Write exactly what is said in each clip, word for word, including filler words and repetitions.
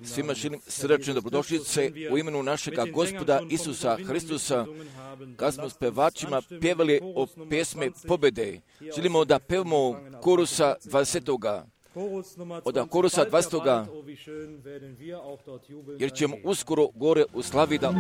Svima želim srdačne dobrodošlice u imenu našega Gospoda Isusa Hristusa, kad smo s pevačima pjevali o pjesme pobjede. Želimo da pevamo korusa dvadesetoga. Od korusa dvadesetoga, jer ćemo uskoro gore u slavi da...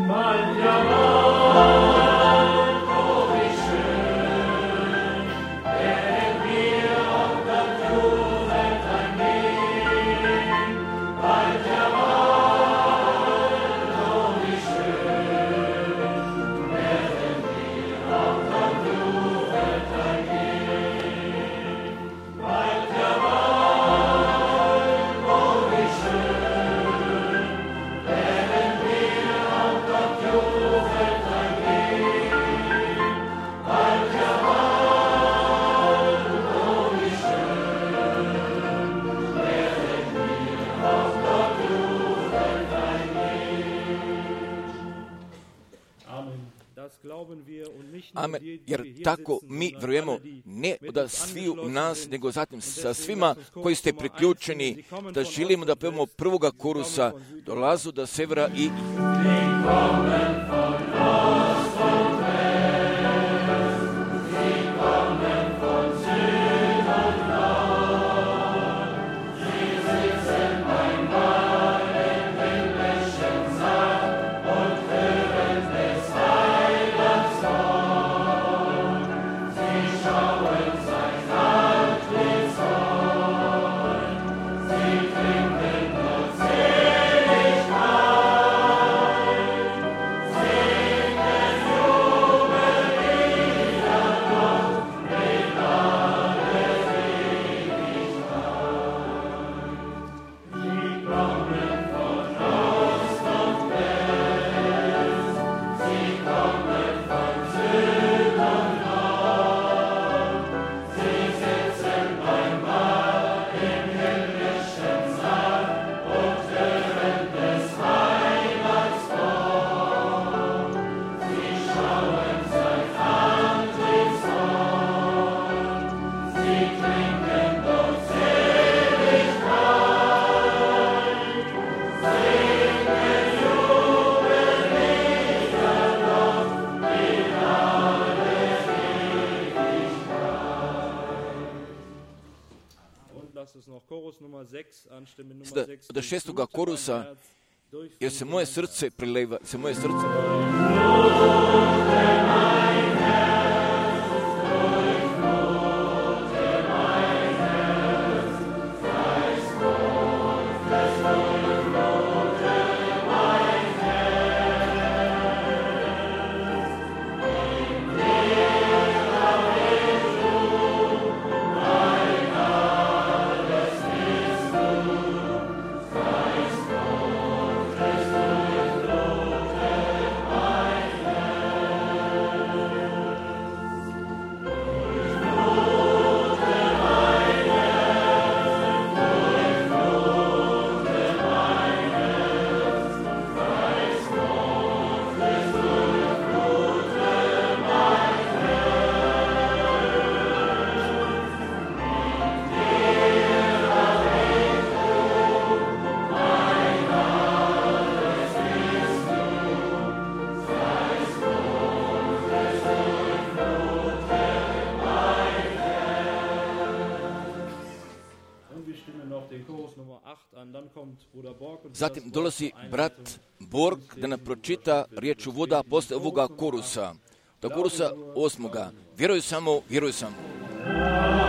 Amen, jer tako mi vjerujemo ne od sviju nas, nego zatim sa svima koji ste priključeni, da želimo da pevamo prvoga korusa, dolazu do severa i... Od šestoga korusa, jer se moje srce prileva, se moje srce... Zatim dolazi brat Borg da nam pročita riječ voda posle ovoga korusa. Do korusa osmoga. Vjeruj samo, vjeruj samo. Hallelujah.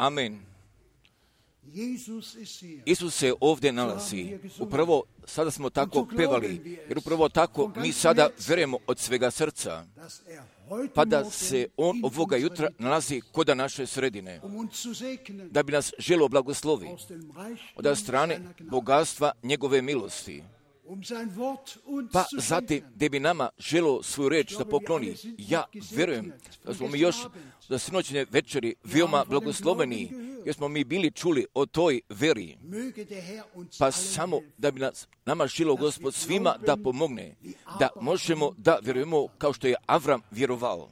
Amen. Isus se ovdje nalazi. Upravo sada smo tako pevali, jer upravo tako mi sada vjerujemo od svega srca, pa da se On ovoga jutra nalazi kod naše sredine, da bi nas želio blagoslovi od strane bogatstva njegove milosti. Pa zatim, gdje bi nama želio svoju reč da pokloni, ja vjerujem da smo mi još za sinoćne večeri veoma blagosloveni, jer smo mi bili čuli o toj veri. Pa samo da bi nas, nama želio Gospod svima da pomogne, da možemo da vjerujemo kao što je Avram vjerovao.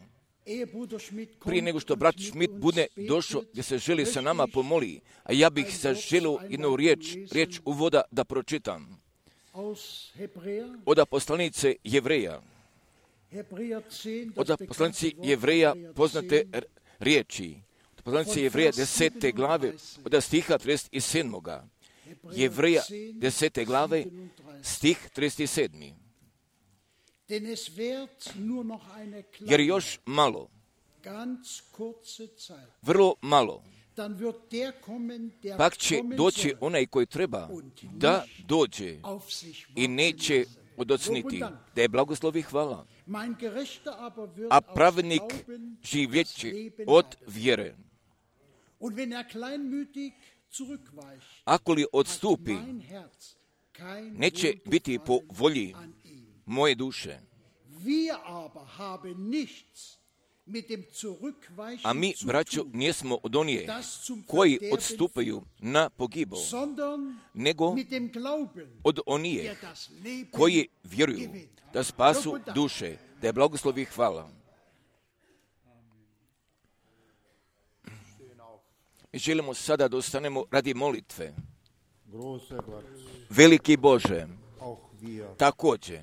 Prije nego što brat Schmidt bude došao gdje se želi sa nama pomoli, a ja bih se želio jednu riječ, riječ uvoda da pročitam. Od poslanice Jevreja. Od poslanici Jevreja poznate riječi. Od poslanice Jevreja desete glave, od stiha trideset sedam. Jevreja desete glave, stih trideset sedam. Jer još malo, vrlo malo, pak će doći onaj koji treba da dođe i neće odocniti, da je blagoslovi hvala. A pravednik živjeće od vjere. Ako li odstupi, neće biti po volji moje duše. A mi, braćo, nijesmo od onije koji odstupaju na pogibao, nego od onije koji vjeruju da spasu duše, da je blagoslovi hvala. Mi želimo sada da ostanemo radi molitve. Veliki Bože, također,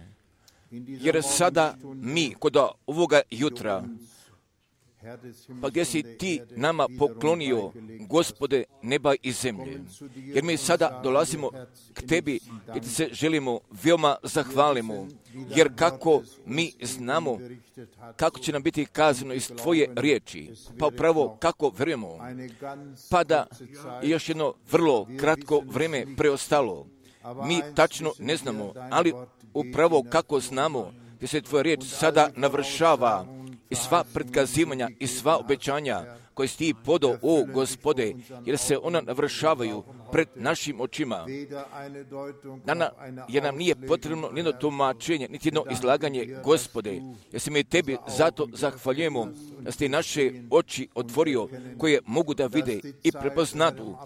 jer sada mi kod ovoga jutra, pa gdje si ti nama poklonio, Gospode neba i zemlje, jer mi sada dolazimo k tebi i ti se želimo veoma zahvalimo, jer kako mi znamo kako će nam biti kazano iz tvoje riječi, pa upravo kako vjerujemo, pa da je još jedno vrlo kratko vrijeme preostalo. Mi tačno ne znamo, ali upravo kako znamo gdje se tvoja riječ sada navršava i sva predkazivanja i sva obećanja koje si ti podao, o Gospode, jer se ona navršavaju pred našim očima. Nana, jer nam nije potrebno nijedno tumačenje, niti jedno izlaganje, Gospode, jer se mi tebi zato zahvaljujemo da ste naše oči otvorio koje mogu da vide i prepoznadu,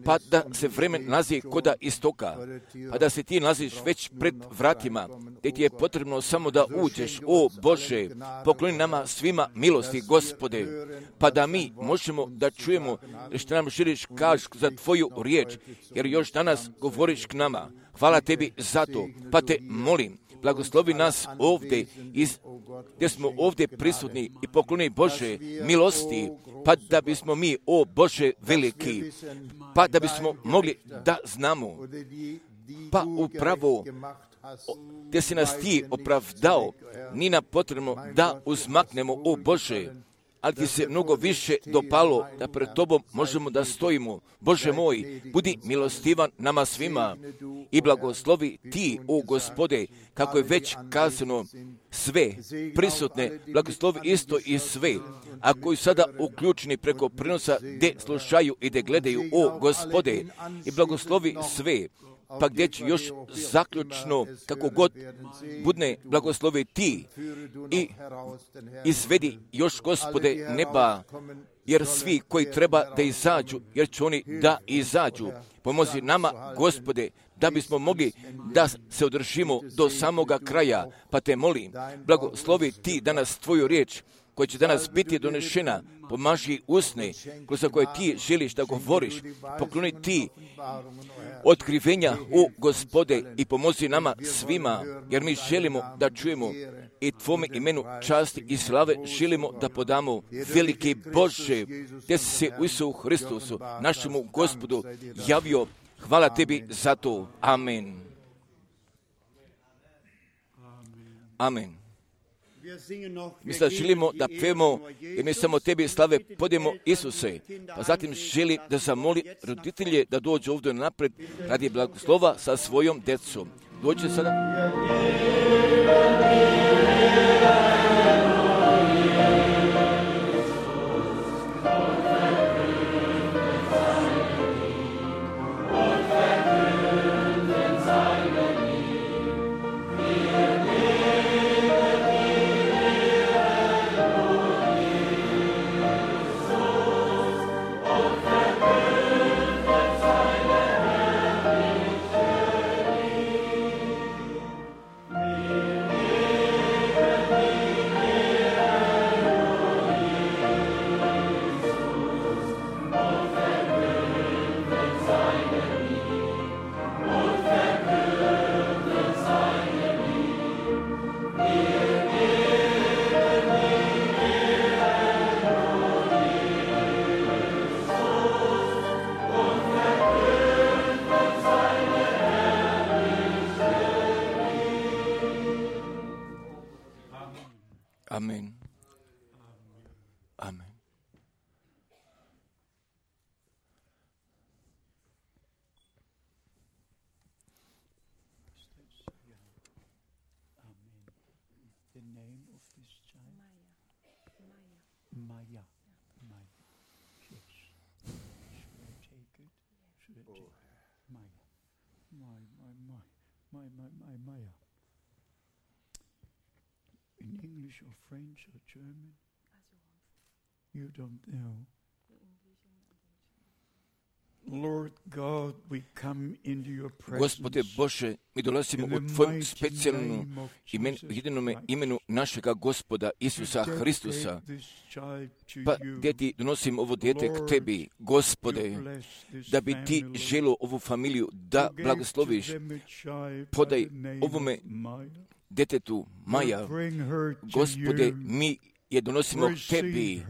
pa da se vremen nalazi koda istoka, pa da se ti nalaziš već pred vratima, gdje ti je potrebno samo da uđeš, o Bože, pokloni nama svima milosti, Gospode, pa da mi možemo da čujemo što nam želiš kaži za tvoju riječ, jer još danas govoriš k nama. Hvala tebi za to, pa te molim, blagoslovi nas ovdje, iz, gdje smo ovdje prisutni i pokloni Bože milosti, pa da bismo mi, o Bože veliki, pa da bismo mogli da znamo, pa upravo gdje si nas ti opravdao, nije nam potrebno da uzmaknemo, o Bože, ali ti se mnogo više dopalo da pred tobom možemo da stojimo. Bože moj, budi milostivan nama svima i blagoslovi ti, o Gospode, kako je već kazano, sve prisutne, blagoslovi isto i sve, a koji sada uključeni preko prenosa gdje slušaju i gdje gledaju, o Gospode, i blagoslovi sve, pa gdje će još zaključno, kako god budne, blagoslovi ti i izvedi još, Gospode, neba, jer svi koji treba da izađu, jer će oni da izađu. Pomozi nama, Gospode, da bismo mogli da se održimo do samoga kraja, pa te molim, blagoslovi ti danas tvoju riječ, koja će danas biti donešena, pomaži usne, kroz koje ti želiš da govoriš, pokloni ti otkrivenja, o Gospode, i pomozi nama svima, jer mi želimo da čujemo i tvome imenu časti i slave želimo da podamo. Veliki Bože, gdje si se u Isusu Hristusu, našemu Gospodu, javio, hvala tebi za to. Amen. Amen. Mi sad želimo da pevamo, jer mi samo tebi slave podijemo Isuse. Pa zatim želi da zamoli roditelje da dođu ovdje napred radi blagoslova sa svojom djecom. Dođe sada. Amen. Amen. The name of this child? Maya. Maya. Maya. Yes. Should I take it? Should I take it? Maya. My, my, my. My, my, my, Maya. In English or French or German? You don't know. Lord God, we come into your presence. Gospode Bože, mi dolazimo u Tvojem specijalnom imen, jedinome imenu našega Gospoda Isusa Hristusa. Pa gdje Ti donosim ovo dijete k Tebi, Gospode, da bi Ti želo ovu familiju da blagosloviš. Podaj ovome djetetu Maja, Gospode, mi je donosimo k Tebi,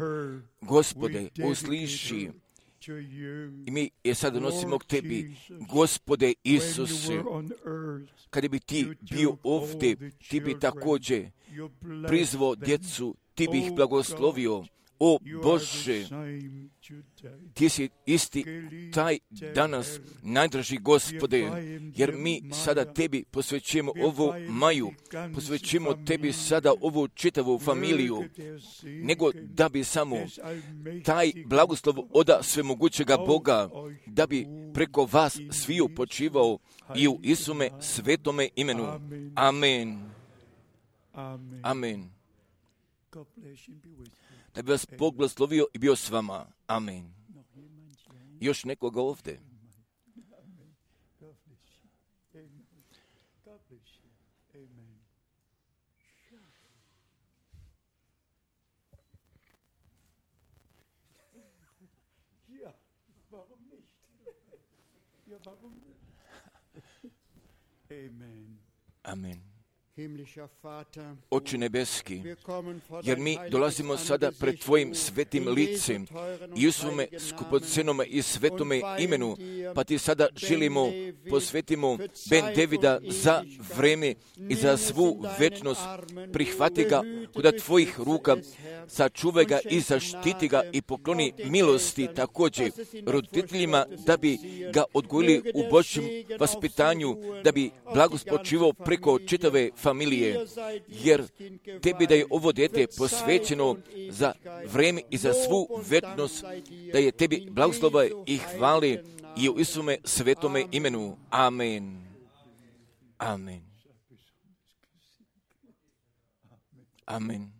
Gospode, usliši. I mi je sad donosimo k Tebi, Gospode Isuse. Kada bi Ti bio ovdje, Ti bi također prizvao djecu, Ti bi ih blagoslovio. O Bože, Ti si isti taj danas, najdraži Gospode, jer mi sada Tebi posvećujemo ovu Maju, posvećujemo Tebi sada ovu čitavu familiju, nego da bi samo taj blagoslov oda svemogućega Boga, da bi preko vas sviju počivao i u Isume svetome imenu. Amen. Amen. Da bi vas Bog blagoslovio i bio s vama. Amen. Još nekoga ovdje? Amen. Oče nebeski, jer mi dolazimo sada pred Tvojim svetim licem i u svome skupocenome i svetome imenu, pa Ti sada želimo posvetimo Ben Davida za vreme i za svu večnost. Prihvati ga kod Tvojih ruka, sačuvaj ga i zaštiti ga i pokloni milosti također roditeljima da bi ga odgojili u Božjem vaspitanju, da bi blagospočivao preko čitave familije, jer Tebi da je ovo dijete posvećeno za vreme i za svu večnost, da je Tebi blagoslova i hvale i u Isume svetome imenu. Amen. Amen. Amen.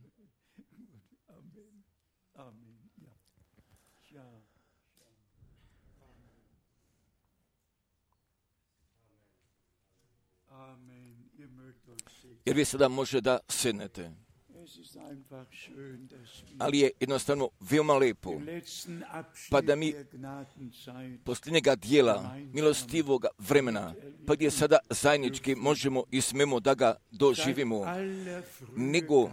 Jer vi sada može da sednete. Ali je jednostavno veoma lepo, pa da mi posljednjega dijela milostivog vremena, pa gdje sada zajednički možemo i smemo da ga doživimo, nego,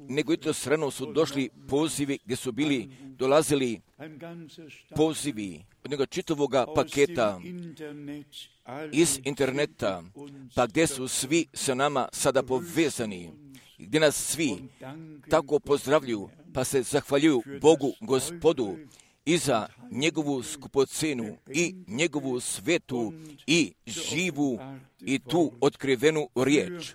nego i to srano su došli pozivi gdje su bili, dolazili pozivi od njega čitavoga paketa iz interneta, pa gdje su svi sa nama sada povezani. gdje nas svi tako pozdravljuju, pa se zahvaljuju Bogu, Gospodu, i za njegovu skupocenu i njegovu svetu i živu i tu otkrivenu riječ.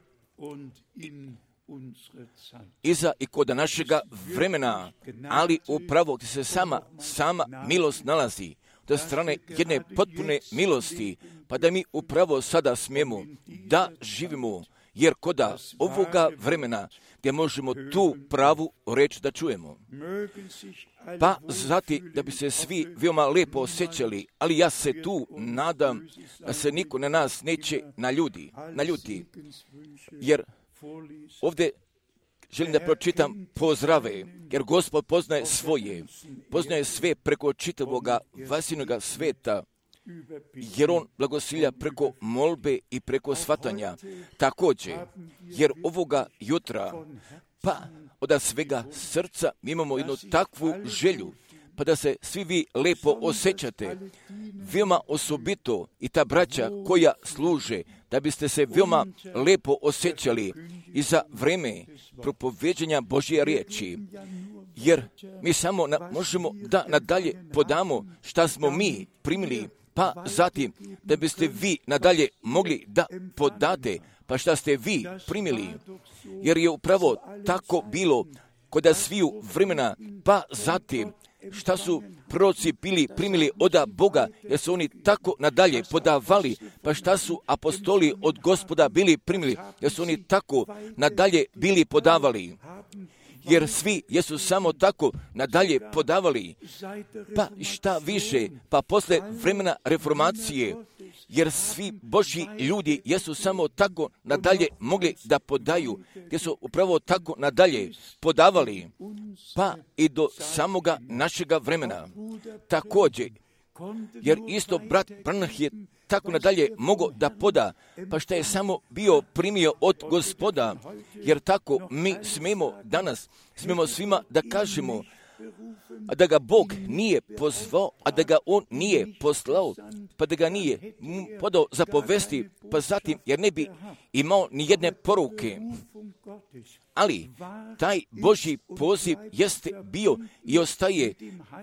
I za i kod našega vremena, ali upravo gdje se sama, sama milost nalazi, do strane jedne potpune milosti, pa da mi upravo sada smijemo da živimo, jer koda ovoga vremena gdje možemo tu pravu reč da čujemo. Pa zati da bi se svi veoma lijepo osjećali, ali ja se tu nadam da se niko na nas neće naljudi, naljuti, jer ovdje želim da pročitam pozdrave, jer Gospod poznaje svoje, poznaje sve preko čitavoga vasinoga sveta, jer on blagosilja preko molbe i preko shvatanja. Također, jer ovoga jutra, pa od svega srca mi imamo jednu takvu želju, pa da se svi vi lepo osjećate, veoma osobito i ta braća koja služe, da biste se veoma lepo osjećali i za vreme propoveđenja Božje riječi, jer mi samo na, možemo da nadalje podamo šta smo mi primili, pa zatim da biste vi nadalje mogli da podate, pa šta ste vi primili, jer je upravo tako bilo kod sviju vremena, pa zatim šta su proroci bili primili od Boga, jer su oni tako nadalje podavali, pa šta su apostoli od Gospoda bili primili, jer su oni tako nadalje bili podavali. Jer svi jesu samo tako nadalje podavali, pa šta više, pa posle vremena reformacije, jer svi Božji ljudi jesu samo tako nadalje mogli da podaju, gdje su upravo tako nadalje podavali, pa i do samoga našega vremena. Također, jer isto brat Branham je tako nadalje mogao da poda, pa šta je samo bio primio od Gospoda, jer tako mi smemo danas, smemo svima da kažemo, a da ga Bog nije pozvao, a da ga On nije poslao, pa da ga nije podao za povesti, pa zatim, jer ne bi imao ni jedne poruke. Ali taj Božji poziv jeste bio i ostaje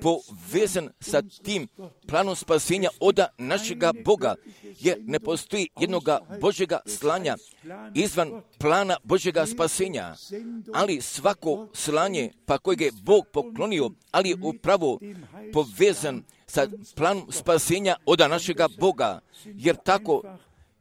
povezan sa tim planom spasenja od našega Boga, jer ne postoji jednoga Božjega slanja izvan plana Božjega spasenja, ali svako slanje pa kojeg je Bog poklonio, ali je upravo povezan sa planom spasenja od našega Boga, jer tako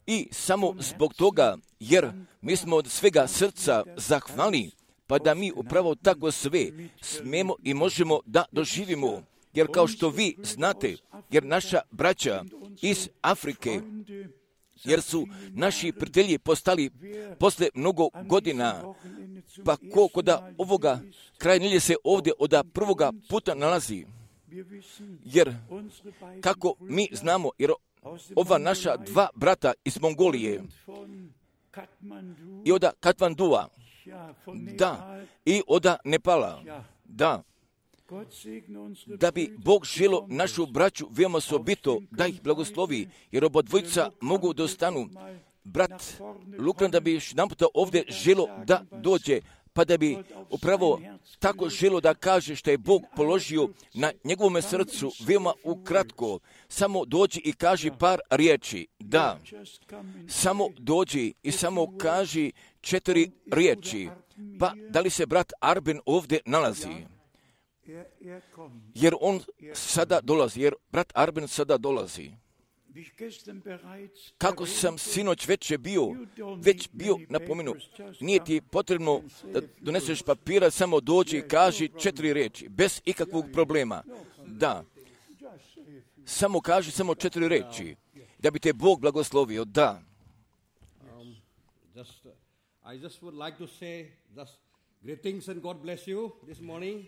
i samo zbog toga, jer mi smo od svega srca zahvalni, pa da mi upravo tako sve smemo i možemo da doživimo. Jer kao što vi znate, jer naša braća iz Afrike, jer su naši prijatelji postali posle mnogo godina, pa ko koda ovoga kraj nelje se ovdje od prvoga puta nalazi. Jer kako mi znamo, jer ova naša dva brata iz Mongolije i od Katmandua, da, i od Nepala, da, da bi Bog želo našu braću veoma osobito da ih blagoslovi, jer obodvojica mogu da ostanu. Brat Lukran da bi još naputa ovdje želo da dođe, pa da bi upravo tako želo da kaže što je Bog položio na njegovom srcu, veoma ukratko, samo dođi i kaži par riječi. Da, samo dođi i samo kaži četiri riječi. Pa da li se brat Arben ovdje nalazi? Jer on sada dolazi, jer brat Arben sada dolazi. Kako sam sinoć već bio, već bio napomenuo, nije ti potrebno da doneseš papira, samo dođi i kaži četiri riječi, bez ikakvog problema. Da, samo kaži samo četiri riječi, da bi te Bog blagoslovio, da. Greetings and God bless you this morning.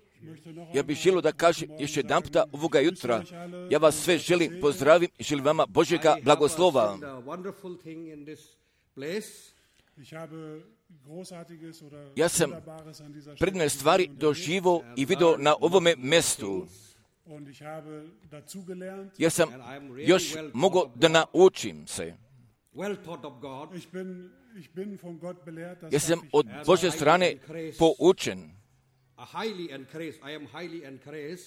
Ja bih želio da kažem još jedan puta ovoga jutra, ja vas sve želim pozdravim i želim vama Božjega blagoslova. Ja sam predivne stvari doživio i vidio na ovome mjestu. Ja sam još mogao da naučim se. well taught of God. Ich bin, ich bin von Gott belehrt, das Ja sam sag ich od Božje strane poučen. Uh, highly encouraged. I am highly encouraged.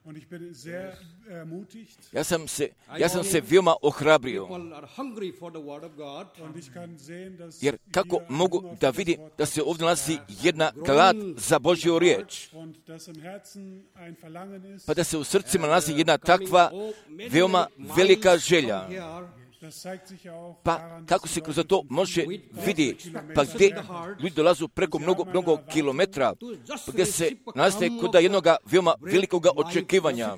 und ich bin sehr ermutigt. Ja sam se, ja sam se veoma ohrabrio. People are hungry for the word of God. Und ich kann sehen, dass Jer kako hier mogu Hunger da für das vidim Wort da se Gottes ovdje nalazi herrscht. jedna glad za Božju riječ, Und dass im Herzen ein Verlangen ist, pa da se u srcima nalazi jedna takva veoma velika želja. das zeigt sich ja auch Pa daran, kako dass se die kroz Leute to može vidi, pa gdje ljudi dolazu preko mnogo, mnogo kilometra, pa gdje se nalaze kod da jednoga veoma velikoga očekivanja,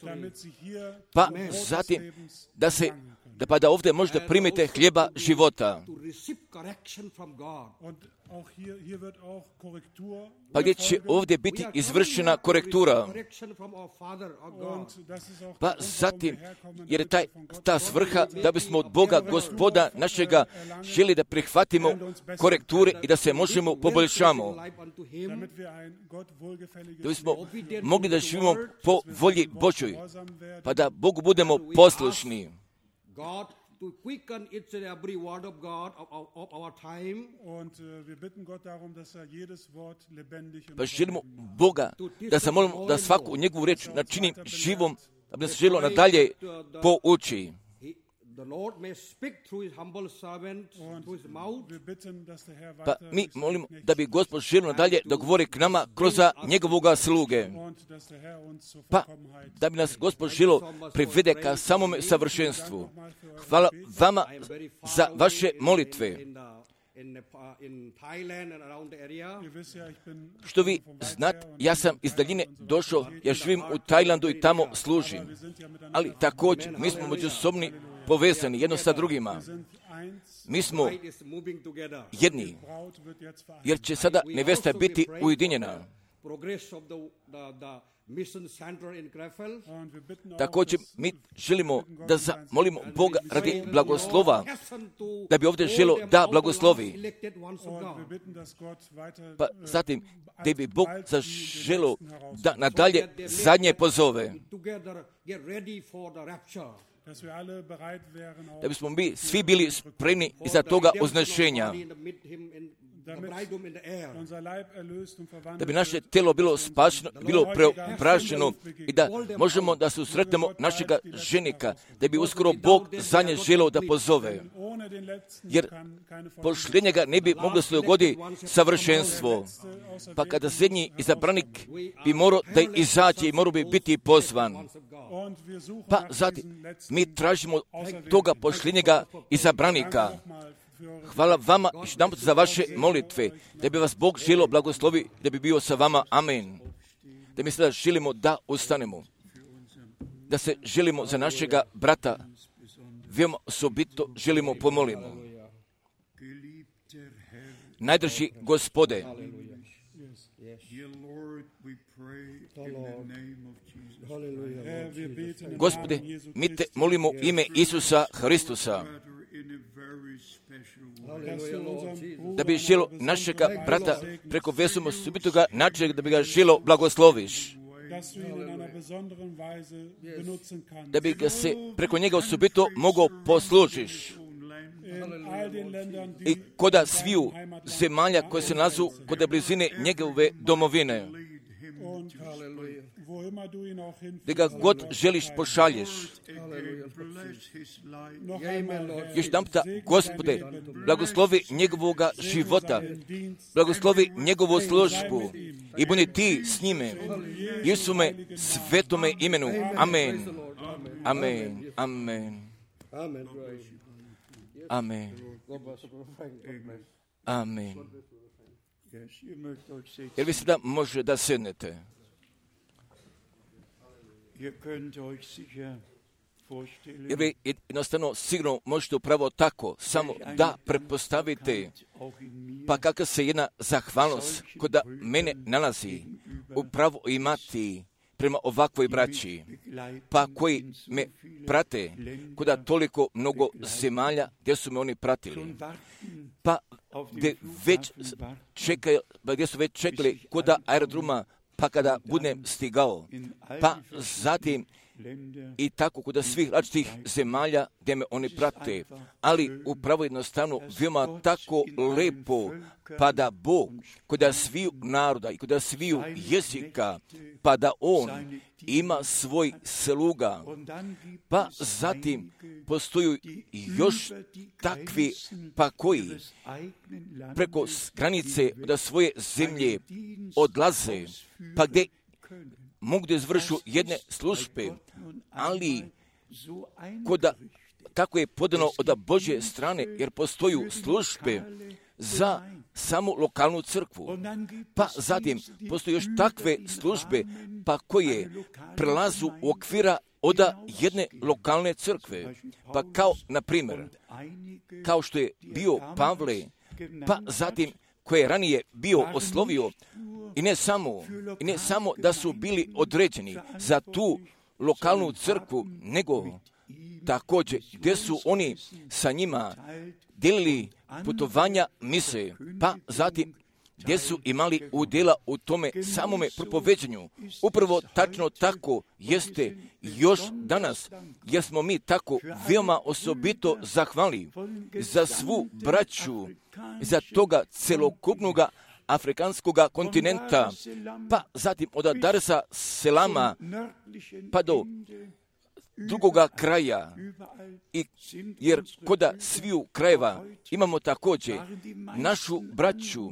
damit sie hier pa Brot des zatim Lebens da se empfangen können. da pa da ovdje možda primite hljeba života, To receive correction from God. Und auch hier, hier wird auch Korrektur pa gdje će erfolgen. ovdje biti izvršena korektura. Correction from our Father, our God. Und das ist auch Pa der Grund, warum zatim, wir herkommen, jer je damit taj, wir von Gott ta svrha da bismo od Boga Gospoda našega želi da prihvatimo korekture i da se možemo poboljšamo, Life unto Him. damit wir ein Gott wohlgefälliges da bismo Leben mogli da živimo po volji Božoj, gehorsam werden. pa da Bogu budemo poslušni. God to quicken each and every word of God of, of, of our time. Und äh, wir bitten Gott darum, dass er jedes Wort lebendig und Pa želimo Boga da se molimo da svaku njegovu riječ načini živom, da bi nas želo nadalje pouči. He, the Lord may speak through His humble servant, through His mouth. wir bitten, dass der Herr Pa weiter mi durch seinen molimo Knecht da bi Gospod želio nadalje da govori k nama kroz njegovoga sluge. und dass der Herr uns zur Pa Vollkommenheit da bi nas Gospod želio privede ka samome savršenstvu. Hvala vama I am very far za away vaše in- molitve. In, the, in, Nepal, in Thailand and around the area. Ihr wisst ja, ich bin Što vi znate, ja sam iz daljine došao, ja živim u Tajlandu i tamo služim. wir sind ja miteinander, Ali također, mi smo međusobni povezani jedno sa drugima. sind eins, Mi smo Bride is moving together. jedni, Braut wird jetzt vereinigt. jer će sada We nevesta also biti will pray for ujedinjena. the Progress of the, the, the mission center in Krefeld. Und wir bitten auch, Također, dass mi želimo da zamolimo Boga radi blagoslova, da bi ovdje želo da blagoslovi. Elected ones of und wir God. bitten, dass Gott weiter Pa äh, zatim, da bi Bog zaželo da nadalje zadnje pozove, Together get ready for the rapture. dass wir alle bereit wären, auch da bismo mi svi bili spremni iza toga označenja, unser Leib erlöst und verwandelt da bi naše telo bilo spašeno, bilo preobraženo i da možemo da susretnemo našega ženika, da bi uskoro Bog za nje želeo da pozove. wird. Ohne den letzten Jer kann keine posljednjega ne bi moglo se dogodi savršenstvo. Pa kada zadnji izabranik bi morao da izađe i morao bi biti pozvan. Und wir suchen Pa nach zatim, diesen letzten mi tražimo toga posljednjega izabranika. nochmal für Hvala vama još jedanput za vaše molitve, da bi vas Bog želio blagoslovi, da bi bio sa vama. Amen. Da mi sada želimo da ustanemo, da se želimo za našega brata, veoma osobito želimo pomolimo. Najdrži Gospode, Dear Lord, we pray in the name of Jesus. Herr, wir beten im Gospode, Namen Jesu mi te Christi, molimo u ime Isusa Hristusa, Brother, in a very special way. dass du unseren Bruder da bi na želo besondere našega Weise brata segnest, preko veoma osobitoga načina da bi ga želo blagosloviš, dass du ihn in einer besonderen Weise benutzen kannst. da bi ga se preko njega osobito mogao poslužiš. In all den Ländern, I die koda sviju zemalja koje se nazu kod blizine njegove domovine, und wo immer du ihn auch da ga hinführst. god želiš pošalješ. Bless his life. Noch einmal, Herr, Još jedan puta, Gospode, blagoslovi njegovoga života, blagoslovi njegovu službu i budi ti s njime. Isume svetome imenu. Amen. Amen. Amen. Amen. Amen. Amen. Yes, ihr mögt euch setzen. Jer vi sada može da sednete. Ihr könnt euch sicher vorstellen, Jer vi jednostavno sigurno možete upravo tako samo da pretpostavite auch in mir, pa kakva se jedna zahvalnost kod mene nalazi upravo imati prema ovakvoj braći, pa koji me prate kuda toliko mnogo zemalja gdje su me oni pratili, pa gdje već čekaju, pa gdje su već čekali kuda aerodroma, pa kada budem stigao, pa zatim i tako kod svih različitih zemalja gdje me oni prate, ali upravo jednostavno veoma tako lepo, pa da Bog kod sviju naroda i kod sviju jezika, pa da On ima svoj sluga, pa zatim postoju još takvi, pa koji preko granice od svoje zemlje odlaze, pa gdje mogu da izvršu jedne službe, ali koda, kako je podano od Božje strane, jer postoju službe za samo lokalnu crkvu. Pa zatim postoje još takve službe, pa koje prelazu u okvira od jedne lokalne crkve. Pa kao, na primjer, kao što je bio Pavle, pa zatim koje je ranije bio oslovio, i ne samo, i ne samo da su bili određeni za tu lokalnu crkvu, nego također gdje su oni sa njima dijelili putovanja mise, pa zatim gdje su imali udjela u tome samome propoveđenju. Upravo tačno tako jeste još danas, jer smo mi tako veoma osobito zahvali za svu braću, za toga celokupnog afrikanskog kontinenta, pa zatim od Dar es Selama pa do drugoga kraja, i jer koda sviju krajeva imamo također našu braću,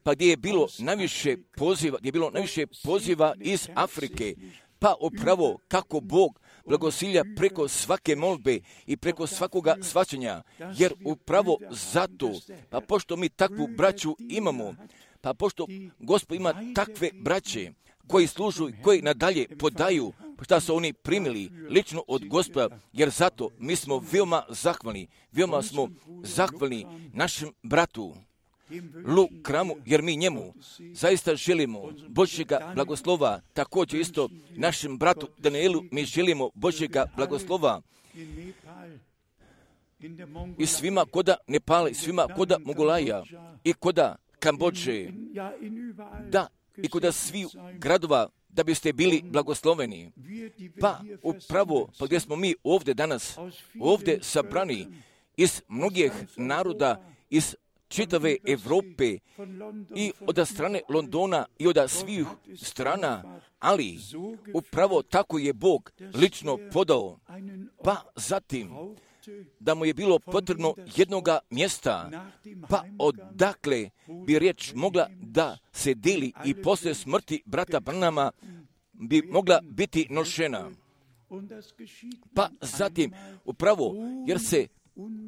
pa gdje je bilo najviše poziva, gdje je bilo najviše poziva iz Afrike, pa upravo kako Bog blagosilja preko svake molbe i preko svakoga svaćanja, jer upravo zato, pa pošto mi takvu braću imamo, pa pošto Gospod ima takve braće koji služu i koji nadalje podaju šta su oni primili lično od Gospoda, jer zato mi smo veoma zahvalni, veoma smo zahvalni našem bratu Lu Kramu, jer mi njemu zaista želimo Božjega blagoslova, također isto našem bratu Danielu mi želimo Božjega blagoslova i svima koda Nepala, i svima koda Mongolaja i koda Kambodže, da, i koda svih gradova, da biste bili blagosloveni. Pa upravo, pa gdje smo mi ovdje danas, ovdje sabrani iz mnogih naroda, iz čitave Evrope i od strane Londona i od svih strana, ali upravo tako je Bog lično podao. Pa zatim, da mu je bilo potrebno jednoga mjesta, pa odakle bi riječ mogla da se deli i poslije smrti brata Branhama bi mogla biti nošena. Pa zatim, upravo, jer se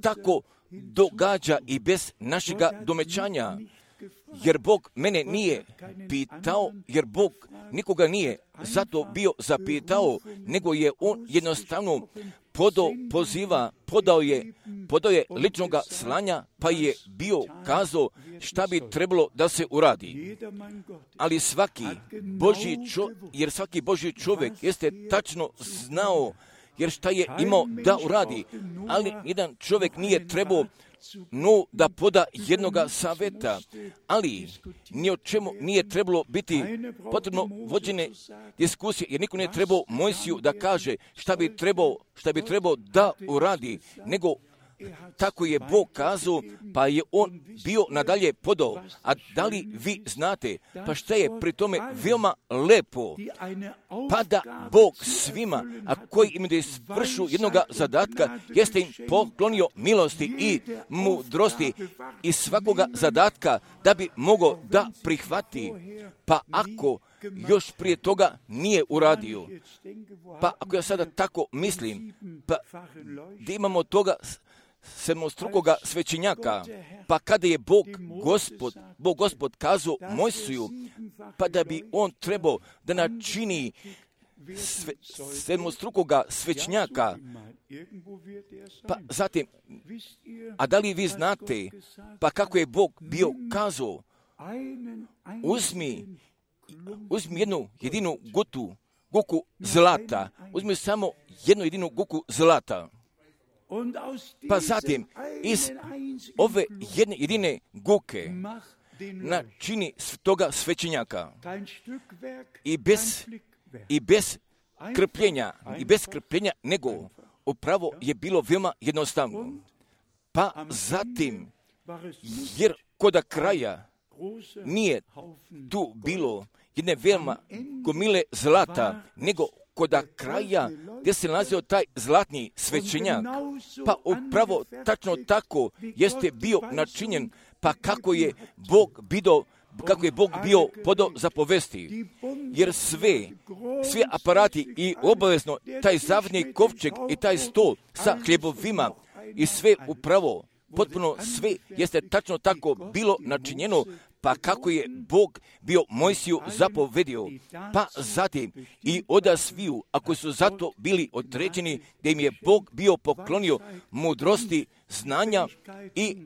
tako događa i bez našega domećanja, jer Bog mene nije pitao, jer Bog nikoga nije zato bio zapitao, nego je On jednostavno podao poziva, podao je, podao je ličnoga slanja, pa je bio kazao šta bi trebalo da se uradi. Ali svaki Božji čovjek, jer svaki Božji čovjek jeste tačno znao, jer šta je imao da uradi, ali jedan čovjek nije trebao no da poda jednoga saveta, ali ni o čemu nije trebalo biti potrebno vođene diskusije, jer niko nije trebao Mojsiju da kaže šta bi trebao, šta bi trebao da uradi, nego tako je Bog kazao, pa je On bio nadalje podao. A da li vi znate, pa šta je pri tome veoma lepo, pa da Bog svima, a koji im da izvršu jednoga zadatka, jeste im poklonio milosti i mudrosti i svakoga zadatka da bi mogao da prihvati. Pa ako još prije toga nije uradio, pa ako ja sada tako mislim, pa da imamo toga sedmostrukoga svećenjaka, pa kada je Bog Gospod, Bog Gospod kazao Mojsiju, pa da bi on trebao da načini sve, sedmostrukoga svećenjaka, pa zatim, a da li vi znate, pa kako je Bog bio kazao, uzmi, uzmi jednu jedinu gutu, guku zlata, uzmi samo jednu jedinu guku zlata. Pa zatim, iz ove jedne jedine guke načini toga svećenjaka i bez, i bez krpljenja i bez krpljenja, nego upravo je bilo veoma jednostavno. Pa zatim, jer koda kraja nije tu bilo jedne veoma gomile zlata, nego koda kraja gdje se nalazio taj zlatni svećenjak, pa upravo tačno tako jeste bio načinjen, pa kako je Bog bio, kako je Bog bio podao za povesti, jer sve, sve aparati i obavezno taj zavni kovčeg i taj stol sa hljebovima i sve upravo, potpuno sve jeste tačno tako bilo načinjeno, pa kako je Bog bio Mojsiju zapovedio, pa zatim i oda sviju, ako su zato bili određeni, da im je Bog bio poklonio mudrosti, znanja i,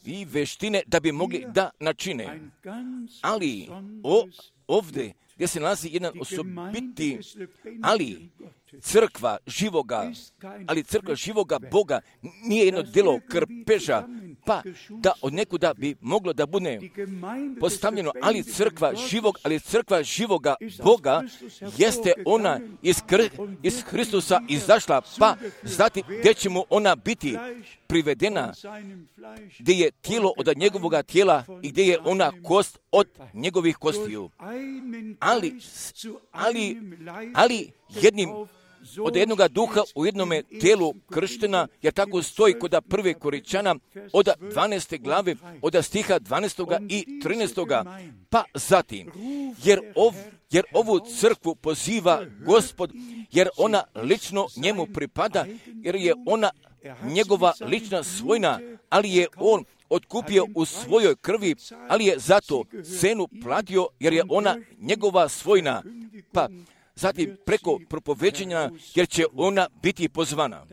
i veštine da bi mogli da načine. Ali o, ovdje gdje se nalazi jedan osobiti, ali crkva živoga, ali crkva živoga Boga nije jedno djelo krpeža, pa da od nekuda bi moglo da bude postavljeno, ali crkva živog, ali crkva živoga Boga jeste ona iz, kr- iz Hristusa izašla, pa zatim gdje će mu ona biti privedena, gdje je tijelo od njegovoga tijela i gdje je ona kost od njegovih kostiju. Ali, ali, ali jednim od jednoga duha u jednome tijelu krštena, jer tako stoji kod prve Koričana od dvanaeste glave, od stiha dvanaestoga i trinaestoga. Pa zatim, jer, ov, jer ovu crkvu poziva Gospod, jer ona lično njemu pripada, jer je ona njegova lična svojina, ali je on otkupio u svojoj krvi, ali je zato cenu platio, jer je ona njegova svojina. Pa zatim preko propoveđenja, jer će ona biti pozvana.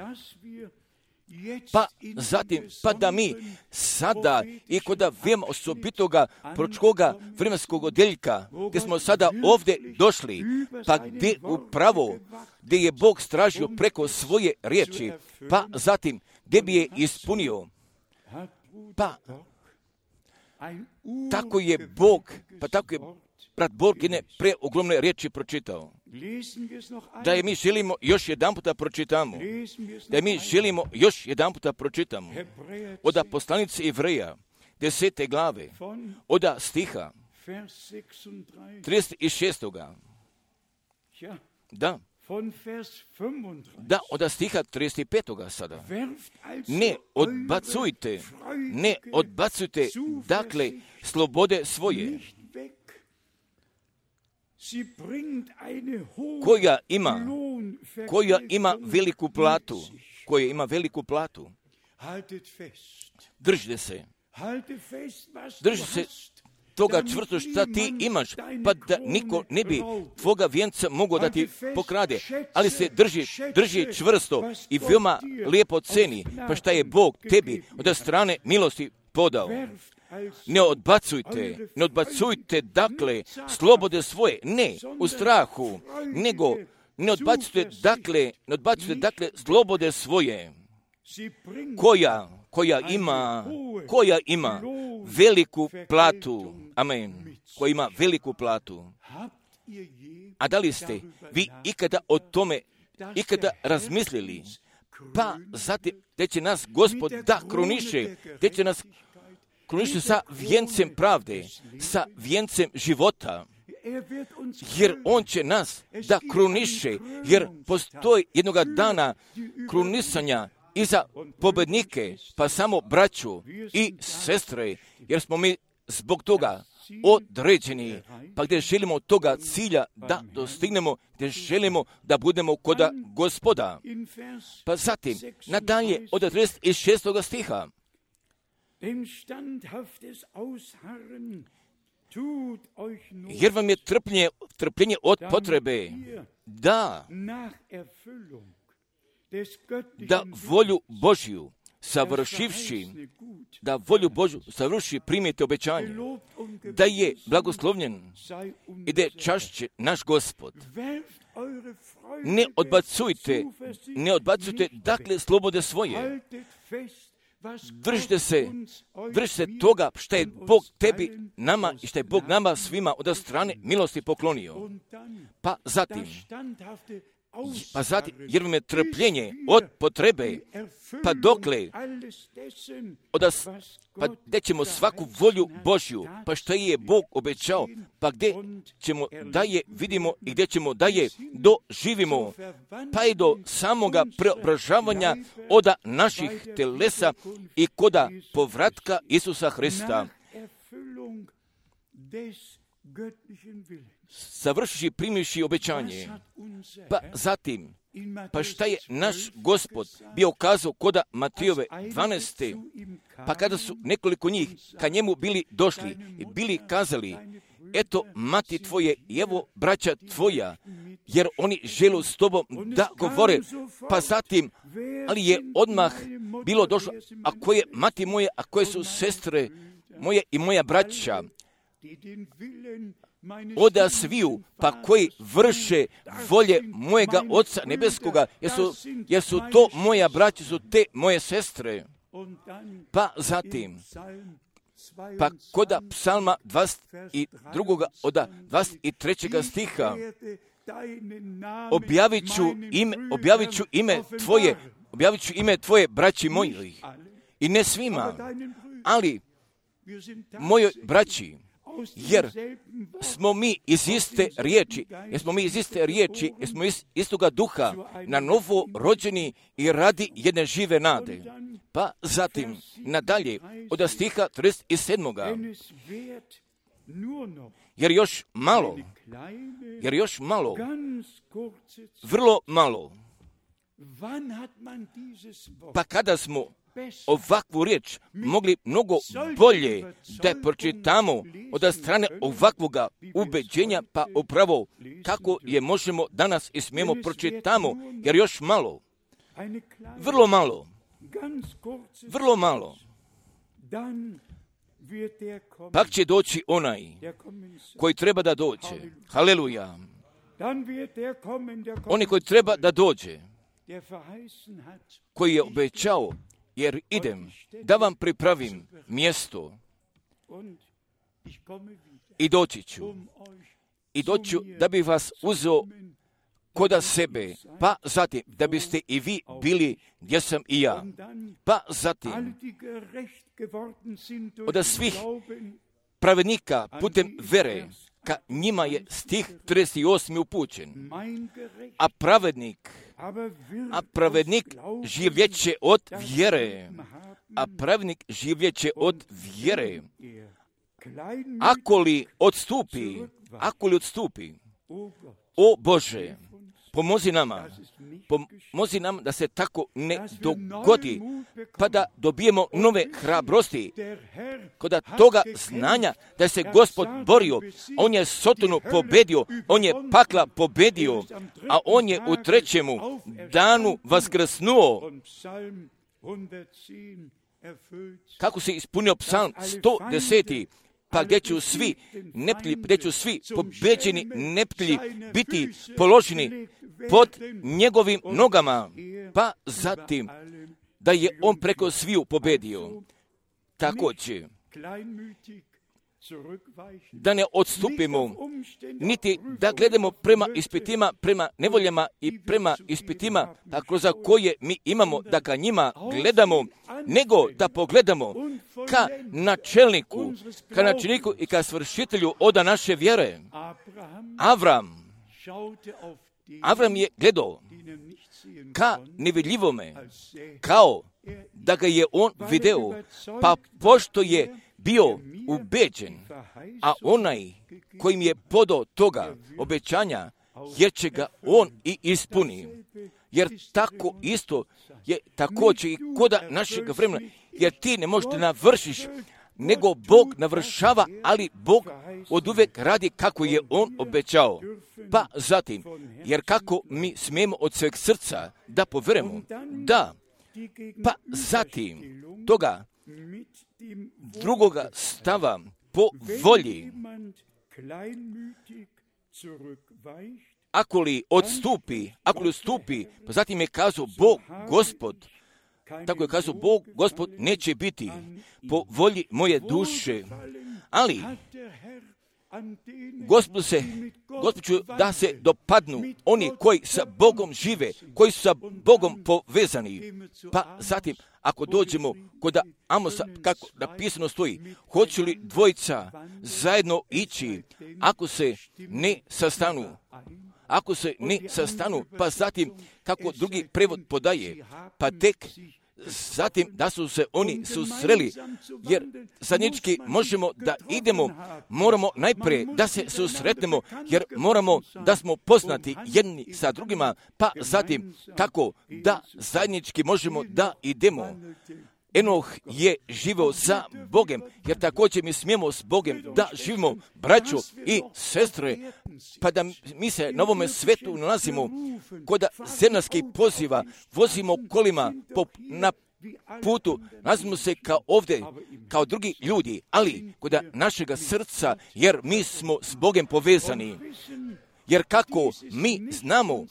Pa zatim, pa da mi sada i kod veoma osobitoga proročkoga vremenskog odjeljka, gdje smo sada ovdje došli, pa gdje upravo, gdje je Bog stražio preko svoje riječi, pa zatim gdje bi je ispunio, pa tako je Bog, pa tako je brat Borg jedne preogromne riječi pročitao. Da je mi želimo još jedan puta pročitamo. Da je mi želimo još jedan puta pročitamo. Od poslanice Ivreja, desete glave, od stiha trideset šestoga. Da. Da, od stiha trideset petoga sada. Ne odbacujte, ne odbacujte, dakle, slobode svoje, koja ima, koja ima veliku platu, koja ima veliku platu. Držite se, držite se toga čvrsto šta ti imaš, pa da niko ne bi tvoga vijenca mogao da ti pokrade, ali se drži, drži čvrsto i veoma lijepo ceni, pa šta je Bog tebi od strane milosti podao. Ne odbacujte, ne odbacujte, dakle, slobode svoje, ne u strahu, nego ne odbacujte, dakle, ne odbacujte, dakle, slobode svoje, koja, koja ima, koja ima veliku platu, amen, koja ima veliku platu. A da li ste vi ikada o tome, ikada razmislili, pa zatim, gdje će nas Gospod da kruniše, gdje će nas kruniše sa vijencem pravde, sa vijencem života, jer on će nas da kruniše, jer postoji jednoga dana krunisanja i za pobednike, pa samo braću i sestre, jer smo mi zbog toga određeni, pa gdje želimo toga cilja da dostignemo, gdje želimo da budemo koda Gospoda. Pa zatim, nadalje od trideset šestoga stiha, jer vam je trpljenje, trpljenje od potrebe, da, da volju Božju savršivši, da volju Božju savrši primijete obećanje, da je blagoslovljen i da je čašće naš Gospod. Ne odbacujte, ne odbacujte, dakle, slobode svoje. Držite se, držite se toga što je Bog tebi, nama i što je Bog nama svima od strane milosti poklonio. Pa zatim, pa zatim, jer vam je trpljenje od potrebe, pa dokle, odas, pa gdje ćemo svaku volju Božju, pa što je Bog obećao, pa gdje ćemo da je vidimo i gdje ćemo da je doživimo, pa i do samoga preobražavanja oda naših telesa i koda povratka Isusa Hrista. Završiši primivši obećanje, pa zatim, pa šta je naš Gospod bio kazao koda Matijove dvanaeste, pa kada su nekoliko njih ka njemu bili došli i bili kazali, eto mati tvoje i evo braća tvoja, jer oni žele s tobom da govore, pa zatim, ali je odmah bilo došlo, a koje mati moje, a koje su sestre moje i moja braća, oda sviju, pa koji vrše volje mojega Oca Nebeskoga, jer su, jer su to moja braća, su te moje sestre. Pa zatim, pa koda psalma dvadeset dva. oda dvadeset trećeg stiha, objavit ću ime, objavit ću ime tvoje, objavit ću ime tvoje braći mojih, i ne svima, ali mojoj braći, jer smo mi iz iste riječi, jer smo mi iz iste riječi, jer smo iz istoga duha na novo rođeni i radi jedne žive nade. Pa zatim, nadalje, od stiha trideset sedam. Jer još malo, jer još malo, vrlo malo, pa kada smo ovakvu riječ mogli mnogo bolje da pročitamo od strane ovakvoga ubeđenja, pa upravo kako je možemo danas i smijemo pročitamo, jer još malo, vrlo malo, vrlo malo, pak će doći onaj koji treba da dođe. Haleluja. Oni koji treba da dođe, koji je obećao, jer idem da vam pripravim mjesto i doći ću. I doću da bih vas uzeo koda sebe, pa zatim da biste i vi bili gdje sam i ja. Pa zatim od svih pravednika putem vere, ka njima je stih trideset osmi upućen. A pravednik, a pravednik življeće od vjere. A pravednik življeće od vjere. Ako li odstupi, ako li odstupi, o Bože, pomozi nama, pomozi nam da se tako ne dogodi, pa da dobijemo nove hrabrosti, kod toga znanja da se Gospod borio, on je Sotonu pobedio, on je pakla pobedio, a on je u trećemu danu vaskrsnuo. Kako se ispunio psalm sto deset. Pa gdje ću svi neptilji, gdje ću svi pobeđeni neptilji biti položeni pod njegovim nogama, pa zatim da je on preko sviju pobedio. Također, da ne odstupimo, niti da gledamo prema ispitima, prema nevoljama i prema ispitima, tako za koje mi imamo da ka njima gledamo, nego da pogledamo ka načelniku, ka načelniku i ka svršitelju oda naše vjere. Avram, Avram je gledao ka nevidljivome, kao da ga je on video, pa pošto je bio ubeđen, a onaj kojim je podao toga obećanja, jer će ga on i ispuni. Jer tako isto je također i koda našeg vremena, jer ti ne možeš da navršiš, nego Bog navršava, ali Bog od uvijek radi kako je on obećao. Pa zatim, jer kako mi smijemo od sveg srca da poverujemo, da, pa zatim toga drugoga stava po volji, ako li odstupi, ako li odstupi, pa zatim je kazao Bog, Gospod, tako je kazao Bog, Gospod neće biti po volji moje duše, ali Gospod se, Gospodu da se dopadnu oni koji sa Bogom žive, koji su sa Bogom povezani. Pa zatim, ako dođemo kod Amosa, kako napisano stoji, hoće li dvojica zajedno ići ako se ne sastanu? Ako se ne sastanu, pa zatim, kako drugi prevod podaje, pa tek zatim da su se oni susreli, jer zajednički možemo da idemo, moramo najprije da se susretnemo, jer moramo da smo poznati jedni sa drugima, pa zatim tako da zajednički možemo da idemo. Enoh je živio sa Bogem, jer također mi smijemo s Bogem da živimo, braćo i sestre, pa da mi se na ovome svetu nalazimo kod zemaljskih poziva, vozimo kolima po, na putu, nalazimo se kao ovdje, kao drugi ljudi, ali kod našega srca, jer mi smo s Bogem povezani. Jer kako mi znamo,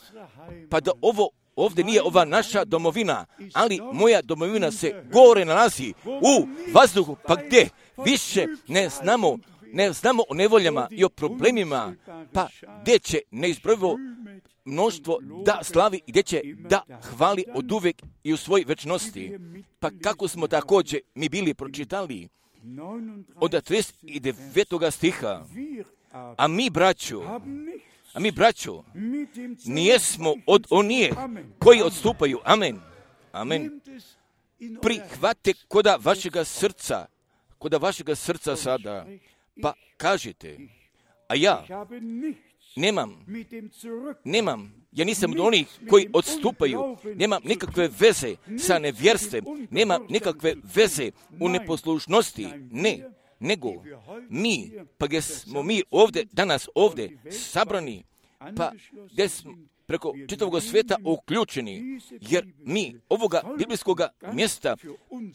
pa da ovo ovdje nije ova naša domovina, ali moja domovina se gore nalazi u vazduhu, pa gdje više ne znamo, ne znamo o nevoljama i o problemima, pa gdje će neizbrojivo mnoštvo da slavi i gdje će da hvali od uvijek i u svoj večnosti. Pa kako smo također mi bili pročitali od trideset devetog stiha, a mi braćo, A mi, braćo, nijesmo od onih koji odstupaju. Amen. Amen. Prihvate koda vašega srca, koda vašega srca sada, pa kažete, a ja nemam, nemam, ja nisam od onih koji odstupaju, nemam nikakve veze sa nevjerstvom, nemam nikakve veze u neposlušnosti, ne. Nego mi, pa gdje smo mi ovdje, danas ovdje sabrani, pa gdje smo preko čitavog svijeta uključeni, jer mi ovoga biblijskog mjesta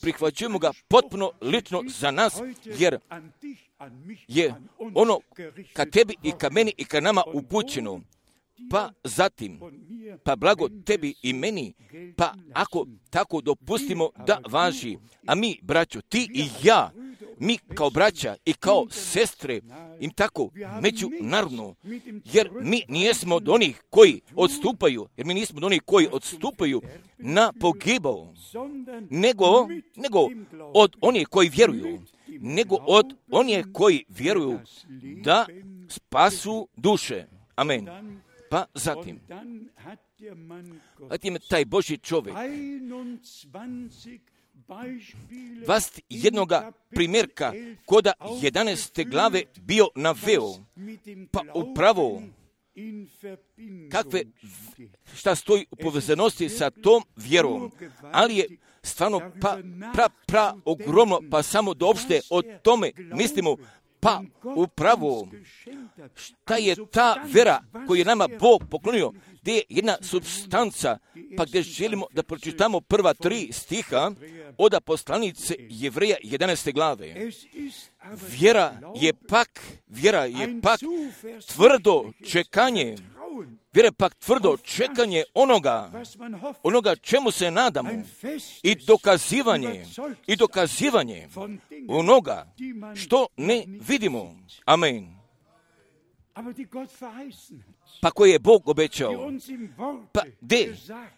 prihvaćujemo ga potpuno lično za nas, jer je ono ka tebi i ka meni i ka nama upućeno. Pa zatim, pa blago tebi i meni, pa ako tako dopustimo da važi, a mi, braćo, ti i ja, mi kao braća i kao sestre im tako međunarodno, jer mi nijesmo od onih koji odstupaju, jer mi nismo od onih koji odstupaju na pogibao, nego, nego od onih koji vjeruju, nego od onih koji vjeruju da spasu duše. Amen. Pa zatim, zatim taj Božji čovjek dvadeset jednoga primjerka koda jedanaeste glave bio naveo, pa upravo kakve, šta stoji u povezanosti sa tom vjerom, ali je stvarno pa pra, pra ogromno, pa samo da opšte o tome mislimo, pa upravo šta je ta vera koju je nama Bog poklonio, gdje je jedna substanca, pa gdje želimo da pročitamo prva tri stiha od poslanice Jevreja jedanaeste glave. Vjera je pak, vjera je pak tvrdo čekanje, vjera je pak tvrdo čekanje onoga, onoga čemu se nadamo, i dokazivanje, i dokazivanje onoga što ne vidimo. Amen. Pa koje je Bog obećao, pa gdje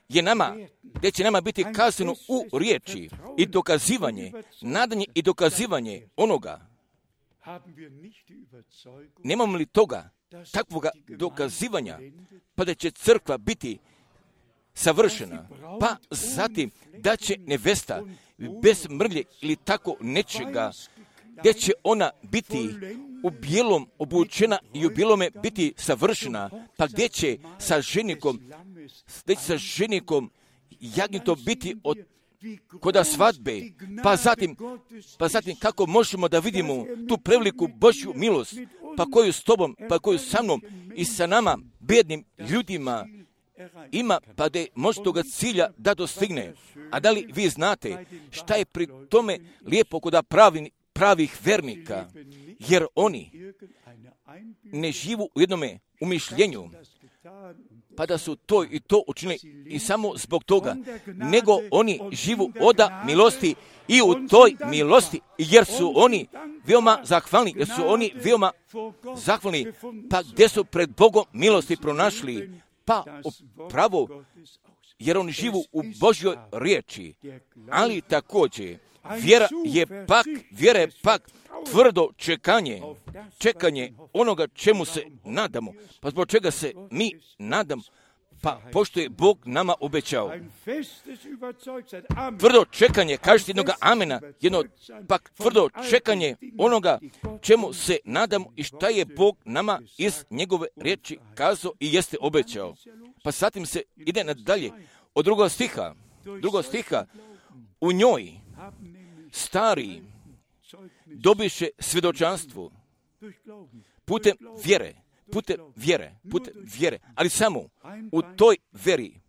je nama, gdje će nama biti kazano u riječi i dokazivanje, nadanje i dokazivanje onoga. Nemamo li toga, takvoga dokazivanja, pa da će crkva biti savršena, pa zatim da će nevesta bez mrlje ili tako nečega, gdje će ona biti u bijelom obučena i u bijelome biti savršena, pa gdje će sa ženikom, gdje će sa ženikom jagnjetom biti od koda svadbe, pa zatim, pa zatim kako možemo da vidimo tu preveliku Božju milost, pa koju s tobom, pa koju sa mnom i sa nama, bednim ljudima, ima, pa da može toga cilja da dostigne. A da li vi znate šta je pri tome lijepo kod pravi, pravih vernika, jer oni ne živu u jednome umišljenju, pa da su to i to učinili i samo zbog toga, nego oni živu oda milosti i u toj milosti, jer su oni veoma zahvalni, jer su oni veoma zahvalni, pa gdje su pred Bogom milosti pronašli, pa upravo, jer oni živu u Božjoj riječi, ali također, vjera je pak, vjera je pak tvrdo čekanje, čekanje onoga čemu se nadamo. Pa zbog čega se mi nadamo? Pa pošto je Bog nama obećao. Tvrdo čekanje, kažete jednoga amena, jedno pak tvrdo čekanje onoga čemu se nadamo i šta je Bog nama iz njegove riječi kazao i jeste obećao. Pa zatim se ide nadalje od drugog stiha. Drugog stiha, u njoj stari dobiše svjedočanstvo putem vjere, putem vjere, putem vjere, ali samo u toj vjeri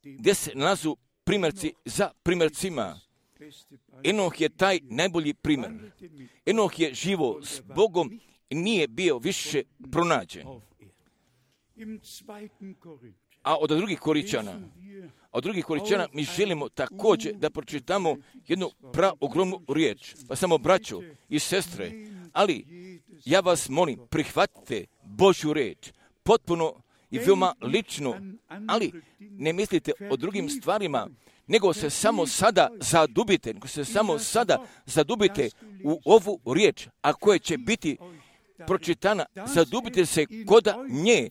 gdje se nalazu primjerci za primjercima. Enoh je taj najbolji primjer. Enoh je živo s Bogom i nije bio više pronađen. A od drugih Koričana, od drugih Koričana mi želimo također da pročitamo jednu praogromnu riječ. Pa samo braćo i sestre, ali ja vas molim, prihvatite Božju riječ, potpuno i veoma lično, ali ne mislite o drugim stvarima, nego se samo sada zadubite, nego se samo sada zadubite u ovu riječ, a koja će biti pročitana, zadubite se koda nje,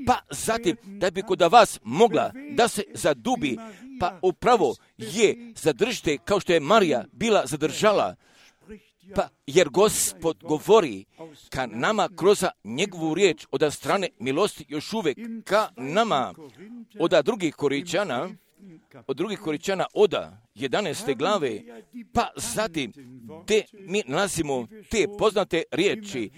pa zatim da bi koda vas mogla da se zadubi, pa upravo je zadržite kao što je Marija bila zadržala, pa jer Gospod govori ka nama kroz njegovu riječ od strane milosti još uvijek ka nama od drugih Koričana, od drugih Koričana oda jedanaeste glave, pa zatim te mi nalazimo te poznate riječi,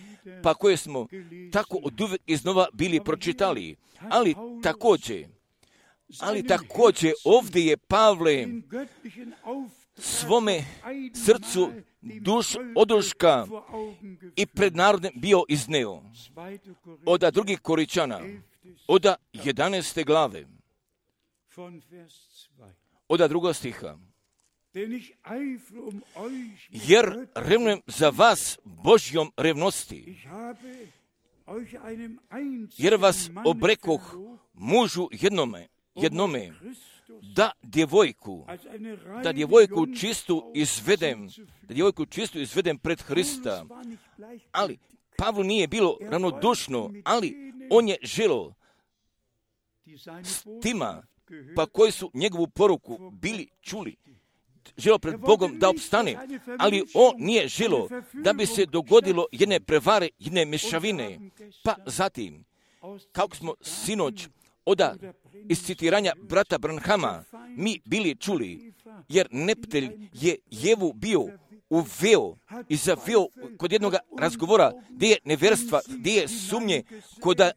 pa koje smo tako od uvijek iznova bili pročitali. Ali također, ali također ovdje je Pavle svome srcu duš oduška i pred narodem bio izneo. Od drugih Koričana, od jedanaeste glave, od drugog stiha. Jer revnujem za vas Božjom revnosti, jer vas obrekoh mužu jednome, jednome, da djevojku, da djevojku čistu izvedem, da djevojku čistu izvedem pred Hrista. Ali Pavlu nije bilo ravnodušno, ali on je želio s tima, pa koji su njegovu poruku bili čuli, želio pred Bogom da opstane, ali on nije želio da bi se dogodilo jedne prevare, jedne mješavine. Pa zatim, kako smo sinoć oda iz citiranja brata Branhama mi bili čuli, jer neptelj je Jevu bio uveo i zaveo kod jednog razgovora gdje je nevjerstva, gdje je sumnje koda,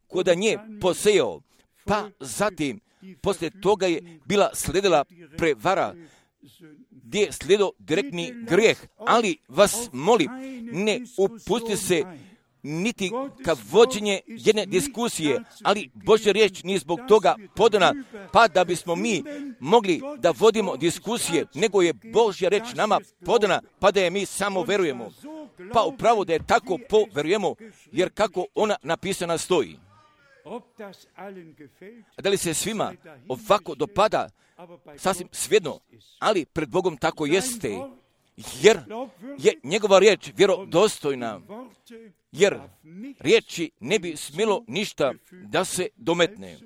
koda nje posejao. Pa zatim, poslije toga je bila sledila prevara, gdje je slijedio direktni grijeh, ali vas molim, ne upusti se niti ka vođenje jedne diskusije, ali Božja riječ nije zbog toga podana, pa da bismo mi mogli da vodimo diskusije, nego je Božja riječ nama podana, pa da je mi samo verujemo. Pa upravo da je tako poverujemo, jer kako ona napisana stoji. A da li se svima ovako dopada, sasvim svejedno, ali pred Bogom tako jeste, jer je njegova riječ vjerodostojna, jer riječi ne bi smjelo ništa da se dometne.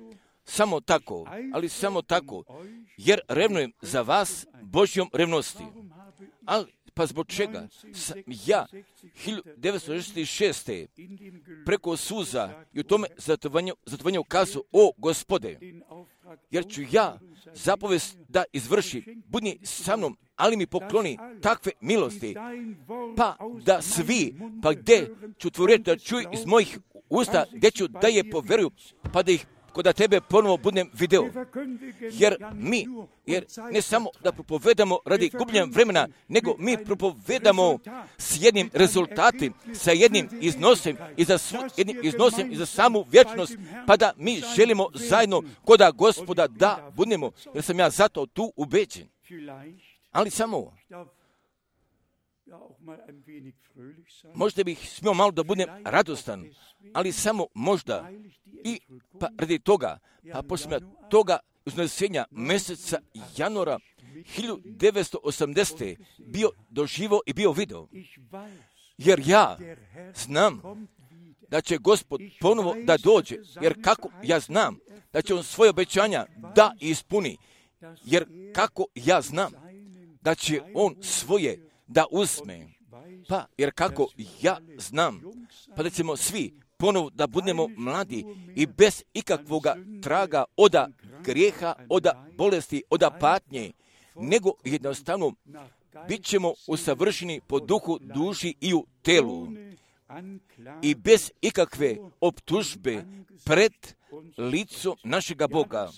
Samo tako, ali samo tako, jer revnujem za vas Božjom revnosti. Ali, pa zbog čega sam ja hiljadu devetsto šezdeset šeste. preko suza i u tome zatovanju kazao, o Gospode, jer ću ja zapovest da izvrši, budni sa mnom, ali mi pokloni takve milosti, pa da svi, pa gdje ću tvoju riječ da čuju iz mojih usta, gdje ću da je poveruju, pa da ih da tebe ponovo budem video. Jer mi, jer ne samo da propovedamo radi gubljenja vremena, nego mi propovedamo s jednim rezultatom, sa jednim iznosom i za, svu, jednim iznosom i za samu vječnost, pa da mi želimo zajedno koda Gospoda da budemo, jer sam ja zato tu ubeđen. Ali samo, možda bih smio malo da budem radostan, ali samo možda i pa radi toga, pa poslije toga uznesenja mjeseca januara hiljadu devetsto osamdesete bio doživo i bio video. Jer ja znam da će Gospod ponovo da dođe, jer kako ja znam da će on svoje obećanja da ispuni, jer kako ja znam da će on svoje da uzme, pa jer kako ja znam, pa da ćemo svi ponovo da budemo mladi i bez ikakvoga traga oda grijeha, oda bolesti, oda patnje, nego jednostavno bit ćemo usavršeni po duhu, duši i u telu i bez ikakve optužbe pred licu našega Boga.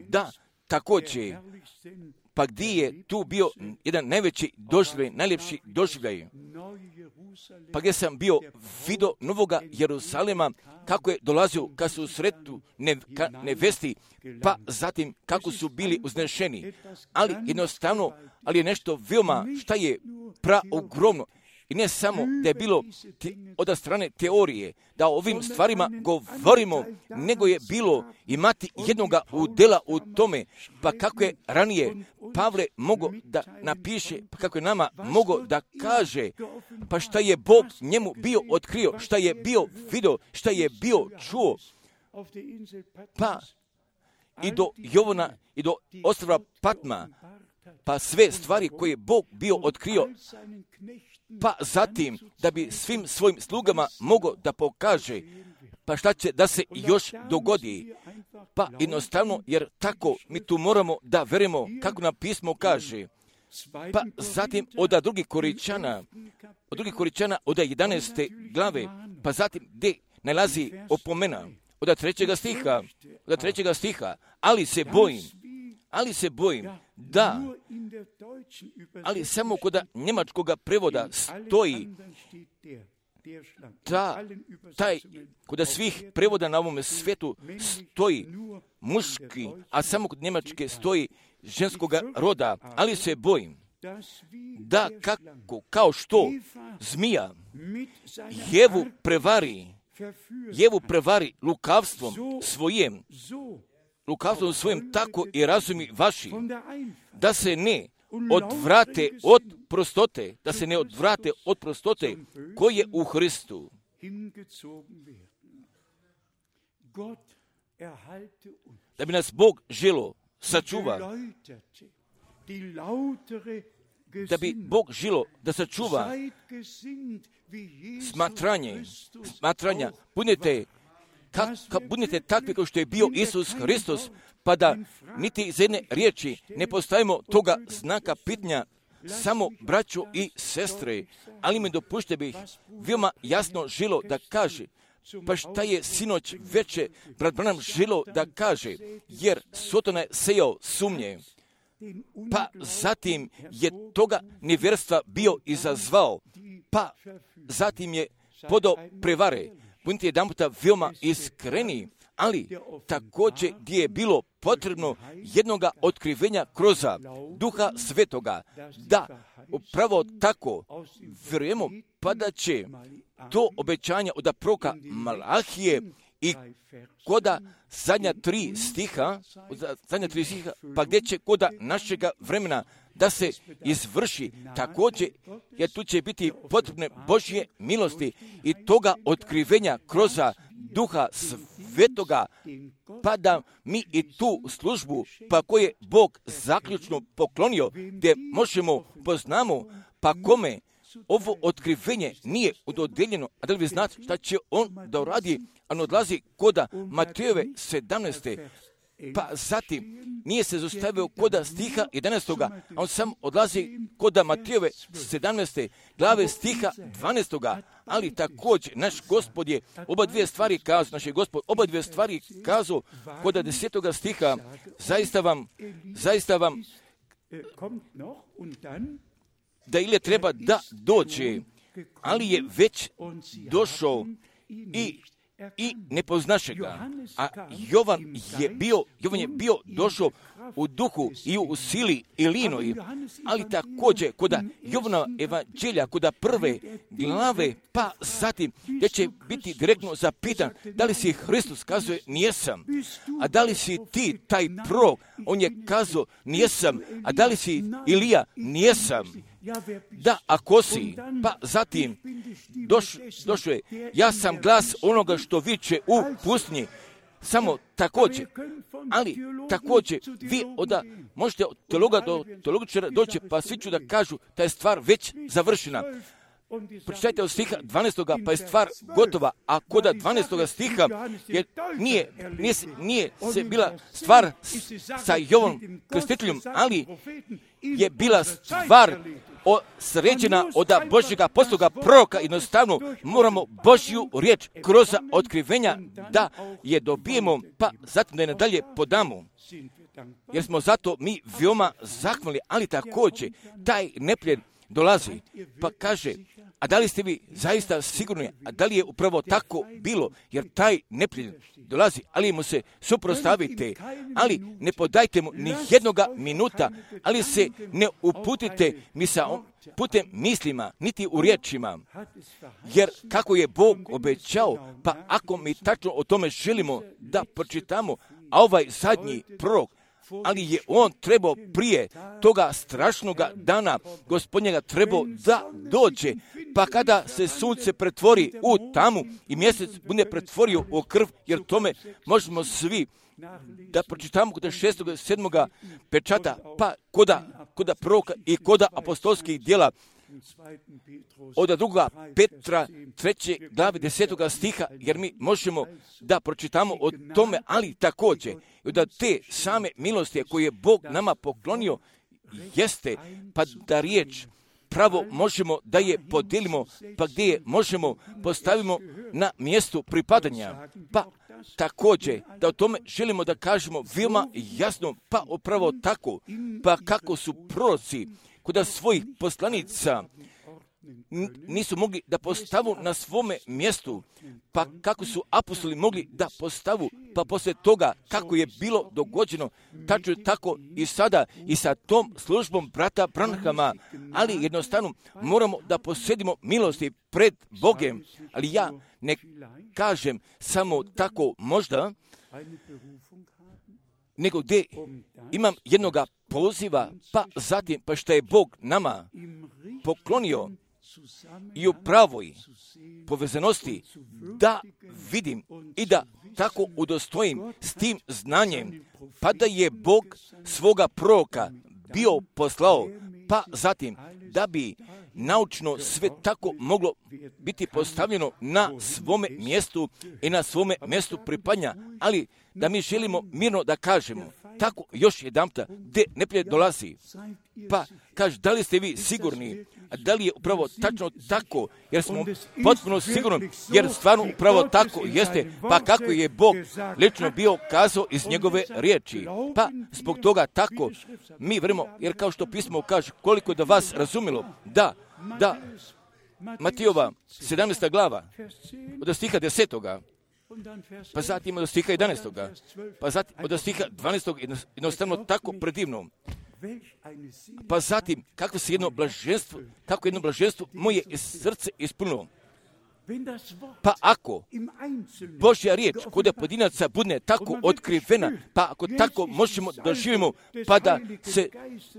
Da, također, pa gdje je tu bio jedan najveći doživljaj, najljepši doživljaj, pa gdje sam bio vidio Novoga Jerusalema, kako je dolazio ka susretu ne, ka nevesti, pa zatim kako su bili uznešeni. Ali jednostavno, ali je nešto veoma šta je praogromno. I ne samo da je bilo te, od strane teorije, da o ovim stvarima govorimo, nego je bilo imati jednoga udjela u tome, pa kako je ranije Pavle mogao da napiše, pa kako je nama mogao da kaže, pa šta je Bog njemu bio otkrio, šta je bio vidio, šta je bio čuo, pa i do Jovana i do ostrva Patma, pa sve stvari koje je Bog bio otkrio, pa zatim da bi svim svojim slugama mogao da pokaže, pa šta će da se još dogodi, pa jednostavno, jer tako mi tu moramo da verujemo kako nam pismo kaže, pa zatim od drugih Koričana, od drugih Koričana od jedanaeste glave, pa zatim gdje nalazi opomena, od trećega stiha, od trećega stiha, ali se bojim, ali se bojim da, ali samo kod njemačkoga prevoda stoji ta, taj, kod svih prevoda na ovom svijetu stoji muški, a samo kod njemačke stoji ženskoga roda, ali se bojim da kako, kao što zmija Jevu prevari, Jevu prevari lukavstvom svojim, lukavstvom svojim, tako i razumi vaši, da se ne odvrate od prostote, da se ne odvrate od prostote koje je u Hristu. Da bi nas Bog želo sačuva, da bi Bog želo da sačuva smatranje, smatranja, budete Ka, ka budete takvi kao što je bio Isus Hristos, pa da niti iz jedne riječi ne postavimo toga znaka pitanja, samo braćo i sestre, ali mi dopušte bih veoma jasno želo da kaže, pa šta je sinoć veče brat Branham želo da kaže, jer Sotona je sejao sumnje, pa zatim je toga nevjerstva bio izazvao, pa zatim je podao prevare. Budite jedan puta veoma iskreni, ali također gdje je bilo potrebno jednoga otkrivenja kroz Duha Svetoga, da upravo tako vjerujemo, pa da će to obećanje od proroka Malahije i koda zadnja tri stiha, zadnja tri stiha, pa gdje će koda našega vremena da se izvrši također, jer tu će biti potrebne Božje milosti i toga otkrivenja kroz Duha Svetoga, pa da mi i tu službu, pa koje je Bog zaključno poklonio, gdje možemo poznamo, pa kome ovo otkrivenje nije dodijeljeno, a da li vi znate šta će on da uradi, a on odlazi koda Matejove sedamnaeste Pa zatim nije se zaustavio koda stiha jedanaestoga, a on sam odlazi koda Matijove sedamnaeste glave stiha dvanaestoga, ali također naš Gospod je oba dvije stvari kazao, naš je Gospod oba dvije stvari kazao koda desetoga stiha, zaista vam, zaista vam, da Ilija treba da dođe, ali je već došao i i ne poznaše ga. A Jovan je bio, Jovan je bio došao u duhu i u sili i linoj, ali također koda Jovana evanđelja, koda prve glave, pa zatim gdje će biti direktno zapitan da li si Hristos, kazuje nijesam. A da li si ti taj prorok, on je kazao nijesam. A da li si Ilija, nijesam. Da, ako si, pa zatim doš, došao je, ja sam glas onoga što viče u pustinji, samo također, ali također vi onda možete od teologa do teologičara doći, pa svi ću da kažu da je stvar već završena. Pročitajte od stiha dvanaestoga, pa je stvar gotova, a koda dvanaestoga stiha je, nije, nije, nije se bila stvar sa Jovanom Krstiteljem, ali je bila stvar o, sređena od Božjega postoga proroka. Jednostavno moramo Božju riječ kroz otkrivenja da je dobijemo, pa zatim da je nadalje podamo. Jer smo zato mi veoma zahvalni, ali također taj neprijatelj dolazi, pa kaže, a da li ste vi zaista sigurni, a da li je upravo tako bilo, jer taj neprijatelj dolazi, ali mu se suprotstavite, ali ne podajte mu ni jednoga minuta, ali se ne uputite mi sa putem mislima, niti u riječima, jer kako je Bog obećao, pa ako mi tačno o tome želimo da pročitamo, a ovaj zadnji prorok, ali je on trebao prije toga strašnoga dana Gospodnjega trebao da dođe, pa kada se sunce pretvori u tamu i mjesec bude pretvorio u krv, jer tome možemo svi da pročitamo kod šestoga, sedmoga pečata, pa koda, koda proroka i koda apostolskih djela, od druga Petra treće glave desetoga stiha, jer mi možemo da pročitamo o tome, ali također da te same milosti koje je Bog nama poklonio jeste, pa da riječ pravo možemo da je podijelimo, pa gdje je možemo postavimo na mjestu pripadanja, pa također da o tome želimo da kažemo veoma jasno, pa upravo tako, pa kako su proroci kod svojih poslanica nisu mogli da postavu na svome mjestu, pa kako su apostoli mogli da postavu, pa poslije toga kako je bilo dogođeno, tačno tako i sada i sa tom službom brata Branhama, ali jednostavno moramo da posjedimo milosti pred Bogem, ali ja ne kažem samo tako možda, nego gdje imam jednoga poziva, pa zatim, pa što je Bog nama poklonio i u pravoj povezanosti da vidim i da tako udostojim s tim znanjem, pa da je Bog svoga proroka bio poslao, pa zatim da bi naučno sve tako moglo biti postavljeno na svome mjestu i na svome mjestu pripadanja, ali da mi želimo mirno da kažemo, tako još jedanputa, gdje neprijatelj dolazi, pa kaže, da li ste vi sigurni, a da li je upravo tačno tako, jer smo potpuno sigurni, jer stvarno upravo tako jeste, pa kako je Bog lično bio kazao iz njegove riječi, pa zbog toga tako mi vremo, jer kao što pismo kaže, koliko da vas razumilo, da, da, Matijova sedamnaesta glava, od stiha desetoga, pa zatim od stiha jedanaestoga, pa zatim od stiha dvanaestoga, jednostavno tako predivno. Pa zatim, kako se jedno blaženstvo, kako jedno blaženstvo moje srce ispunilo. Pa ako Božja riječ kod pojedinaca bude tako otkrivena, pa ako tako možemo da živimo, pa da, se,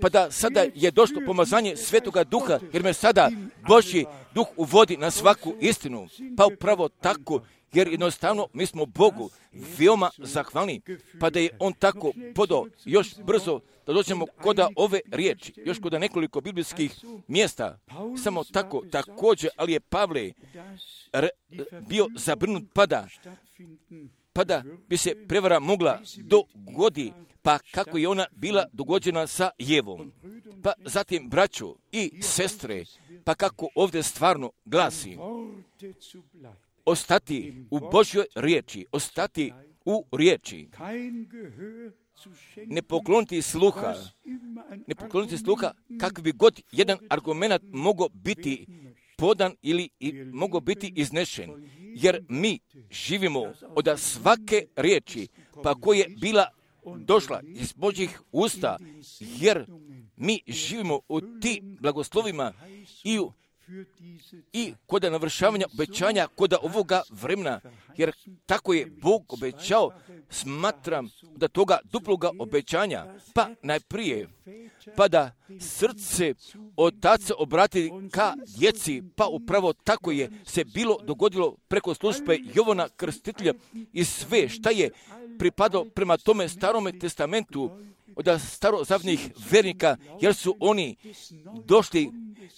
pa da sada je došlo pomazanje Svetoga Duha, jer me sada Božji Duh uvodi na svaku istinu, pa upravo tako, jer jednostavno mi smo Bogu veoma zahvalni, pa da je On tako podao još brzo da dođemo koda ove riječi, još koda nekoliko biblijskih mjesta, samo tako također, ali je Pavle re, bio zabrnut pada pa da bi se prevara mogla dogodi, pa kako je ona bila dogođena sa Jevom. Pa zatim, braćo i sestre, pa kako ovdje stvarno glasi, ostati u Božjoj riječi, ostati u riječi, ne pokloniti sluha, ne pokloniti sluha kako bi god jedan argument mogao biti podan ili mogao biti iznešen, jer mi živimo od svake riječi, pa koja je bila došla iz Božjih usta, jer mi živimo u ti blagoslovima i u i kod navršavanja obećanja kod ovoga vremena, jer tako je Bog obećao, smatram da toga duploga obećanja, pa najprije, pa da srce otaca obrati ka djeci, pa upravo tako je se bilo dogodilo preko službe Jovana Krstitelja i sve šta je pripadalo prema tome starome testamentu od starozavnih vernika, jer su oni došli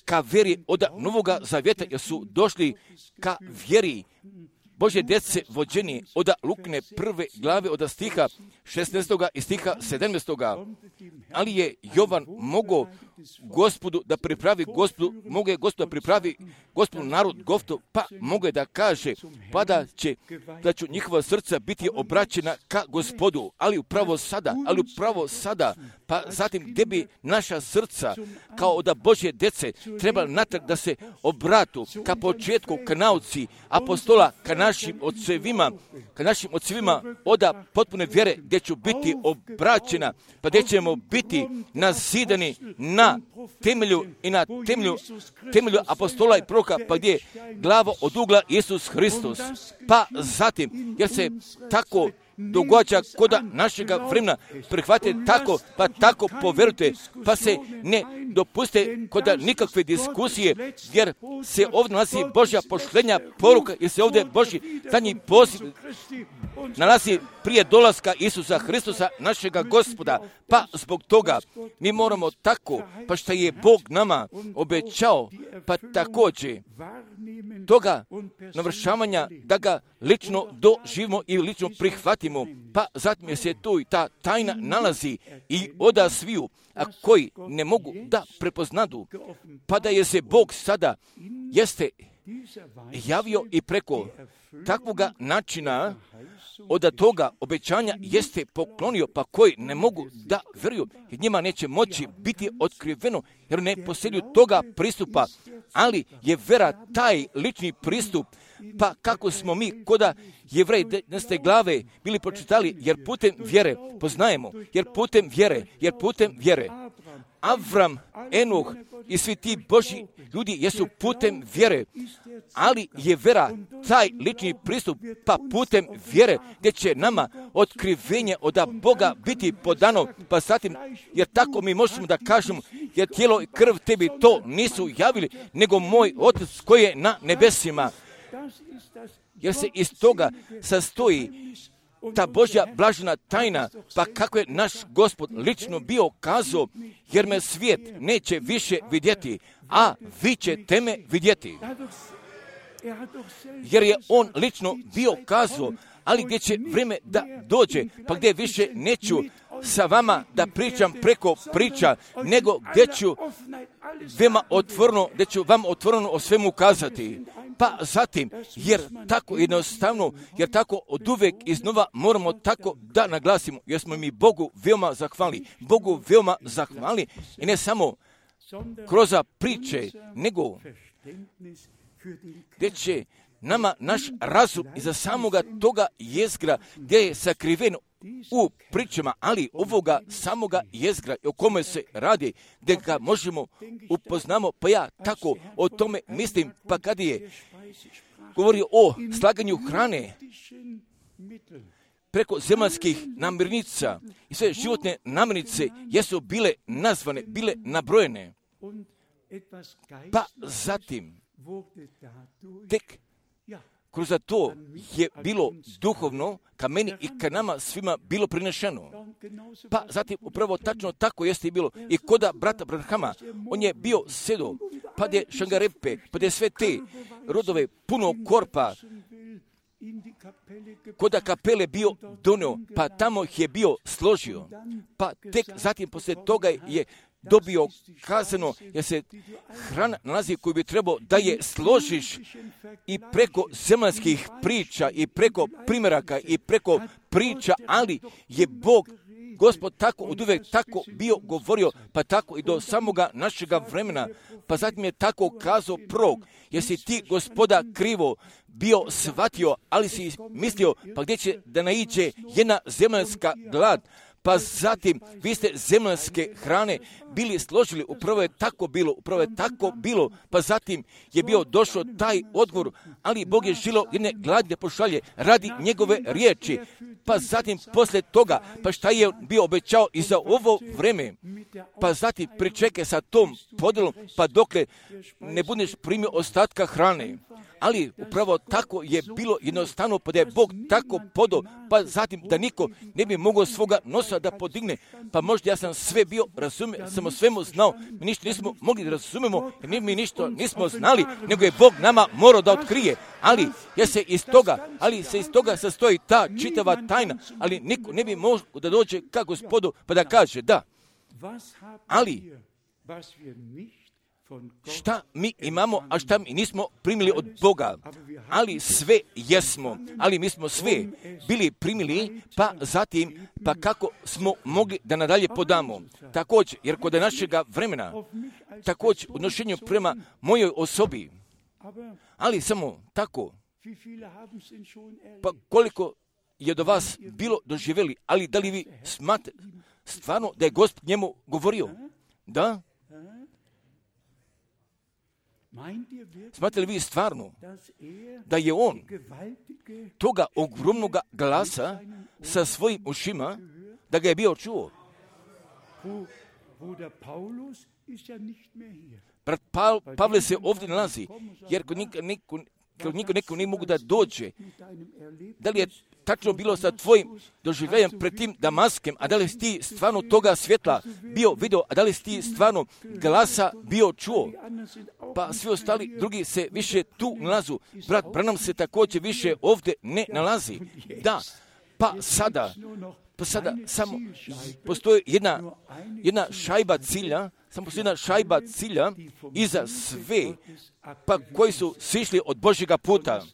ka vjeri od Novoga Zavjeta, jer su došli ka vjeri Božje djece vođeni od Lukine prve glave od stiha šesnaestoga i stiha sedamnaestoga. Ali je Jovan mogao Gospodu da pripravi Gospodu, mogu je Gospodu da pripravi Gospodu narod Goftov, pa mogu je da kaže, pa da će, da će njihova srca biti obraćena ka Gospodu, ali upravo sada, ali upravo sada, pa zatim gdje bi naša srca kao od Božje djece trebala natrag da se obratu ka početku, ka nauci apostola, ka našim ocevima, ka našim ocevima od potpune vjere, gdje ću biti obraćena, pa gdje ćemo biti nazidani na temelju i na temelju, temelju apostola i proroka, pa gdje je glava od ugla Isus Hristos. Pa zatim, jer se tako događa kod našega vremena, prihvatite tako, pa tako povjerujte, pa se ne dopuste kod nikakve diskusije, jer se ovdje nalazi Božja pošlenja poruka, jer se ovdje Božji zadnji poziv nalazi prije dolaska Isusa Hristosa, našega Gospoda. Pa zbog toga mi moramo tako, pa što je Bog nama obećao, pa također toga navršavanja da ga lično doživimo i lično prihvatimo. Pa zatim se tu i ta tajna nalazi i oda sviju, a koji ne mogu da prepoznadu, pa da je se Bog sada jeste javio i preko takvoga načina od toga obećanja jeste poklonio, pa koji ne mogu da vjeruju, jer njima neće moći biti otkriveno, jer ne posjeduju toga pristupa, ali je vera taj lični pristup, pa kako smo mi koda Jevreji devetnaeste glave bili pročitali, jer putem vjere poznajemo, jer putem vjere, jer putem vjere. Avram, Enoh i svi ti Božji ljudi jesu putem vjere, ali je vera taj lični pristup, pa putem vjere gdje će nama otkrivenje od Boga biti podano, pa zatim, jer tako mi možemo da kažemo, jer tijelo i krv tebi to nisu javili, nego moj Otac koji je na nebesima. Jer se iz toga sastoji ta Božja blažena tajna, pa kako je naš Gospod lično bio kazao, jer me svijet neće više vidjeti, a vi ćete me vidjeti. Jer je on lično bio kazao, ali gdje će vrijeme da dođe, pa gdje više neću sa vama da pričam preko priča, nego gdje ću vama otvoreno, gdje ću vam otvoreno o svemu kazati. Pa zatim, jer tako jednostavno, jer tako od uvijek iznova moramo tako da naglasimo, jer smo mi Bogu veoma zahvali, Bogu veoma zahvali i ne samo kroz priče, nego gdje će nama naš razum iza samoga toga jezgra gdje je sakriven u pričama, ali ovoga samoga jezgra o kome se radi, gdje ga možemo upoznamo, pa ja tako o tome mislim, pa kad je govorio o slaganju hrane preko zemaljskih namirnica i sve životne namirnice jesu bile nazvane, bile nabrojene. Pa zatim, tek kroz to je bilo duhovno ka meni i ka nama svima bilo prinešeno. Pa zatim upravo tačno tako jeste i bilo i koda brata Branhama. On je bio sedo, pa je Šangarepe, pa je sve te rodove puno korpa kod kapele bio donio, pa tamo ih je bio složio. Pa tek zatim poslije toga je dobio kazano, jer se hrana nalazi koju bi trebao da je složiš i preko zemaljskih priča i preko primjeraka i preko priča, ali je Bog, Gospod tako od uvijek tako bio govorio, pa tako i do samoga našega vremena, pa zatim je tako kazao prorok, jer si ti, Gospoda, krivo bio shvatio, ali si mislio, pa gdje će da naiđe jedna zemaljska glad, pa zatim vi ste zemaljske hrane bili složili, upravo je tako bilo, upravo je tako bilo, pa zatim je bio došao taj odgovor, ali Bog je želio jedne gladi da pošalje radi njegove riječi, pa zatim poslije toga, pa šta je bio obećao i za ovo vreme, pa zatim pričekaj sa tom podelom, pa dokle ne budeš primio ostatka hrane. Ali upravo tako je bilo jednostavno, pa da je Bog tako podao, pa zatim da niko ne bi mogao svoga nosa da podigne, pa možda ja sam sve bio razumio, sam o svemu znao, mi ništa nismo mogli da razumemo, jer mi ništa nismo znali, nego je Bog nama morao da otkrije, ali ja se iz toga, ali se iz toga sastoji ta čitava tajna, ali niko ne bi mogao da dođe ka Gospodu, pa da kaže da, ali šta mi imamo, a šta mi nismo primili od Boga, ali sve jesmo, ali mi smo sve bili primili, pa zatim, pa kako smo mogli da nadalje podamo. Također, jer kod našega vremena, također u odnošenju prema mojoj osobi, ali samo tako, pa koliko je do vas bilo doživjeli, ali da li vi smatrate stvarno da je Gospod njemu govorio? Da? Smatrate li vi stvarno da je on toga ogromnoga glasa sa svojim ušima, da ga je bio čuo? Brat pa, Pavle se ovdje nalazi, jer kod njega niko, kod njega neko nije mogu da dođe. Da li je tačno bilo sa tvojim doživljajem pred tim Damaskem, a da li si ti stvarno toga svjetla bio video, a da li si ti stvarno glasa bio čuo? Pa svi ostali drugi se više tu nalazu. Brat Branham se također više ovdje ne nalazi. Da, pa sada, pa sada samo postoji jedna, jedna šajba cilja, samo postoji jedna šajba cilja iza sve, pa koji su sišli od Božjega puta.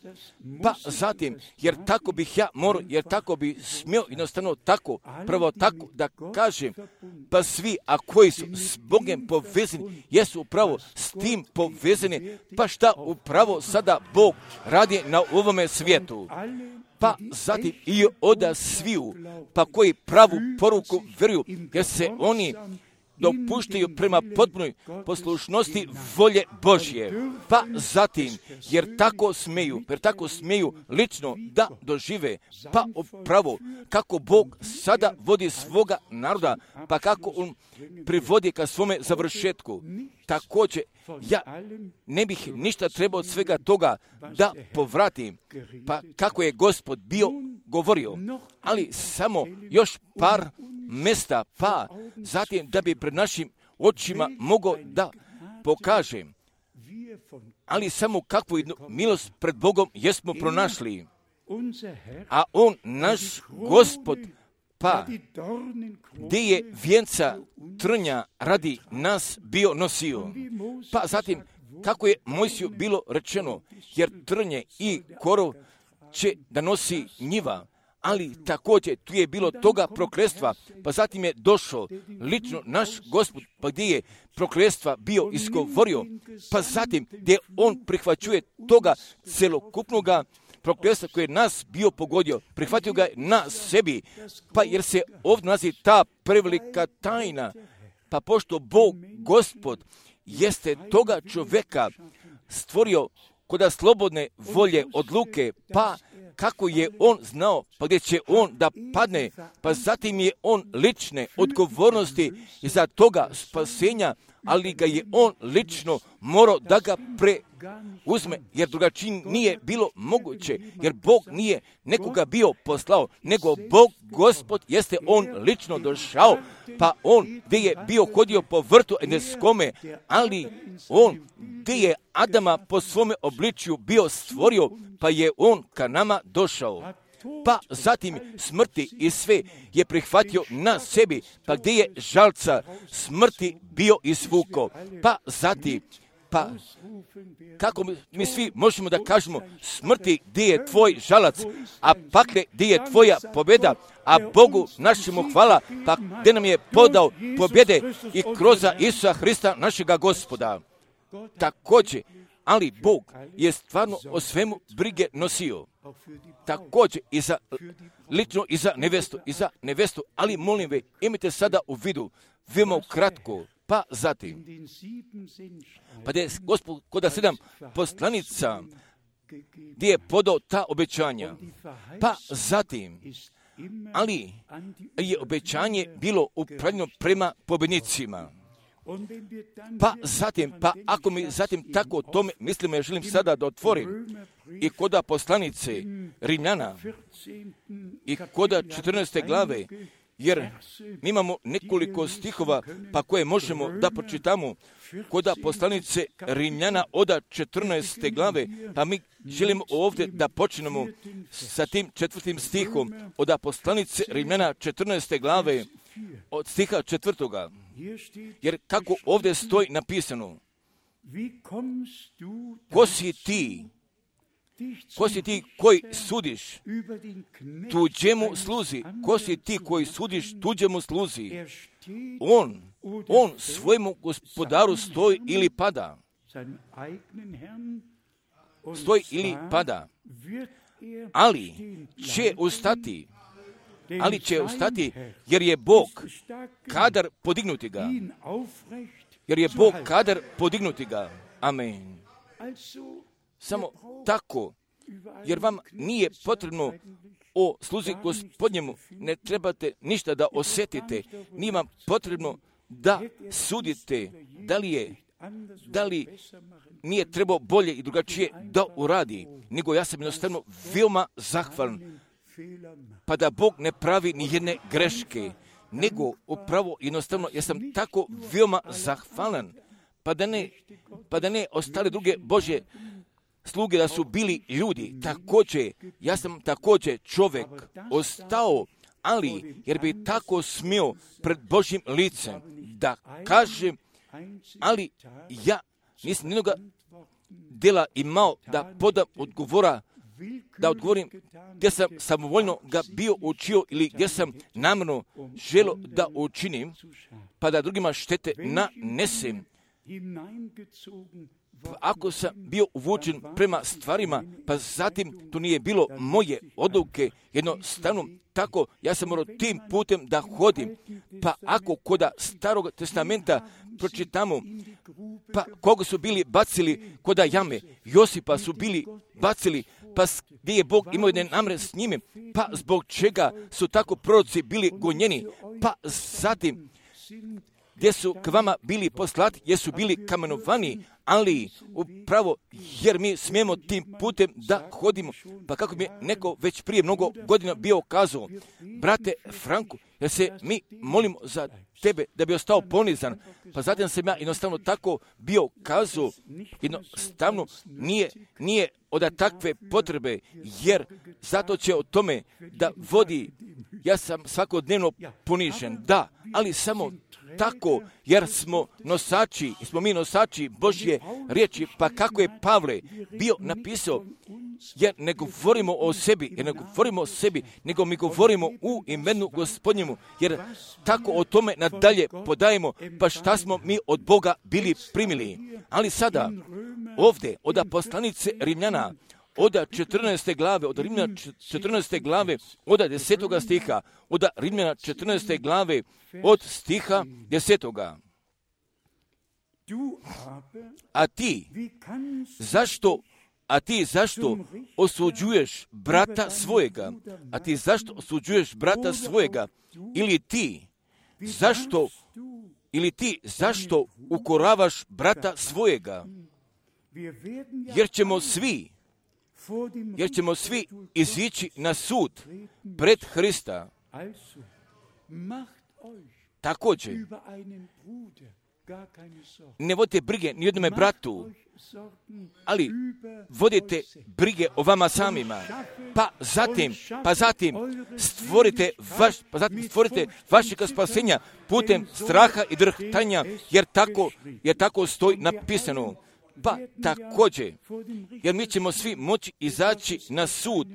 Pa zatim, jer tako bih ja morao, jer tako bi smio jednostavno tako, prvo tako da kažem, pa svi, a koji su s Bogom povezani, jesu upravo s tim povezani, pa šta upravo sada Bog radi na ovome svijetu. Pa zatim i oda sviju, pa koji pravu poruku vjeruju, jer se oni dopuštaju prema potpunoj poslušnosti volje Božje. Pa zatim, jer tako smeju, jer tako smeju lično da dožive, pa upravo kako Bog sada vodi svoga naroda, pa kako on privodi ka svome završetku. Također, ja ne bih ništa trebao od svega toga da povratim, pa kako je Gospod bio govorio, ali samo još par mjesta, pa zatim da bi pred našim očima mogao da pokažem, ali samo kakvu jednu milost pred Bogom jesmo pronašli, a on, naš Gospod, pa gdje je vijenca trnja radi nas bio nosio. Pa zatim, kako je Mojsiju bilo rečeno, jer trnje i korov će da nosi njiva, ali također tu je bilo toga prokletstva, pa zatim je došao lično naš Gospod, pa gdje je prokletstva bio izgovorio, pa zatim gdje on prihvaćuje toga celokupnoga prokletstva koje je nas bio pogodio, prihvatio ga na sebi, pa jer se ovdje nalazi ta prevelika tajna, pa pošto Bog, Gospod, jeste toga čovjeka stvorio koda slobodne volje odluke, pa kako je on znao, pa gdje će on da padne, pa zatim je on lične odgovornosti za toga spasenja, ali ga je on lično morao da ga preuzme, jer drugačije nije bilo moguće, jer Bog nije nekoga bio poslao, nego Bog, Gospod, jeste on lično došao, pa on gdje je bio hodio po vrtu Edeskome, ali on gdje je Adama po svome obličju bio stvorio, pa je on ka nama došao. Pa zatim smrti i sve je prihvatio na sebi, pa gdje je žalca smrti bio izvuko. Pa zatim, pa kako mi, mi svi možemo da kažemo, smrti gdje je tvoj žalac, a pakle gdje je tvoja pobjeda, a Bogu našemu hvala, pa gdje nam je podao pobjede i kroz Isusa Hrista našega Gospoda. Također, ali Bog je stvarno o svemu brige nosio. Također i za, lično i za nevestu, i za nevestu, ali molim ve, imajte sada u vidu, veoma kratko, pa zatim, pa da je Gospod kod sedam poslanica, gdje je podao ta obećanja, pa zatim, ali je obećanje bilo upravljeno prema pobjednicima. Pa zatim, pa ako mi zatim tako o tome mislimo, ja želim sada da otvorim i koda poslanice Rimljana i koda četrnaeste glave, jer mi imamo nekoliko stihova pa koje možemo da pročitamo koda poslanice Rimljana oda četrnaeste glave, pa mi želimo ovdje da počnemo sa tim četvrtim stihom oda poslanice Rimljana četrnaeste glave od stiha četvrtoga. Jer kako ovdje stoji napisano, ko si ti, ko si ti koji sudiš tuđemu sluzi, ko si ti koji sudiš tuđemu sluzi, on, on svojemu gospodaru stoji ili pada, stoji ili pada, ali će ustati, ali će ustati, jer je Bog kadar podignuti ga. Jer je Bog kadar podignuti ga. Amen. Samo tako, jer vam nije potrebno o sluzi Gospodnjemu, ne trebate ništa da osjetite, nije vam potrebno da sudite da li je, da li nije trebao bolje i drugačije da uradi, nego ja sam jednostavno veoma zahvalan, pa da Bog ne pravi ni jedne greške, nego upravo jednostavno ja sam tako veoma zahvalan, pa da ne, pa da ne ostale druge Božje sluge da su bili ljudi. Također, ja sam također čovjek ostao, ali jer bi tako smio pred Božjim licem da kažem, ali ja nisam nijednoga dela imao da podam odgovora, da odgovorim gdje sam samovoljno ga bio učio ili gdje sam namjerno želio da učinim, pa da drugima štete nanesem. Ako sam bio uvučen prema stvarima, pa zatim to nije bilo moje odluke, jednostavno tako ja sam morao tim putem da hodim. Pa ako koda Starog testamenta pročitamo, pa koga su bili bacili koda jame, Josipa su bili bacili, pa gdje je Bog imao jedne namre s njime, pa zbog čega su tako proroci bili gonjeni, pa zatim gdje su k vama bili poslati, gdje su bili kamenovani, ali upravo jer mi smijemo tim putem da hodimo. Pa kako mi je neko već prije mnogo godina bio kazao, brate Franku, jer se mi molimo za tebe da bi ostao ponizan, pa zatim sam ja jednostavno tako bio kazao, jednostavno nije, nije od takve potrebe, jer zato će o tome da vodi, ja sam svakodnevno ponižen, da, ali samo tako, jer smo nosači, smo mi nosači Božje riječi, pa kako je Pavle bio napisao, jer ne govorimo o sebi, jer ne govorimo o sebi, nego mi govorimo u imenu Gospodnjemu, jer tako o tome nadalje podajemo, pa šta smo mi od Boga bili primili. Ali sada, ovdje, od poslanice Rimljana, od četrnaeste glave, od Rimljana četrnaeste glave, od desetoga stiha, od Rimljana četrnaeste glave, od stiha desetoga. A ti, zašto, a ti zašto osuđuješ brata svojega? A ti zašto osuđuješ brata svojega? Ili ti, zašto ili ti zašto ukoravaš brata svojega? Jer ćemo svi, jer ćemo svi izići na sud pred Hrista. Također, ne vodite brige ni jednome bratu, ali vodite brige o vama samima. Pa zatim, pa zatim stvorite vaš, pa zatim stvorite vašega spasenja putem straha i drhtanja, jer tako, jer tako stoji napisano. Pa također, jer mi ćemo svi moći izaći na sud,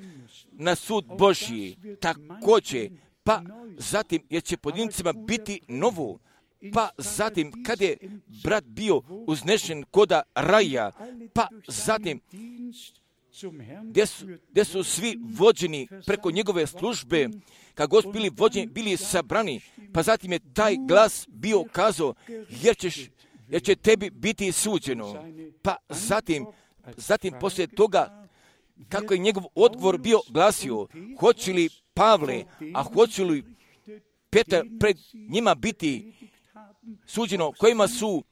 na sud Božji. Također, pa zatim, jer će pojedincima biti novo. Pa zatim, kad je brat bio uznešen koda raja, pa zatim, gdje su, gdje su svi vođeni preko njegove službe, kad god bili vođeni, bili sabrani, pa zatim je taj glas bio kazao, jer, ćeš, jer će tebi biti suđeno. Pa zatim, zatim poslije toga, kako je njegov odgovor bio glasio, hoće li Pavle, a hoće li Petar pred njima biti suđeno, kojima su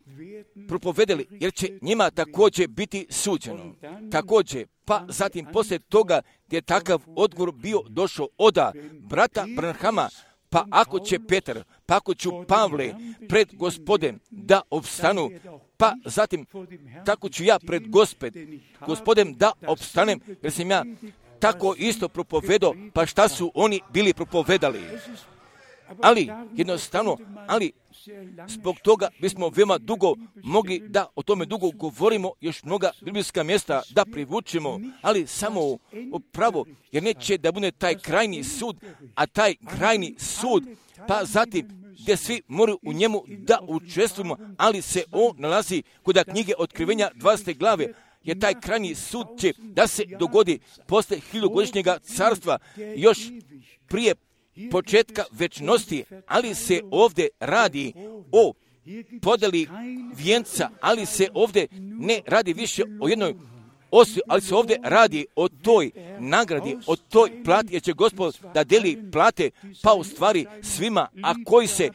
propovedali, jer će njima također biti suđeno. Također, pa zatim poslije toga gdje je takav odgovor bio došao oda brata Branhama, pa ako će Petar, pa ako ću Pavle pred Gospodem da opstanu, pa zatim tako ću ja pred Gospod, Gospodem da opstanem, jer sam ja tako isto propovedao, pa šta su oni bili propovedali. Ali, jednostavno, ali zbog toga bismo veoma dugo mogli da o tome dugo govorimo, još mnoga biblijska mjesta da privučemo, ali samo upravo, jer neće da bude taj krajni sud, a taj krajni sud, pa zatim gdje svi moraju u njemu da učestvujemo, ali se on nalazi kod knjige Otkrivenja dvadesete glave, jer taj krajni sud će da se dogodi posle hiljadugodišnjega carstva, još prije početka večnosti, ali se ovdje radi o podeli vijenca, ali se ovdje ne radi više o jednoj osobi, ali se ovdje radi o toj nagradi, o toj plati, jer će Gospod da deli plate, pa u stvari svima, a koji se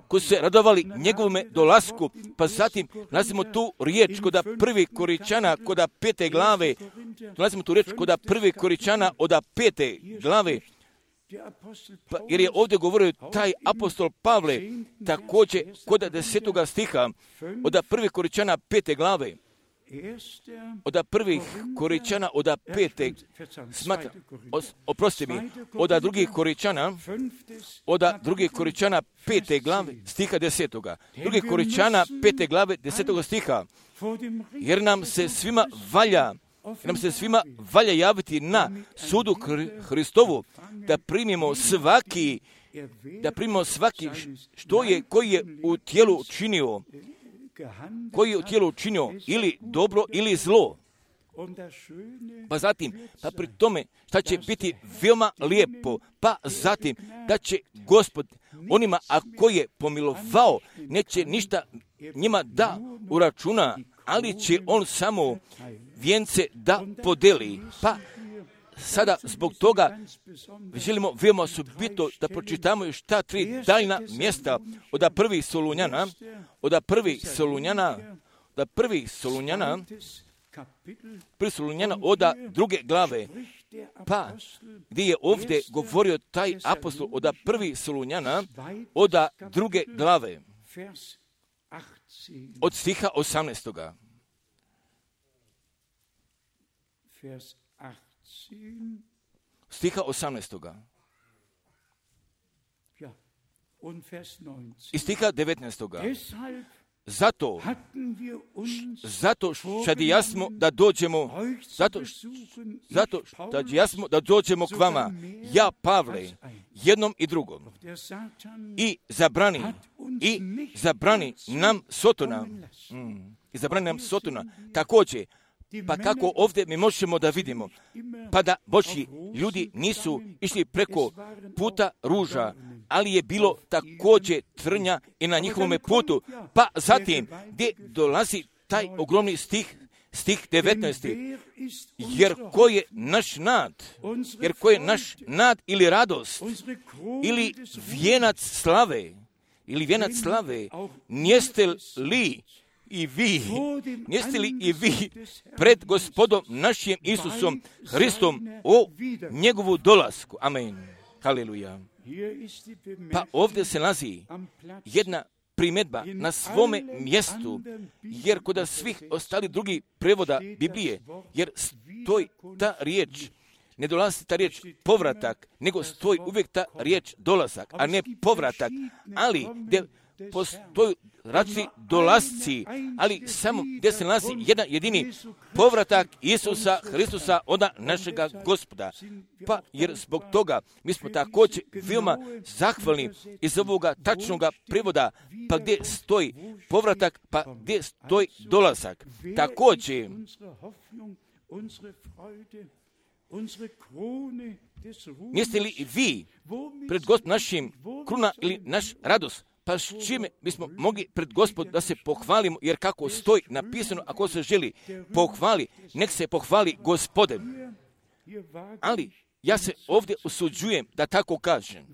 koji su se radovali njegovome dolasku, pa zatim nalazimo tu riječ koda prvi Koričana, koda pete glave, nalazimo tu riječ koda prvi Koričana oda pete glave, pa, jer je ovdje govorio taj apostol Pavle, također kod desetoga stiha, od prvih Koričana pete glave, od prvih Koričana od pete, smatra, oprosti mi, od drugih Koričana, od drugih Koričana pete glave, stiha desetoga, drugih Koričana pete glave, desetoga stiha, jer nam se svima valja, jer nam se svima valja javiti na sudu Hristovu, da primimo svaki, da primimo svaki što je, koji je u tijelu činio, koji je u tijelu činio ili dobro ili zlo. Pa zatim, pa pri tome, šta će biti veoma lijepo, pa zatim, da će Gospod onima, a koji je pomilovao, neće ništa njima da uračuna, ali će on samo vijence da podeli. Pa sada zbog toga želimo veoma osobito da pročitamo još ta tri daljna mjesta od prvih Solunjana, od prvih Solunjana, od prvih Solunjana, prvi Solunjana od druge glave, pa gdje je ovdje govorio taj apostol od prvih Solunjana od druge glave, od stiha osamnaestoga. Stiha osamnaestoga. I stiha devetnaestoga. Zato, zato što jasmo da dođemo, zato, zato što jasmo da dođemo k vama, ja Pavle, jednom i drugom, i zabrani, i zabrani nam Sotona, mm, i zabrani nam Sotona, također, pa kako ovdje mi možemo da vidimo, pa da Božji ljudi nisu išli preko puta ruža, ali je bilo također trnja i na njihovome putu. Pa zatim, gdje dolazi taj ogromni stih, stih devetnaesti. Jer ko je naš nad, jer ko je naš nad ili radost, ili vijenac slave, ili vijenac slave, nijeste li i vi, nijeste li i vi pred Gospodom našim Isusom Hristom o njegovu dolasku? Amen. Haleluja. Pa ovdje se nalazi jedna primjedba na svome mjestu, jer kod svih ostali drugi prevoda Biblije, jer stoji ta riječ, ne dolazi ta riječ povratak, nego stoji uvijek ta riječ dolazak, a ne povratak, ali gdje postoji različiti dolasci, ali samo gdje se nalazi jedan jedini povratak Isusa Hristusa, ona našega Gospoda. Pa jer zbog toga mi smo također veoma zahvalni iz ovoga tačnoga prevoda, pa gdje stoji povratak, pa gdje stoji dolazak. Također, niste li vi pred Gospodom našim kruna ili naš radost? Pa s čime bismo mogli pred Gospod da se pohvalimo, jer kako stoji napisano, ako se želi pohvali, nek se pohvali Gospodem. Ali ja se ovdje usuđujem da tako kažem.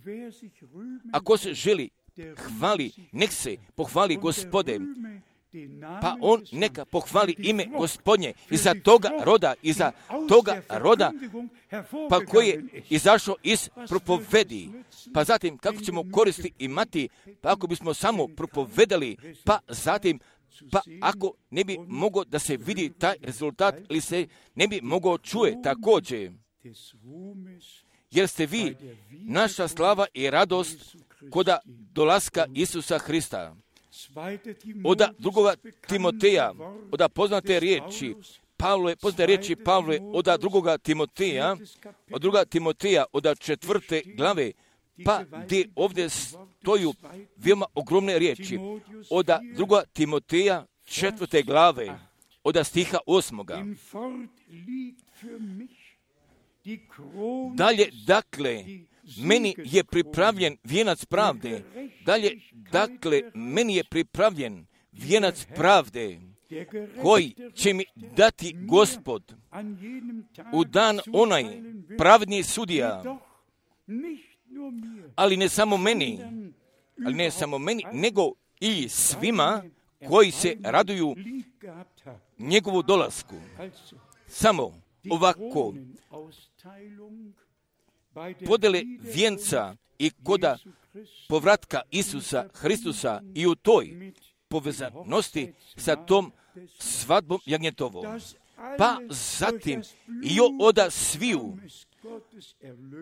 Ako se želi hvali, nek se pohvali Gospodem. Pa on neka pohvali ime Gospodnje iza toga roda, iza toga roda, pa koji je izašao iz propovedi. Pa zatim kako ćemo koristi imati, pa ako bismo samo propovedali, pa zatim, pa ako ne bi mogao da se vidi taj rezultat ili se ne bi mogao čuje također. Jer ste vi naša slava i radost koda dolaska Isusa Hrista. Oda drugoga Timoteja, oda poznate riječi, Pavle, poznate riječi Pavle, oda drugoga Timoteja, od druga Timoteja, oda četvrte glave, pa gdje ovdje stoju veoma ogromne riječi, oda druga Timoteja, četvrte glave, oda stiha osmoga. Dalje, dakle, meni je pripravljen vijenac pravde. Dalje, dakle, meni je pripravljen vijenac pravde, koji će mi dati Gospod u dan onaj pravedni sudija, ali ne samo meni, ali ne samo meni, nego i svima koji se raduju njegovu dolasku. Samo ovako, podele vijenca i koda povratka Isusa Hristusa i u toj povezanosti sa tom svadbom jagnjetovom. Pa zatim i oda sviju,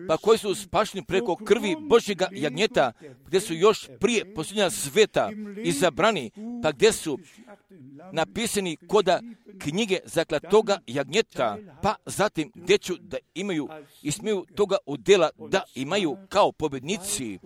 pa koji su spašeni preko krvi Božjega jagnjeta, gdje su još prije posljednja sveta izabrani, pa gdje su napisani koda knjige zaklatoga jagnjeta, pa zatim gdje ću da imaju i smiju toga udjela da imaju kao pobjednici,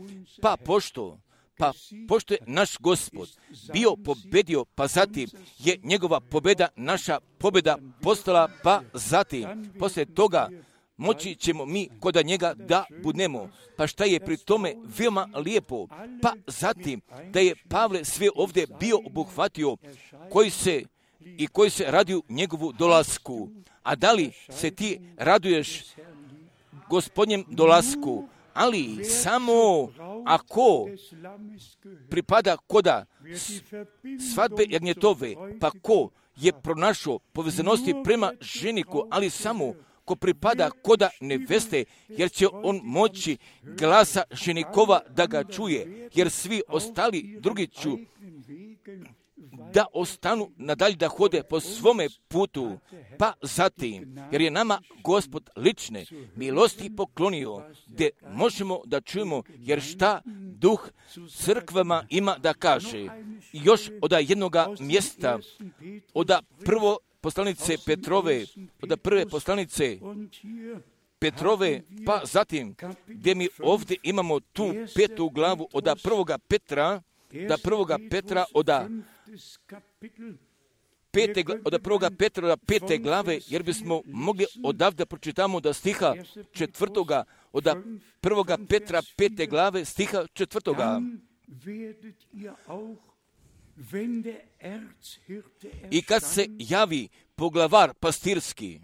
pa pošto Pa pošto je naš Gospod bio pobedio, pa zatim je njegova pobjeda naša pobjeda postala, pa zatim poslije toga moći ćemo mi koda njega da budemo. Pa šta je pri tome veoma lijepo? Pa zatim da je Pavle sve ovdje bio obuhvatio koji se i koji se raduju njegovu dolasku. A da li se ti raduješ Gospodnjem dolasku? Ali samo ako pripada koda svadbe jagnjetove, pa ko je pronašao povezanosti prema ženiku, ali samo ko pripada koda neveste, jer će on moći glasa ženikova da ga čuje, jer svi ostali drugi ću da ostanu nadalje da hode po svome putu, pa zatim, jer je nama Gospod lične milosti poklonio, gdje možemo da čujemo, jer šta duh crkvama ima da kaže. I još od jednoga mjesta, od prvo poslanice Petrove, od prve poslanice Petrove, pa zatim, gdje mi ovdje imamo tu petu glavu od prvoga Petra, da prvoga Petra od Pete, od prvoga Petra do pete glave, jer bismo mogli odavde pročitamo da stiha četvrtoga, od prvoga Petra pete glave stiha četvrtoga. I kad se javi poglavar pastirski,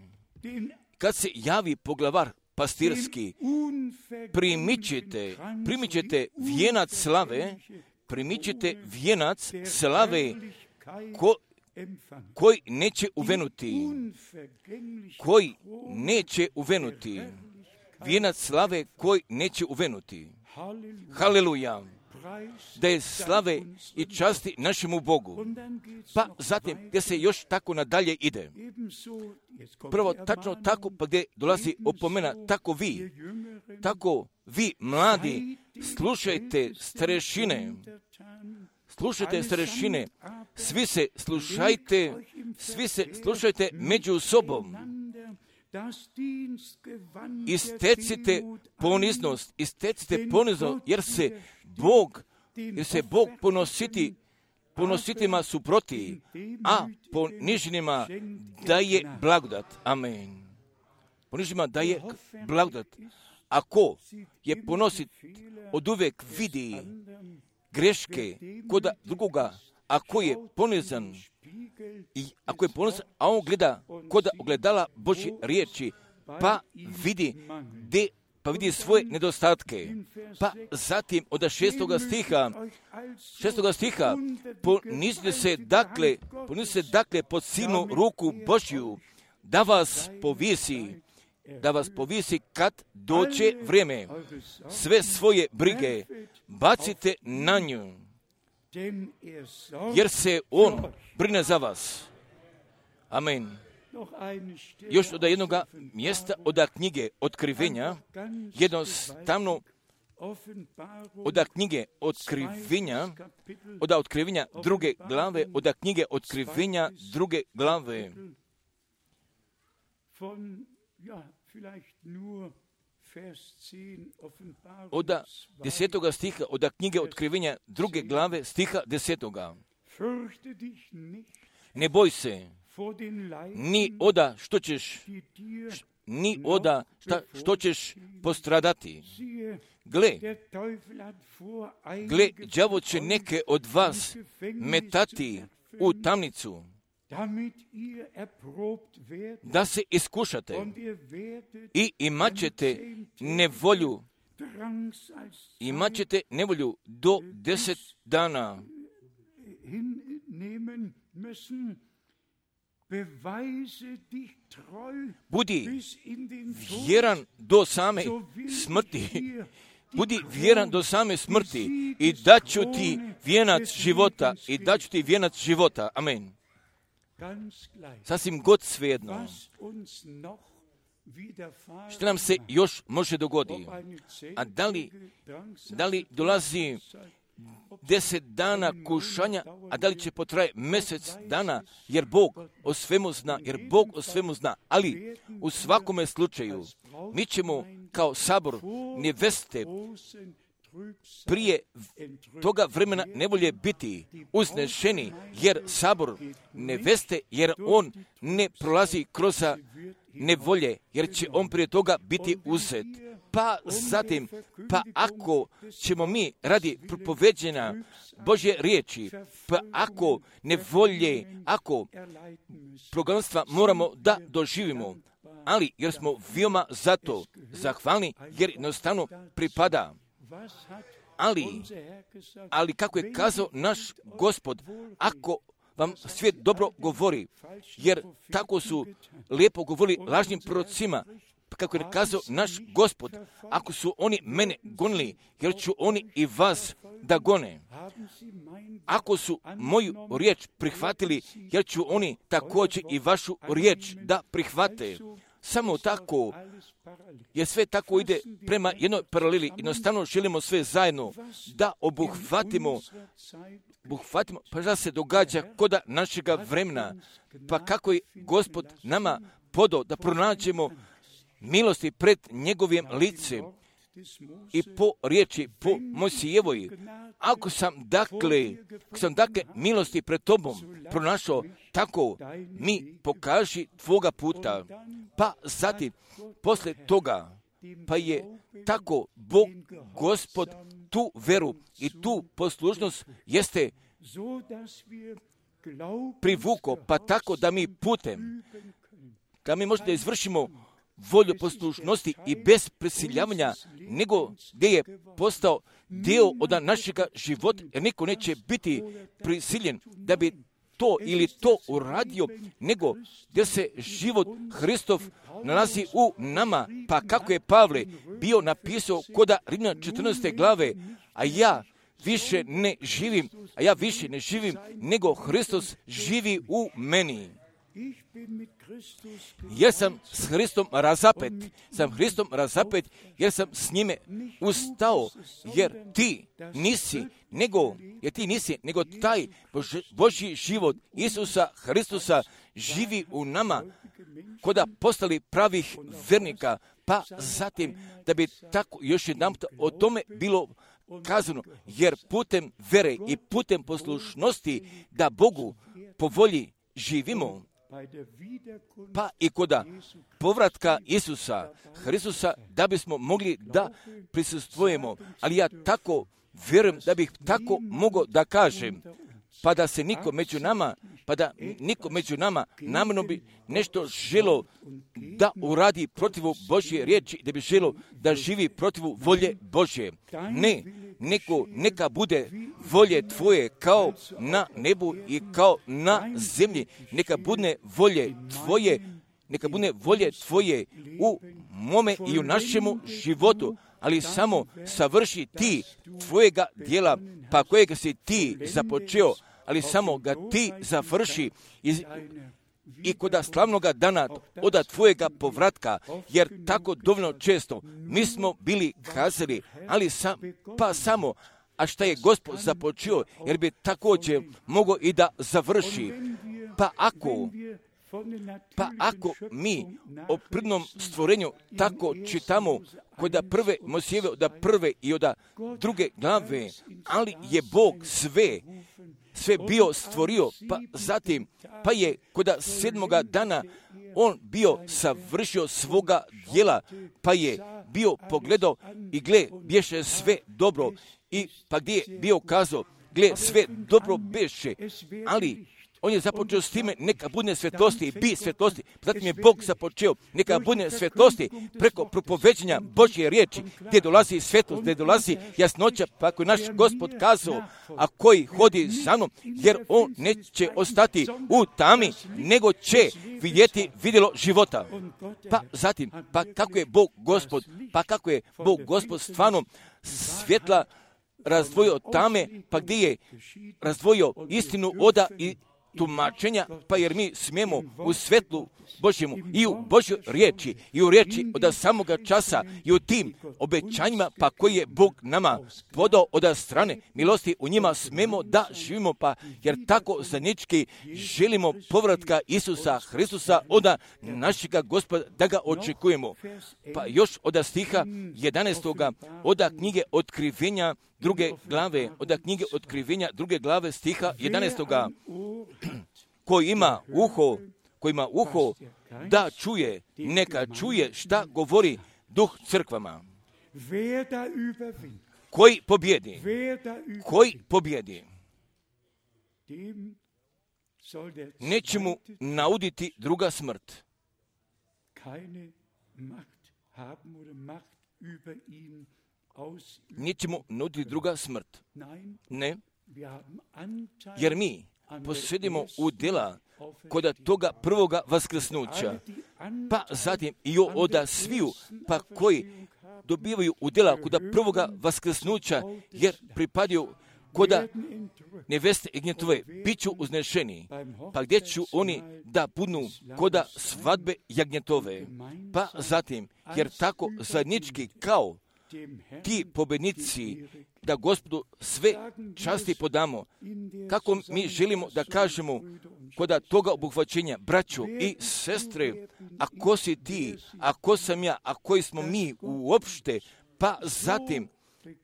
kad se javi poglavar pastirski, primit ćete, primit ćete vijenac slave, primit ćete vijenac slave ko, koji neće uvenuti, koji neće uvenuti, vijenac slave koji neće uvenuti. Haleluja! Da je slave i časti našemu Bogu. Pa zatim, gdje se još tako nadalje ide. Prvo, tačno tako, pa gdje dolazi opomena, tako vi, tako vi, mladi, slušajte starešine, slušajte starešine, svi se slušajte, svi se slušajte među sobom. Istecite poniznost, istecite poniznost, jer se Bog, jer se Bog ponositi, ponositima suproti, a poniženima daje blagodat. Amen. Poniženima daje blagodat. Ako je ponosit, od uvijek vidi greške koda drugoga, ako je ponizan, i ako je ponosan, a on gleda koda ogledala Božje riječi, pa vidi de, pa vidi svoje nedostatke. Pa zatim od šestoga stiha, šestoga stiha, ponizite se dakle, ponizite se dakle pod silnu ruku Božju, da vas povisi, da vas povisi kad dođe vrijeme. Sve svoje brige bacite na nju, jer se on brine za vas. Amen. Još od jednog mjesta od knjige Otkrivenja, jednostavno od knjige Otkrivenja, od Otkrivenja druge glave, od knjige Otkrivenja druge glave. Od desetoga stiha, od knjige Otkrivenja druge glave, stiha desetoga. Ne boj se, ni oda što ćeš, ni oda šta, što ćeš postradati. Gle, gle, đavo će neke od vas metati u tamnicu, da se iskušate i imat ćete nevolju, imat ćete nevolju do deset dana. Budi vjeran do same smrti, budi vjeran do same smrti i daću ti vijenac života, i daću ti vijenac života. Amen. Sasvim god svejedno. Što nam se još može dogoditi? A da li, da li dolazi deset dana kušanja, a da li će potraje mjesec dana, jer Bog o svemu zna, jer Bog o svemu zna. Ali u svakome slučaju mi ćemo kao sabor neveste prije toga vremena nevolje biti uznešeni, jer sabor neveste, jer on ne prolazi kroz nevolje, jer će on prije toga biti uzet. Pa zatim, pa ako ćemo mi radi propoveđenja Božje riječi, pa ako nevolje, ako progonstva moramo da doživimo, ali jer smo veoma zato zahvalni, jer jednostavno pripada. Ali, ali kako je kazao naš Gospod, ako vam svijet dobro govori, jer tako su lijepo govorili lažnim prorocima, kako je kazao naš Gospod, ako su oni mene gonili, jer ću oni i vas da gone. Ako su moju riječ prihvatili, jer ću oni također i vašu riječ da prihvate. Samo tako, jer sve tako ide prema jednoj paraleli. Jednostavno želimo sve zajedno da obuhvatimo, obuhvatimo, pa da se događa koda našega vremena. Pa kako je Gospod nama podao da pronađemo milosti pred njegovim licem i po riječi, po Mojsijevoj. Ako sam dakle, ako sam dakle milosti pred tobom pronašao, tako mi pokaži tvoga puta. Pa zatim, posle toga, pa je tako Bog, Gospod, tu veru i tu poslušnost jeste privuko, pa tako da mi putem, da mi možda izvršimo volju poslušnosti i bez prisiljavanja, nego gdje je postao dio od našega života, jer niko neće biti prisiljen da bi to ili to uradio, nego gdje se život Hristov nalazi u nama, pa kako je Pavle bio napisao koda Rimljana četrnaeste glave, a ja više ne živim, a ja više ne živim, nego Hristos živi u meni. Jer sam s Hristom razapet, sam Hristom razapet, jer sam s njime ustao, jer ti nisi, nego, jer ti nisi, nego taj Boži, Božji život Isusa Hristusa živi u nama, koda postali pravih vernika, pa zatim da bi tako još jedan o tome bilo kazano, jer putem vere i putem poslušnosti da Bogu po volji živimo, pa i koda povratka Isusa Hristusa da bismo mogli da prisustvujemo. Ali ja tako vjerujem da bih tako mogao da kažem, pa da se niko među nama, pa da niko među nama namjerno bi nešto želo da uradi protivu Božje riječi, da bi želo da živi protivu volje Božje. Ne, neko, neka bude volje tvoje kao na nebu i kao na zemlji. Neka bude volje tvoje, neka bude volje tvoje u mome i u našemu životu, ali samo savrši ti tvojega dijela, pa kojega si ti započeo, ali samo ga ti završi i, i koda slavnoga dana oda tvojega povratka, jer tako dovoljno često mi smo bili kazali, ali sam, pa samo, a šta je Gospod započeo, jer bi također mogao i da završi. Pa ako, pa ako mi o prirodnom stvorenju tako čitamo kod prve Mojsijeve, od prve i od druge glave, ali je Bog sve, sve bio stvorio, pa zatim, pa je kod sedmoga dana on bio savršio svoga djela, pa je bio pogledao i gle, bješe sve dobro, i pa gdje je bio kazao, gle, sve dobro beše, ali on je započeo s time, neka bude svjetlosti i bi svjetlosti. Zatim je Bog započeo, neka bude svjetlosti preko propoveđenja Božje riječi, gdje dolazi svjetlost, gdje dolazi jasnoća, pa ako je naš Gospod kazao, a koji hodi za mnom, jer on neće ostati u tami, nego će vidjeti vidjelo života. Pa zatim, pa kako je Bog Gospod, pa kako je Bog Gospod stvarno svjetla razdvojio tame, pa gdje je razdvojio istinu oda i tumačenja, pa jer mi smijemo u svetlu Božjemu i u Božjoj riječi i u riječi od samoga časa i u tim obećanjima, pa koji je Bog nama podao od strane milosti, u njima smijemo da živimo, pa jer tako zajednički želimo povratka Isusa Hristusa od našega Gospoda da ga očekujemo. Pa još od stiha jedanaestoga od knjige Otkrivenja druge glave, od knjige Otkrivenja druge glave stiha jedanaestoga koji ima uho, koji ima uho da čuje, neka čuje šta govori Duh crkvama. Koji pobjedi, koji pobjedi, neće mu nauditi druga smrt. Neće mu nauditi druga smrt. Ne, jer mi posjedimo udjela kod toga prvoga vaskrsnuća, pa zatim i od sviju, pa koji dobivaju udjela kod prvoga vaskrsnuća, jer pripadaju kod neveste Jagnjetove, bit ću uznešeni, pa gdje ću oni da budu kod svadbe Jagnjetove, pa zatim, jer tako zajednički kao ti pobjednici, da Gospodu sve časti podamo, kako mi želimo da kažemo kod toga obuhvaćenja, braćo i sestre, a ko si ti, a ko sam ja, a koji smo mi uopšte, pa zatim,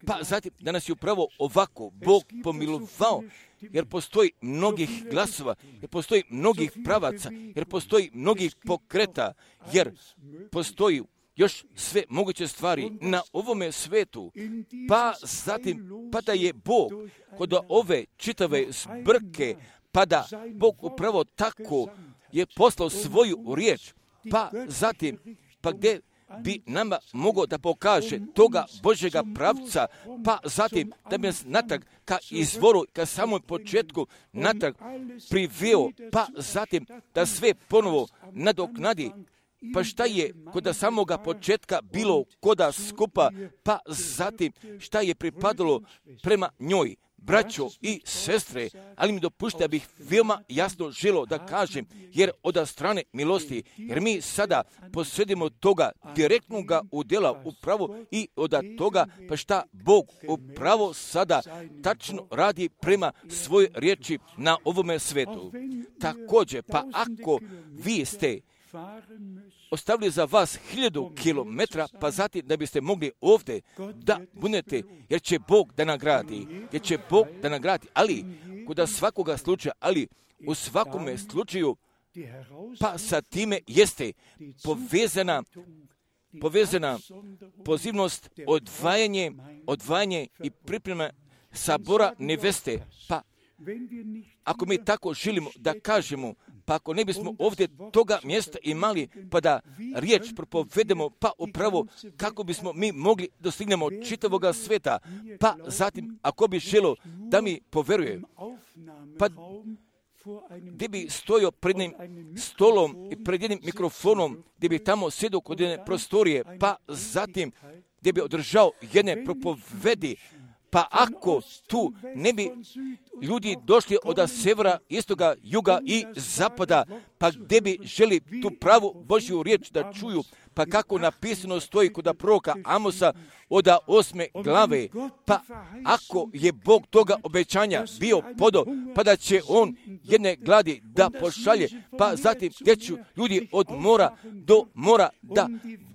pa zatim da nas je upravo ovako Bog pomilovao, jer postoji mnogih glasova, jer postoji mnogih pravaca, jer postoji mnogih pokreta, jer postoji još sve moguće stvari na ovome svetu, pa zatim, pa da je Bog kod ove čitave zbrke, pa da Bog upravo tako je poslao svoju riječ, pa zatim, pa gdje bi nama mogao da pokaže toga Božjega pravca, pa zatim da bi nas natrag ka izvoru, ka samom početku natrag priveo, pa zatim da sve ponovo nadoknadi. Pa šta je kod samoga početka bilo koda skupa, pa zatim šta je pripadalo prema njoj, braćo i sestre, ali mi dopušte da bih veoma jasno želio da kažem, jer od strane milosti, jer mi sada posjedimo toga direktnog udjela upravo i od toga, pa šta Bog upravo sada tačno radi prema svojoj riječi na ovome svetu. Također, pa ako vi ste ostavili za vas hiljadu kilometra, pa zatim da biste mogli ovdje da budete, jer će Bog da nagradi, jer će Bog da nagradi, ali kod svakoga slučaja, ali u svakome slučaju, pa sa time jeste povezana, povezana pozivnost, odvajanje, odvajanje i priprema sabora neveste, pa ako mi tako želimo da kažemo, pa ako ne bismo ovdje toga mjesta imali, pa da riječ propovedemo, pa upravo kako bismo mi mogli dostignemo čitavoga sveta, pa zatim ako bi želo da mi poveruje, pa gdje bi stojio pred jednim stolom i pred jednim mikrofonom, gdje bi tamo sjedio kod jedne prostorije, pa zatim gdje bi održao jedne propovedi, pa ako tu ne bi ljudi došli od severa, istoga, juga i zapada, pa gdje bi želi tu pravu Božju riječ da čuju, pa kako napisano stoji kod proroka Amosa od osme glave, pa ako je Bog toga obećanja bio podo, pa da će on jedne gladi da pošalje, pa zatim gdje ću ljudi od mora do mora da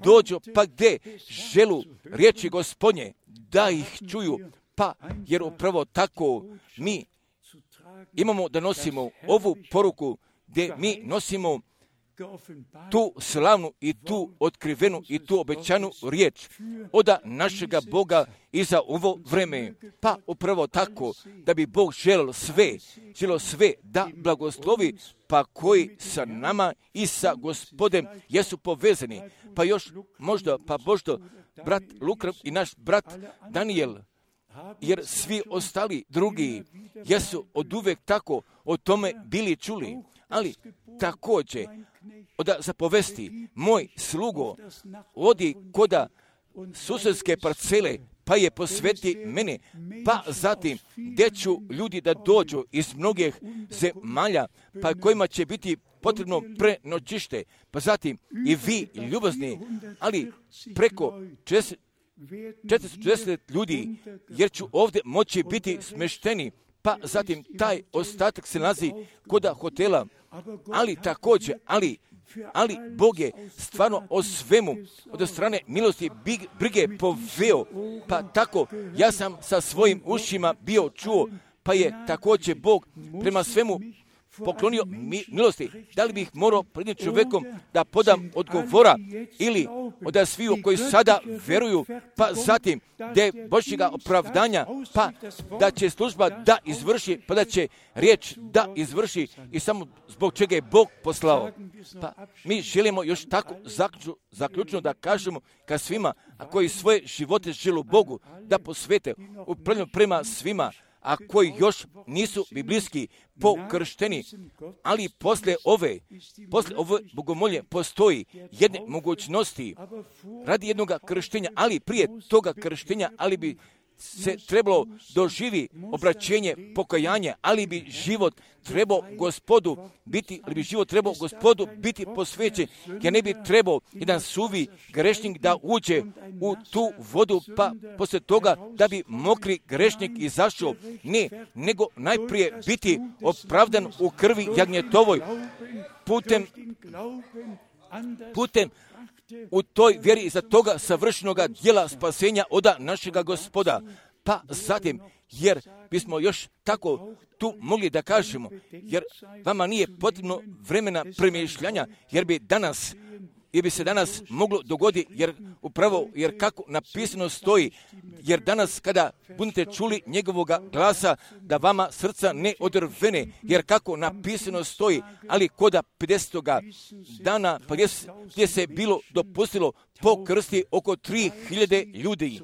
dođu, pa gdje želu riječi Gospodnje da ih čuju, pa jer upravo tako mi imamo da nosimo ovu poruku gdje mi nosimo tu slavnu i tu otkrivenu i tu obećanu riječ od našega Boga i za ovo vreme. Pa upravo tako da bi Bog želio sve, želio sve da blagoslovi, pa koji sa nama i sa Gospodem jesu povezani. Pa još možda, pa možda brat Luka i naš brat Daniel, jer svi ostali drugi jesu od uvek tako o tome bili čuli, ali također od zapovesti moj slugo odi koda susjedske parcele, pa je posveti mene, pa zatim gdje ću ljudi da dođu iz mnogih zemalja, pa kojima će biti potrebno prenoćište, pa zatim i vi ljubazni, ali preko četiristo četrdeset ljudi, jer ću ovdje moći biti smešteni, pa zatim taj ostatak se nalazi kod hotela, ali također, ali, ali Bog je stvarno o svemu od strane milosti brige poveo, pa tako ja sam sa svojim ušima bio čuo, pa je također Bog prema svemu poklonio mi, milosti. Da li bih morao pred jednim čovjekom da podam odgovora ili od sviju koji sada veruju, pa zatim da je Božjega opravdanja, pa da će služba da izvrši, pa da će riječ da izvrši i samo zbog čega je Bog poslao. Pa mi želimo još tako zaključno, zaključno da kažemo ka svima, a koji svoje živote žele Bogu da posvete upravljeno prema svima, a koji još nisu biblijski pokršteni, ali posle ove, posle ove bogomolje postoji jedne mogućnosti radi jednog krštenja, ali prije toga krštenja, ali bi se trebalo doživi obraćenje, pokajanje, ali bi život trebao Gospodu biti, ali bi život trebao Gospodu biti posvećen, jer ne bi trebao jedan suvi grešnik da uđe u tu vodu, pa poslije toga da bi mokri grešnik izašao. Ne, nego najprije biti opravdan u krvi jagnjetovoj, putem, putem u toj vjeri za toga savršenoga djela spasenja od našega Gospoda. Pa zatim, jer bismo još tako tu mogli da kažemo, jer vama nije potrebno vremena premišljanja, jer bi danas jer bi se danas moglo dogoditi, jer upravo, jer kako napisano stoji, jer danas kada budete čuli njegovoga glasa, da vama srca ne odrvene, jer kako napisano stoji, ali koda pedesetoga dana, pa gdje, gdje se bilo dopustilo pokrsti oko tri hiljade ljudi,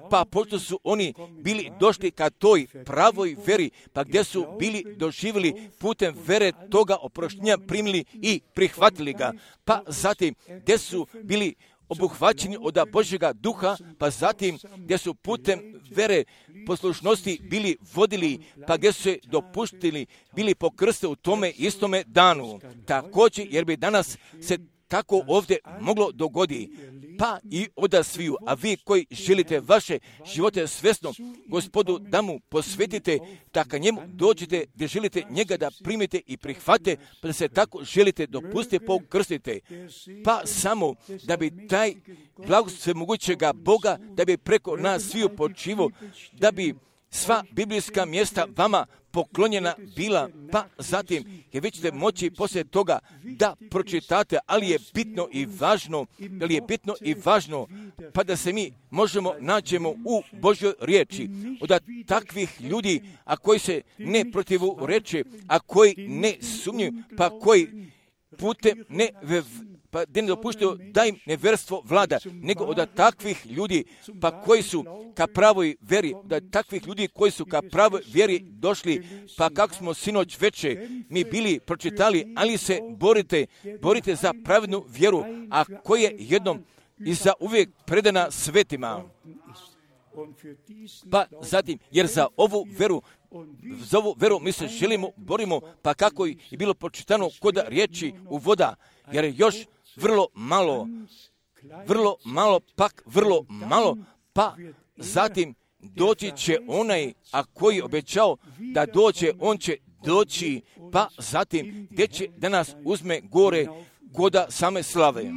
pa pošto su oni bili došli ka toj pravoj veri, pa gdje su bili doživjeli putem vere toga oproštenja primili i prihvatili ga, pa zatim gdje su bili obuhvaćeni od Božjega duha, pa zatim gdje su putem vere poslušnosti bili vodili, pa gdje su se dopuštili, bili pokrste u tome istome danu. Također, jer bi danas se tako ovdje moglo dogoditi, pa i oda sviju, a vi koji želite vaše živote svjesno Gospodu da mu posvetite, tako njemu dođete gdje želite njega da primite i prihvate, pa da se tako želite dopustite, pokrstite, pa samo da bi taj blagoslov svemogućega Boga, da bi preko nas sviju počivo, da bi sva biblijska mjesta vama poklonjena bila, pa zatim jer vi ćete moći poslije toga da pročitate, ali je bitno i važno, ali je bitno i važno, pa da se mi možemo nađemo u Božjoj riječi, od takvih ljudi, a koji se ne protivu reče, a koji ne sumnjuju, pa koji putem ne pa da ne dopuštaju da im neverstvo vlada, nego od takvih ljudi, pa koji su ka pravoj vjeri, od takvih ljudi koji su ka pravoj vjeri došli, pa kako smo sinoć veče mi bili pročitali, ali se borite, borite za pravednu vjeru, a koja je jednom i za uvijek predana svetima. Pa zatim, jer za ovu veru, za ovu veru mi se želimo, borimo, pa kako je bilo pročitano kod riječi u voda, jer je još vrlo malo, vrlo malo, pak vrlo malo, pa zatim doći će onaj, a koji je obećao da dođe, on će doći, pa zatim gdje će da nas uzme gore koda same slave.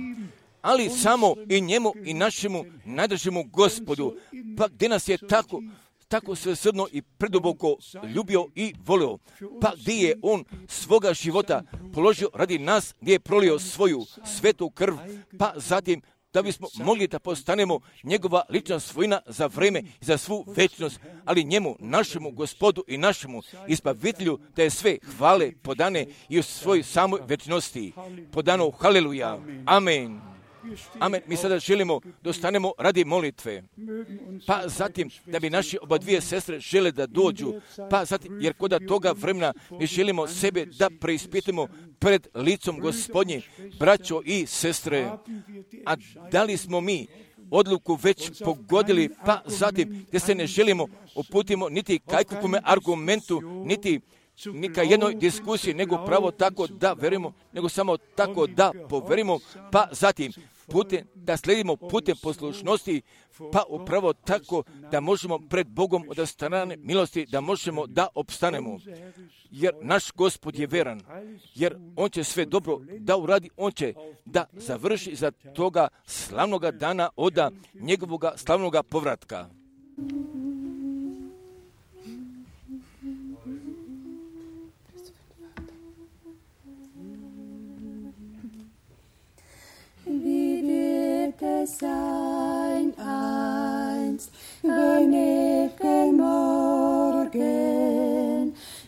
Ali samo i njemu i našemu najdražemu Gospodu, pa gdje nas je tako, tako svesrdno i preduboko ljubio i volio, pa gdje je on svoga života položio radi nas, gdje je prolio svoju svetu krv, pa zatim da bismo mogli da postanemo njegova lična svojina za vreme i za svu večnost, ali njemu, našemu Gospodu i našemu Izbavitelju, da je sve hvale podane i u svojoj samoj večnosti podano. Haleluja. Amen. Amen. Mi sada želimo da ostanemo radi molitve. Pa zatim da bi naši oba dvije sestre žele da dođu. Pa zatim, jer kod toga vremena mi želimo sebe da preispitamo pred licom Gospodnjim, braćo i sestre. A da li smo mi odluku već pogodili, pa zatim gdje se ne želimo uputimo niti kajkupome argumentu, niti nika jednoj diskusiji, nego pravo tako da verimo, nego samo tako da poverimo, pa zatim putem, da sledimo putem poslušnosti, pa upravo tako da možemo pred Bogom od strane milosti, da možemo da opstanemo. Jer naš Gospod je veran, jer on će sve dobro da uradi, on će da završi za toga slavnoga dana od njegovoga slavnoga povratka. Wie wird es sein einst, wenn ewigen Morgen,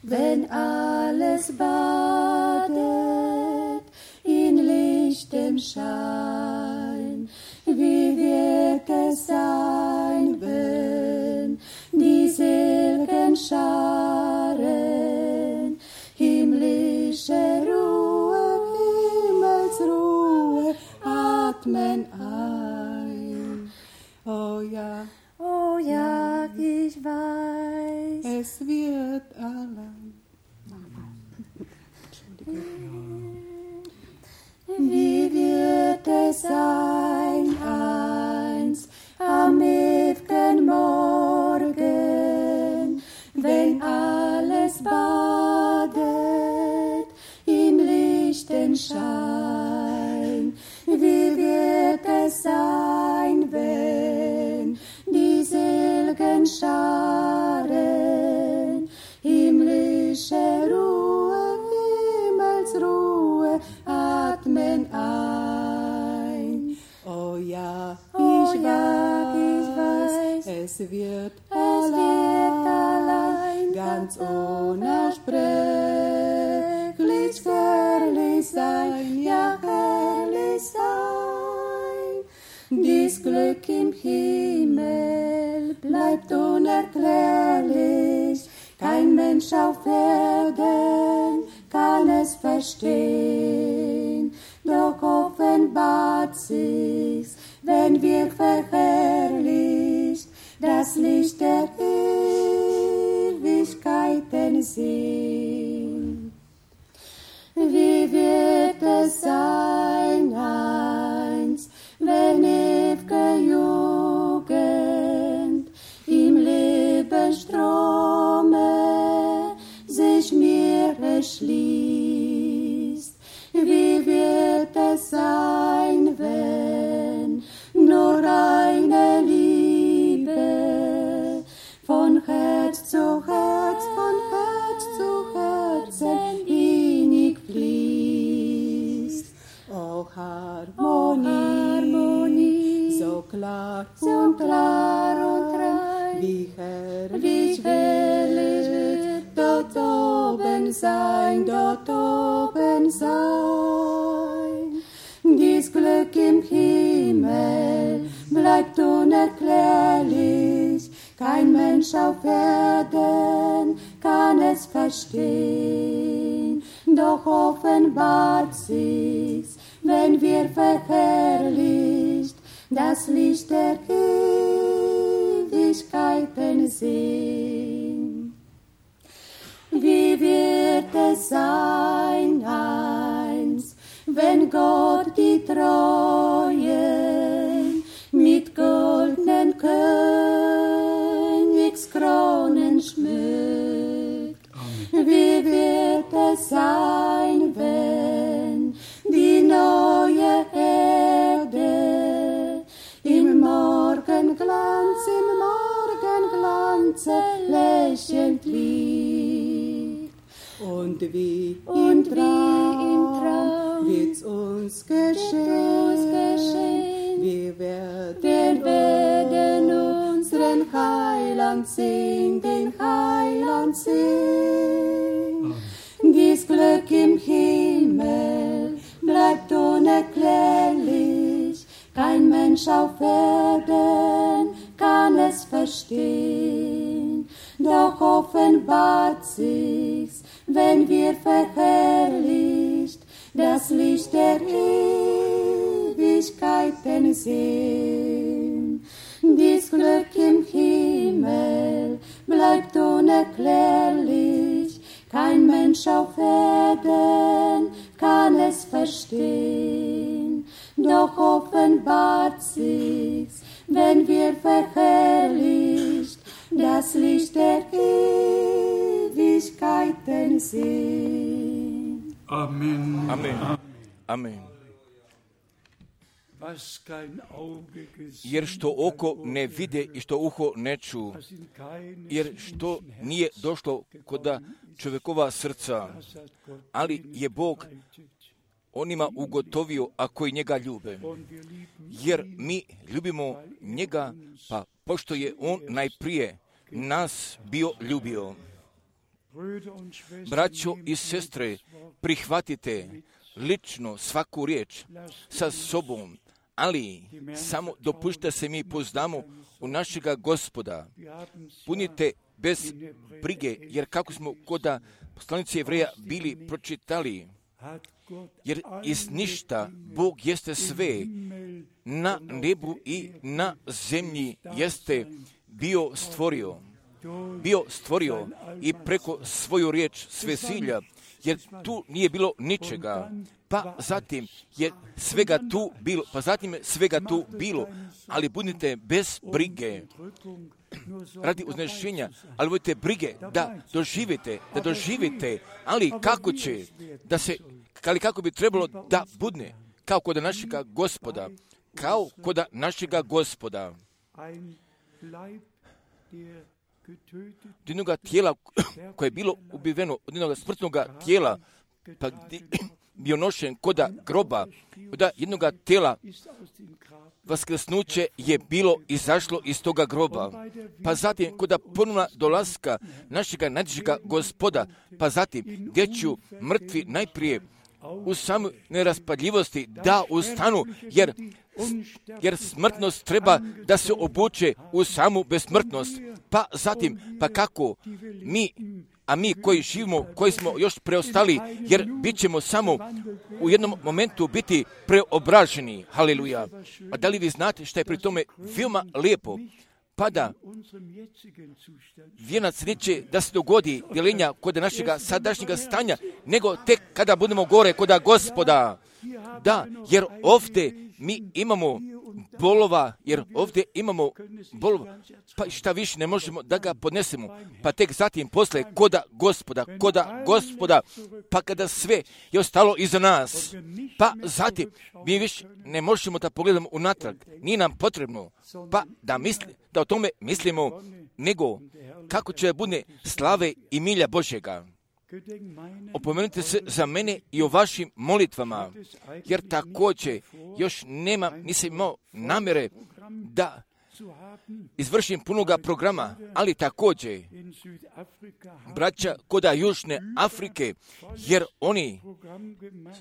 wenn alles badet in lichtem Schein? Wie wird es sein, wenn die seligen Scharen himmlische Ruhe, Himmelsruhe atmen ein? Oh ja, oh ja, ich weiß, es wird allein. Wie wird es sein einst am ewigen Morgen, wenn alles badet im lichten Schein? Wie wird es sein, wenn die seligen Scharen himmlische Ruhe, Himmelsruhe atmen ein? Es wird allein, ganz unersprechlich herrlich sein, ja herrlich sein. Dies Glück im Himmel bleibt unerklärlich, kein Mensch auf Erden kann es verstehen. Doch offenbart sich's, wenn wir verherrlicht das Licht der Ewigkeiten sehen. Wie wird es sein einst, wenn ew'ge Jugend im Lebensstrome sich mir erschließt? Wie wird es sein, wenn nur eine Liebe von Herz zu Herz, von Herz zu Herzen innig fließt? O Harmonie, Harmonie, so klar, so klar und rein, wie herrlich, wie herrlich wird dort oben sein, dort oben sein. Dies Glück im Himmel bleibt unerklärlich, kein Mensch auf Erden kann es verstehen. Doch offenbart sich's, wenn wir verherrlicht das Licht der Ewigkeiten sehen. Wie wird es sein einst, wenn Gott die Treuen mit goldenen Königskronen schmückt? Amen. Wie wird es sein, wenn die neue Erde im Morgenglanz, im Morgenglanze lächelnd liegt? Und wie im Traum wird's uns geschehen, wir werden, werden unseren Heiland sehen, den Heiland sehen. Dies Glück im Himmel bleibt unerklärlich, kein Mensch auf Erden kann es verstehen. Doch offenbart sich's, wenn wir verherrlicht das Licht der Ewigkeiten sehen. Dies Glück im Himmel bleibt unerklärlich, kein Mensch auf Erden kann es verstehen. Doch offenbart sich's, wenn wir verherrlicht das Licht der Ewigkeiten sehen. Amen. Amen. Amen. Jer što oko ne vide i što uho ne ču, jer što nije došlo kod čovjekova srca, ali je Bog onima ugotovio, a koji njega ljube. Jer mi ljubimo njega, pa pošto je on najprije nas bio ljubio. Braćo i sestre, prihvatite lično svaku riječ sa sobom, ali samo dopušte se mi poznamo u našega Gospoda. Punite bez brige, jer kako smo kod poslanice Jevreja bili pročitali, jer iz ništa Bog jeste sve, na nebu i na zemlji jeste bio stvorio. Bio stvorio i preko svoju riječ svesilja, jer tu nije bilo ničega, pa zatim je svega tu bilo, pa zatim je svega tu bilo, ali budite bez brige, radi uznešenja, ali budite brige da doživite, da doživite, ali kako će, da se, ali kako bi trebalo da budne, kao kod našega Gospoda, kao kod našega Gospoda. Od jednoga tijela koje je bilo ubiveno, od jednoga smrtnog tijela pa bio nošen koda groba, koda jednoga tela, vaskrsnuće je bilo izašlo iz toga groba. Pa zatim, koda ponovna dolaska našega najdražega Gospoda, pa zatim, gdje ću mrtvi najprije u samoj neraspadljivosti da ustanu, jer, jer smrtnost treba da se obuče u samu besmrtnost. Pa zatim, pa kako mi, a mi koji živimo, koji smo još preostali, jer bit ćemo samo u jednom momentu biti preobraženi. Haleluja. A da li vi znate što je pri tome veoma lijepo? Pa da vijenac neće da se dogodi djelenja kod našega sadašnjega stanja, nego tek kada budemo gore kod Gospoda. Da, jer ovdje mi imamo bolova, jer ovdje imamo bolova, pa šta više ne možemo da ga podnesemo. Pa tek zatim posle koda Gospoda, koda Gospoda, pa kada sve je ostalo iza nas, pa zatim mi više ne možemo da pogledamo unatrag, nije nam potrebno, pa da misli, da o tome mislimo, nego kako će bude slave i milja Božjega. Opomenite se za mene i o vašim molitvama, jer također još nema, nisam imao namjere da izvršim punoga programa, ali također braća koda Južne Afrike, jer oni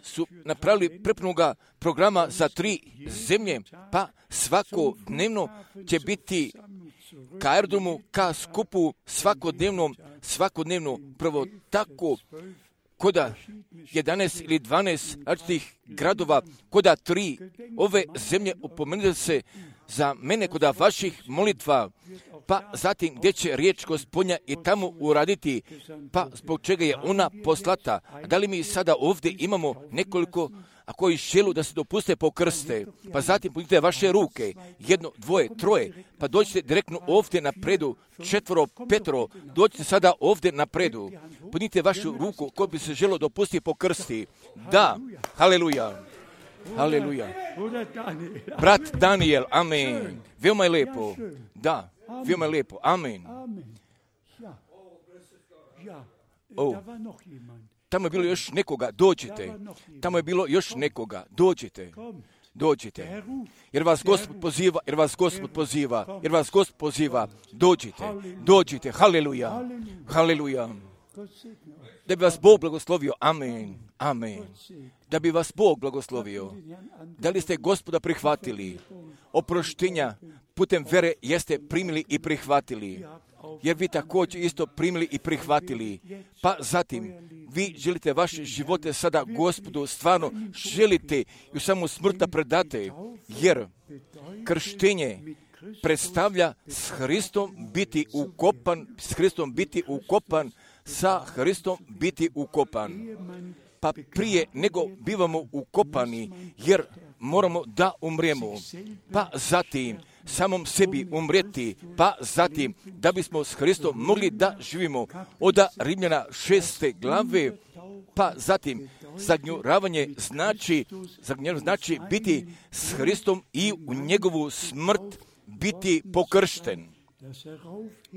su napravili prepunoga programa za tri zemlje, pa svakodnevno će biti ka aerodromu, ka skupu svakodnevnom, svakodnevno prvo tako koda jedanaest ili dvanaest različitih gradova, koda tri ove zemlje upomenute se za mene koda vaših molitva, pa zatim gdje će riječ Gospodnja i tamo uraditi, pa zbog čega je ona poslata. A da li mi sada ovdje imamo nekoliko, a koji želu da se dopuste pokrste, pa zatim podignite vaše ruke, jedno, dvoje, troje, pa dođite direktno ovdje napredu, četvoro, petro, dođite sada ovdje napredu, podignite vašu ruku ko bi se želo dopustiti pokrsti. Da, haleluja. Haleluja. Brat Daniel, amen. Veoma je lijepo. Da, veoma je lijepo. Amen. Oh. Tamo je bilo još nekoga, dođite. Tamo je bilo još nekoga, dođite. Dođite. Jer vas Gospod poziva, jer vas Gospod poziva, jer vas Gospod poziva. Dođite, dođite. Haleluja. Haleluja. Da bi vas Bog blagoslovio. Amen. Amen. Da bi vas Bog blagoslovio. Da li ste Gospoda prihvatili? Oproštenja putem vere jeste primili i prihvatili. Jer vi također isto primili i prihvatili. Pa zatim, vi želite vaše živote sada Gospodu, stvarno želite i u samu smrt da predate. Jer krštenje predstavlja s Hristom biti ukopan, s Hristom biti ukopan, sa Hristom biti ukopan. Pa prije nego bivamo ukopani, jer moramo da umremo. Pa zatim, samom sebi umrijeti, pa zatim, da bismo s Hristom mogli da živimo. Od Rimljana šeste glave, pa zatim, zagnjuravanje znači, zagnjuravanje znači biti s Hristom i u njegovu smrt biti pokršten.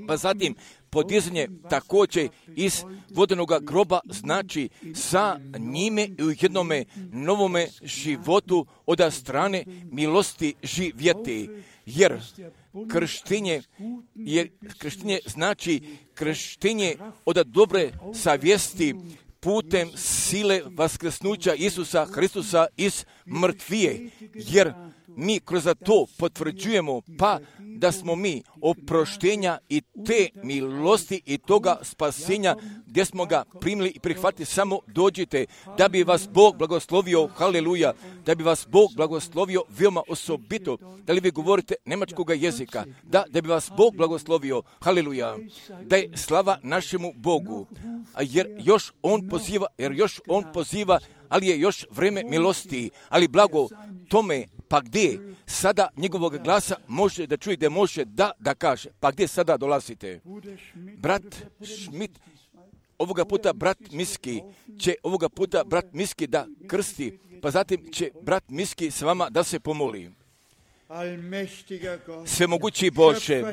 Pa zatim, podizanje također iz vodenoga groba znači sa njime i u jednome novome životu od strane milosti živjeti. Jer krštenje, jer krštenje znači krštenje od dobre savjesti putem sile vaskrsnuća Isusa Hristusa iz mrtvije. Jer mi kroz to potvrđujemo pa da smo mi oproštenja i te milosti i toga spasenja gdje smo ga primili i prihvatili, samo dođite da bi vas Bog blagoslovio, haleluja, da bi vas Bog blagoslovio veoma osobito. Da li vi govorite njemačkoga jezika? Da, da bi vas Bog blagoslovio, haleluja. Da je slava našemu Bogu, jer još On poziva, jer još On poziva, ali je još vreme milosti, ali blago tome, pa gdje sada njegovog glasa može da čuje, gdje može da, da kaže, pa gdje sada dolazite? Brat Schmidt, ovoga puta brat Miski, će ovoga puta brat Miski da krsti, pa zatim će brat Miski s vama da se pomoli. svemogući Bože,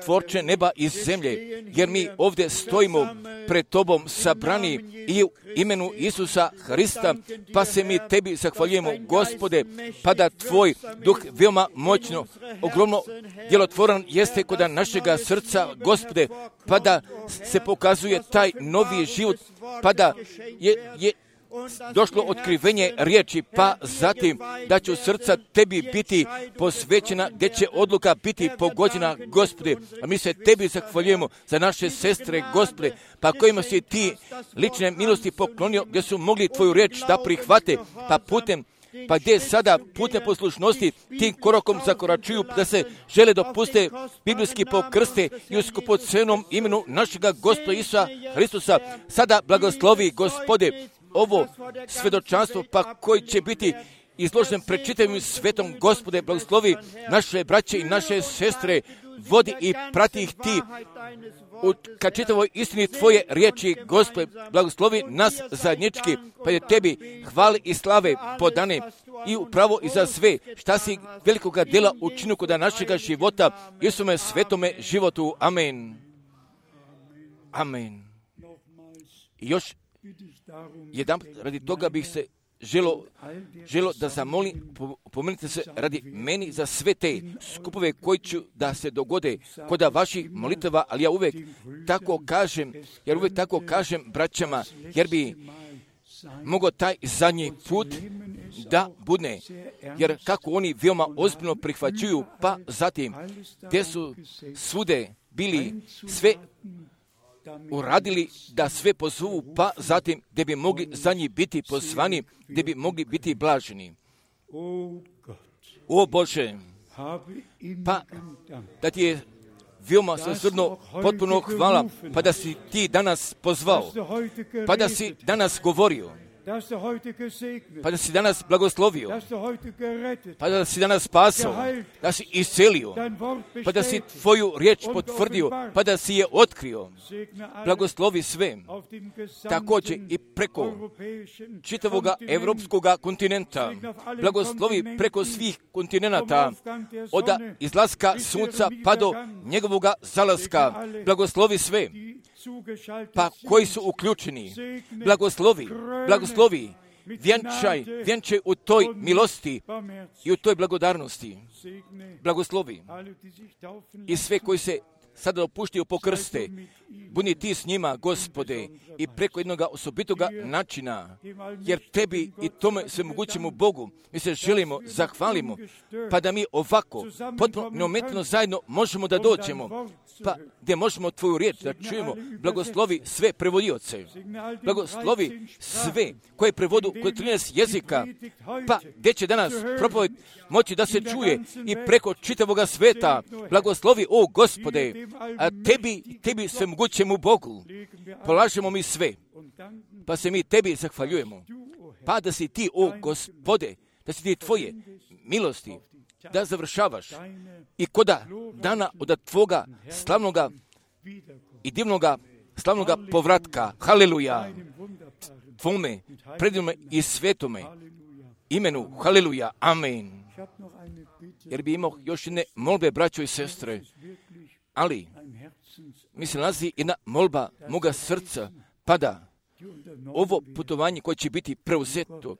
tvorče neba i zemlje, jer mi ovdje stojimo pred Tobom sabrani i u imenu Isusa Hrista, pa se mi Tebi zahvaljujemo, Gospode, pa da Tvoj duh veoma moćno, ogromno djelotvoran jeste kod našega srca, Gospode, pa da se pokazuje taj novi život, pa da je, je došlo otkrivenje riječi, pa zatim da će srca Tebi biti posvećena, gdje će odluka biti pogođena, Gospode. A mi se Tebi zahvaljujemo za naše sestre, Gospode, pa kojima si Ti lične milosti poklonio, gdje su mogli Tvoju riječ da prihvate, pa putem pa gdje sada putem poslušnosti tim korakom zakoračuju, da se žele dopuste biblijski pokrste i u skupocenom imenu našega Gospoda Isusa Hristusa. Sada blagoslovi, Gospode, ovo svedočanstvo, pa koji će biti izložen pred čitavim svetom, Gospode, blagoslovi naše braće i naše sestre, vodi i prati ih Ti u ka čitavoj istini Tvoje riječi, Gospode, blagoslovi nas zajednički, pa je Tebi hvali i slave podane i upravo i za sve šta si velikoga dela učinu kod našega života, Isuse svetome životu. Amen. Amen. I još jedan radi toga bih se želo, želo da zamolim, pomenite se radi meni za sve te skupove koji ću da se dogode kod vaših molitava, ali ja uvijek tako kažem, jer uvijek tako kažem braćama, jer bi mogao taj zadnji put da bude, jer kako oni veoma ozbiljno prihvaćuju, pa zatim gdje su svude bili sve uradili da sve pozovu, pa zatim gdje bi mogli za njih biti pozvani, gdje bi mogli biti blaženi. O Bože, pa da Ti je veoma svesrdno potpuno hvala, pa da si Ti danas pozvao, pa da si danas govorio, pa da si danas blagoslovio, pa da si danas spasao, da si iscelio, pa da si Tvoju riječ potvrdio, pa da si je otkrio. Blagoslovi sve, također i preko čitavoga evropskoga kontinenta, blagoslovi preko svih kontinenata, od izlaska sunca pa do njegovoga zalaska, blagoslovi sve, pa koji su uključeni, blagoslovi, blagoslovi, vjenčaj, vjenčaj u toj milosti i u toj blagodarnosti, blagoslovi i sve koji se sada opuštaju po krste, budi Ti s njima, Gospode, i preko jednog osobitoga načina, jer Tebi i tome svemogućemu Bogu mi se želimo, zahvalimo, pa da mi ovako, potpuno neometno zajedno možemo da dođemo, pa gdje možemo Tvoju riječ da čujemo. Blagoslovi sve prevodioce, blagoslovi sve koje prevodu kod trinaest jezika, pa gdje će danas propoved moći da se čuje i preko čitavoga sveta. Blagoslovi, o Gospode, a Tebi, Tebi svemogućemu Bogu polažemo mi sve, pa se mi Tebi zahvaljujemo, pa da si Ti, o Gospode, da si Ti Tvoje milosti, da završavaš i koda dana od Tvoga slavnoga i divnoga slavnoga povratka. Haleluja! Tvome, predivnome i svetome imenu. Haleluja! Amen. Jer bi imao još jedne molbe, braćo i sestre, ali mi se nalazi jedna molba moga srca, pa da ovo putovanje koje će biti preuzeto,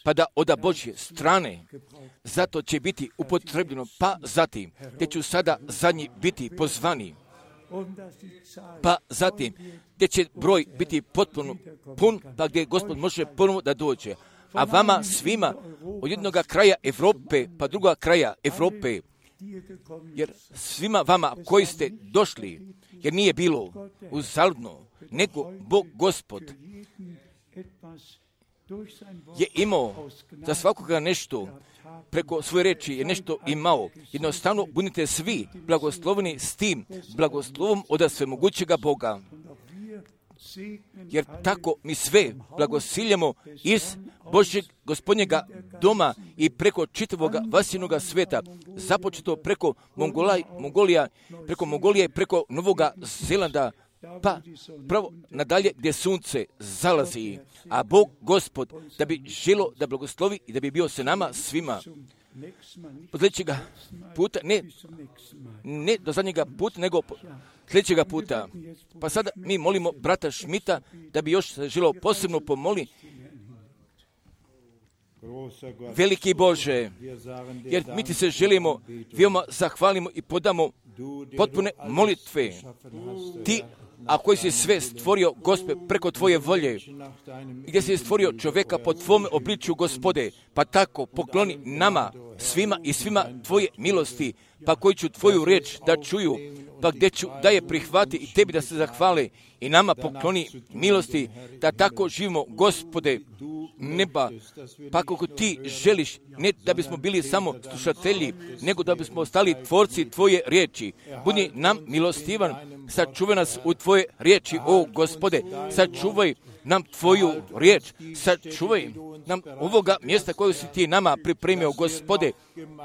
pa da od Božje strane, zato će biti upotrebljeno, pa zatim, gdje ću sada zadnji biti pozvani, pa zatim, gdje će broj biti potpuno pun, pa gdje Gospod može ponovo da dođe. A vama svima od jednog kraja Evrope, pa druga kraja Evrope, jer svima vama koji ste došli, jer nije bilo uzaludno, nego Bog Gospod je imao za svakoga nešto, preko svoje reči je nešto imao. Jednostavno budite svi blagosloveni s tim blagoslovom od svemogućega Boga. Jer tako mi sve blagosiljamo iz Božjeg Gospodnjega doma i preko čitavoga vasinoga sveta, započeto preko Mongolaj, Mongolija, preko Mongolije i preko Novoga Zelanda, pa pravo nadalje gdje sunce zalazi, a Bog Gospod da bi želo da blagoslovi i da bi bio se nama svima od sljedećega puta, ne, ne do zadnjega puta, nego sljedećega puta. Pa sada mi molimo brata Šmita da bi još želio posebno pomoli. Veliki Bože, jer mi ti se želimo, veoma zahvalimo i podamo potpune molitve. Ti, a koji si sve stvorio, Gospe, preko tvoje volje, gdje si stvorio čovjeka po tvome obličju, Gospode, pa tako pokloni nama, svima i svima tvoje milosti, pa koji ću tvoju riječ da čuju, pa gdje ću da je prihvati i tebi da se zahvale i nama pokloni milosti, da tako živimo, Gospode, neba, pa kako ti želiš, ne da bismo bili samo slušatelji, nego da bismo ostali tvorci tvoje riječi. Budi nam milostivan, sačuvaj nas u tvoje riječi, o Gospode, sačuvaj nam tvoju riječ, sačuvaj nam ovoga mjesta koje si ti nama pripremio, Gospode,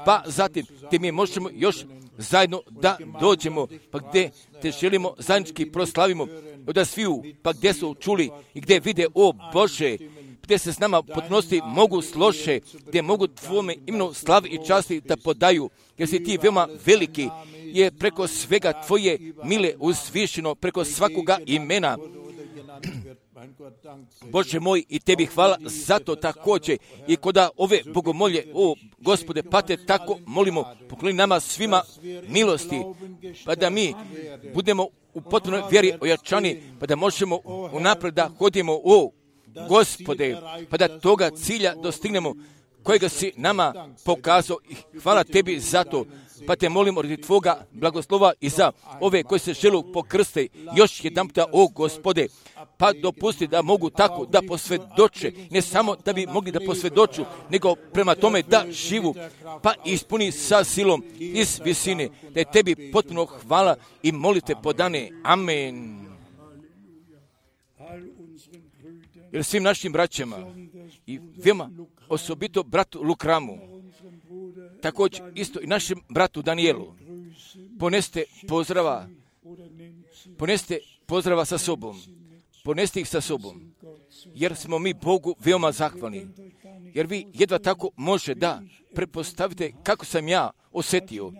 pa zatim gdje mi možemo još zajedno da dođemo, pa gdje te želimo zajednički proslavimo od sviju, pa gdje su čuli i gdje vide, o Bože, gdje se s nama potnosti mogu slože, gdje mogu tvome imenu slavi i časti da podaju, jer si ti veoma veliki, je preko svega tvoje mile uzvišeno, preko svakoga imena. Bože moj, i tebi hvala za to također, i koda ove bogomolje, o Gospode, pa te tako molimo, pokloni nama svima milosti, pa da mi budemo u potpunoj vjeri ojačani, pa da možemo unaprijed da hodimo, o Gospode, pa da toga cilja dostignemo kojega si nama pokazao, i hvala tebi za to, pa te molimo radi tvoga blagoslova i za ove koji se žele pokrste još jedan puta, o Gospode, pa dopusti da mogu tako da posvjedoče, ne samo da bi mogli da posvjedoču, nego prema tome da živu, pa ispuni sa silom iz visine, da je tebi potpuno hvala i molite podane. Amen. Jer svim našim braćama i veoma osobito bratu Lukramu, također isto i našem bratu Danielu, poneste pozdrava, poneste pozdrava sa sobom, poneste ih sa sobom, jer smo mi Bogu veoma zahvalni, jer vi jedva tako može da prepostavite kako sam ja osjetio,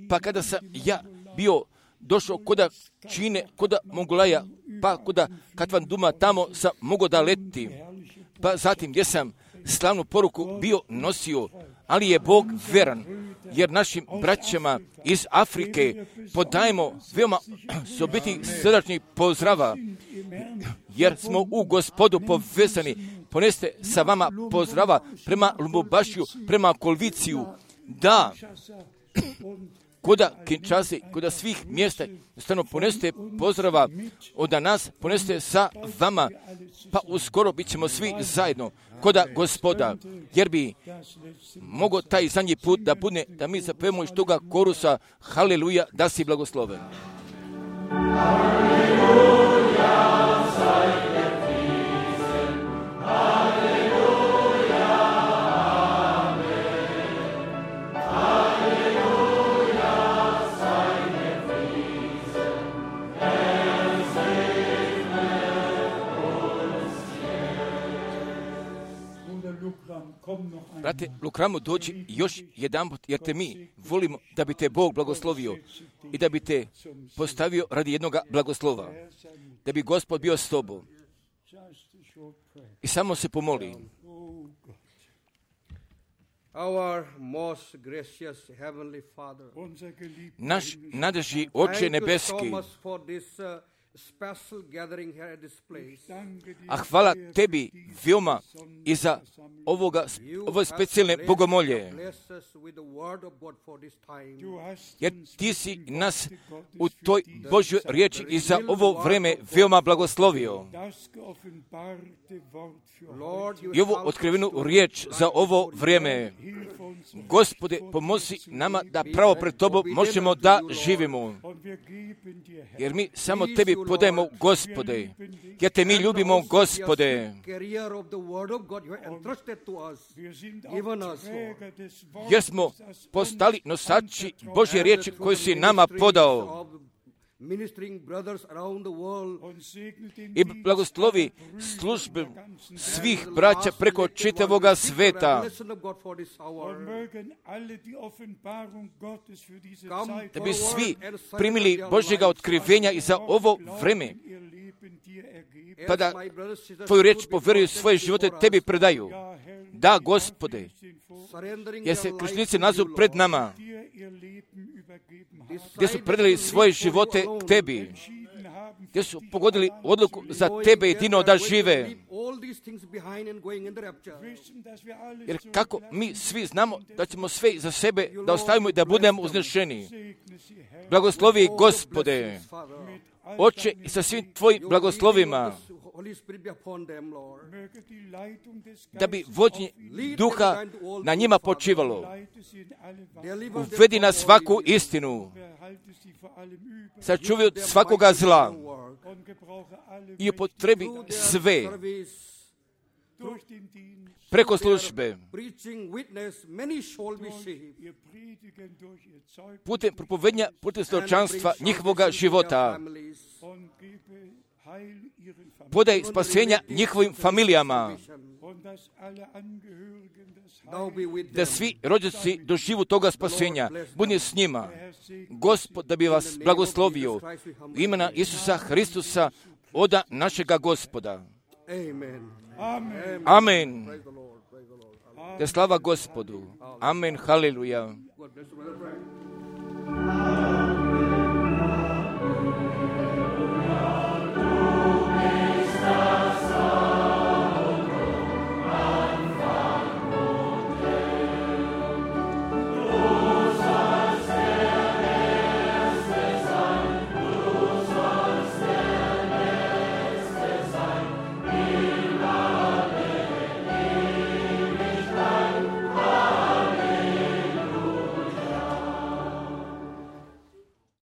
pa kada sam ja bio došao koda Čine, koda Mongolaja, pa koda Katvan Duma, tamo sam mogao da letim, pa zatim gdje sam slavnu poruku bio nosio, ali je Bog veran, jer našim braćama iz Afrike podajemo veoma sobitih srdačnih pozdrava, jer smo u Gospodu povezani. Poneste sa vama pozdrava prema Lubumbašiju, prema Kolviciju, da koda Kinshase, koda svih mjesta, stano poneste pozdrava od nas, poneste sa vama, pa uskoro bit ćemo svi zajedno koda Gospoda, jer bi mogo taj zadnji put da bude, da mi zapevamo iz toga korusa, haleluja, da si blagosloven. Haleluja, sajte prisen, haleluja, amen. Haleluja, sajte prisen, er segne uns jetzt. Brate Lukramu, dođi još jedan put, jer te mi volimo da bi te Bog blagoslovio i da bi te postavio radi jednoga blagoslova, da bi Gospod bio s tobom. I samo se pomoli. Our most gracious heavenly Father, naš nadeži Oče nebeski, a hvala tebi veoma i za ovoga, ove specijalne bogomolje, jer ti si nas u toj Božjoj riječi i za ovo vreme veoma blagoslovio. I ovu otkrivenu riječ za ovo vrijeme, Gospode, pomozi nama da pravo pred tobom možemo da živimo, jer mi samo tebi podajemo, Gospode, jer te mi ljubimo, Gospode, jer smo postali nosači Božje riječi koju si nama podao. i blagoslovi službe svih braća preko čitavoga sveta, da bi svi primili Božjega otkrivenja i za ovo vreme, pa da tvoju riječ povjeruju svoje živote tebi predaju. Da, Gospode, jer se krštenici nazovu pred nama, gdje su predali svoje živote tebi, gdje su pogodili odluku za tebe jedino da žive. Jer kako mi svi znamo da ćemo sve za sebe da ostavimo i da budemo uznešeni. Blagoslovi, Gospode, Oče, i sa svim tvojim blagoslovima, da bi vođenje duha na njima počivalo. Uvedi na svaku istinu, sačuvaj od svakoga zla i upotrebi sve preko službe, putem propovednja, putem svjedočanstva njihovoga života. Podaj spasenja njihovim familijama, da svi rođaci doživu toga spasenja. Budi s njima. Gospod, da bi vas blagoslovio u imena Isusa Hristusa, oda našega Gospoda. Amen. Da slava Gospodu. Amen. Haleluja.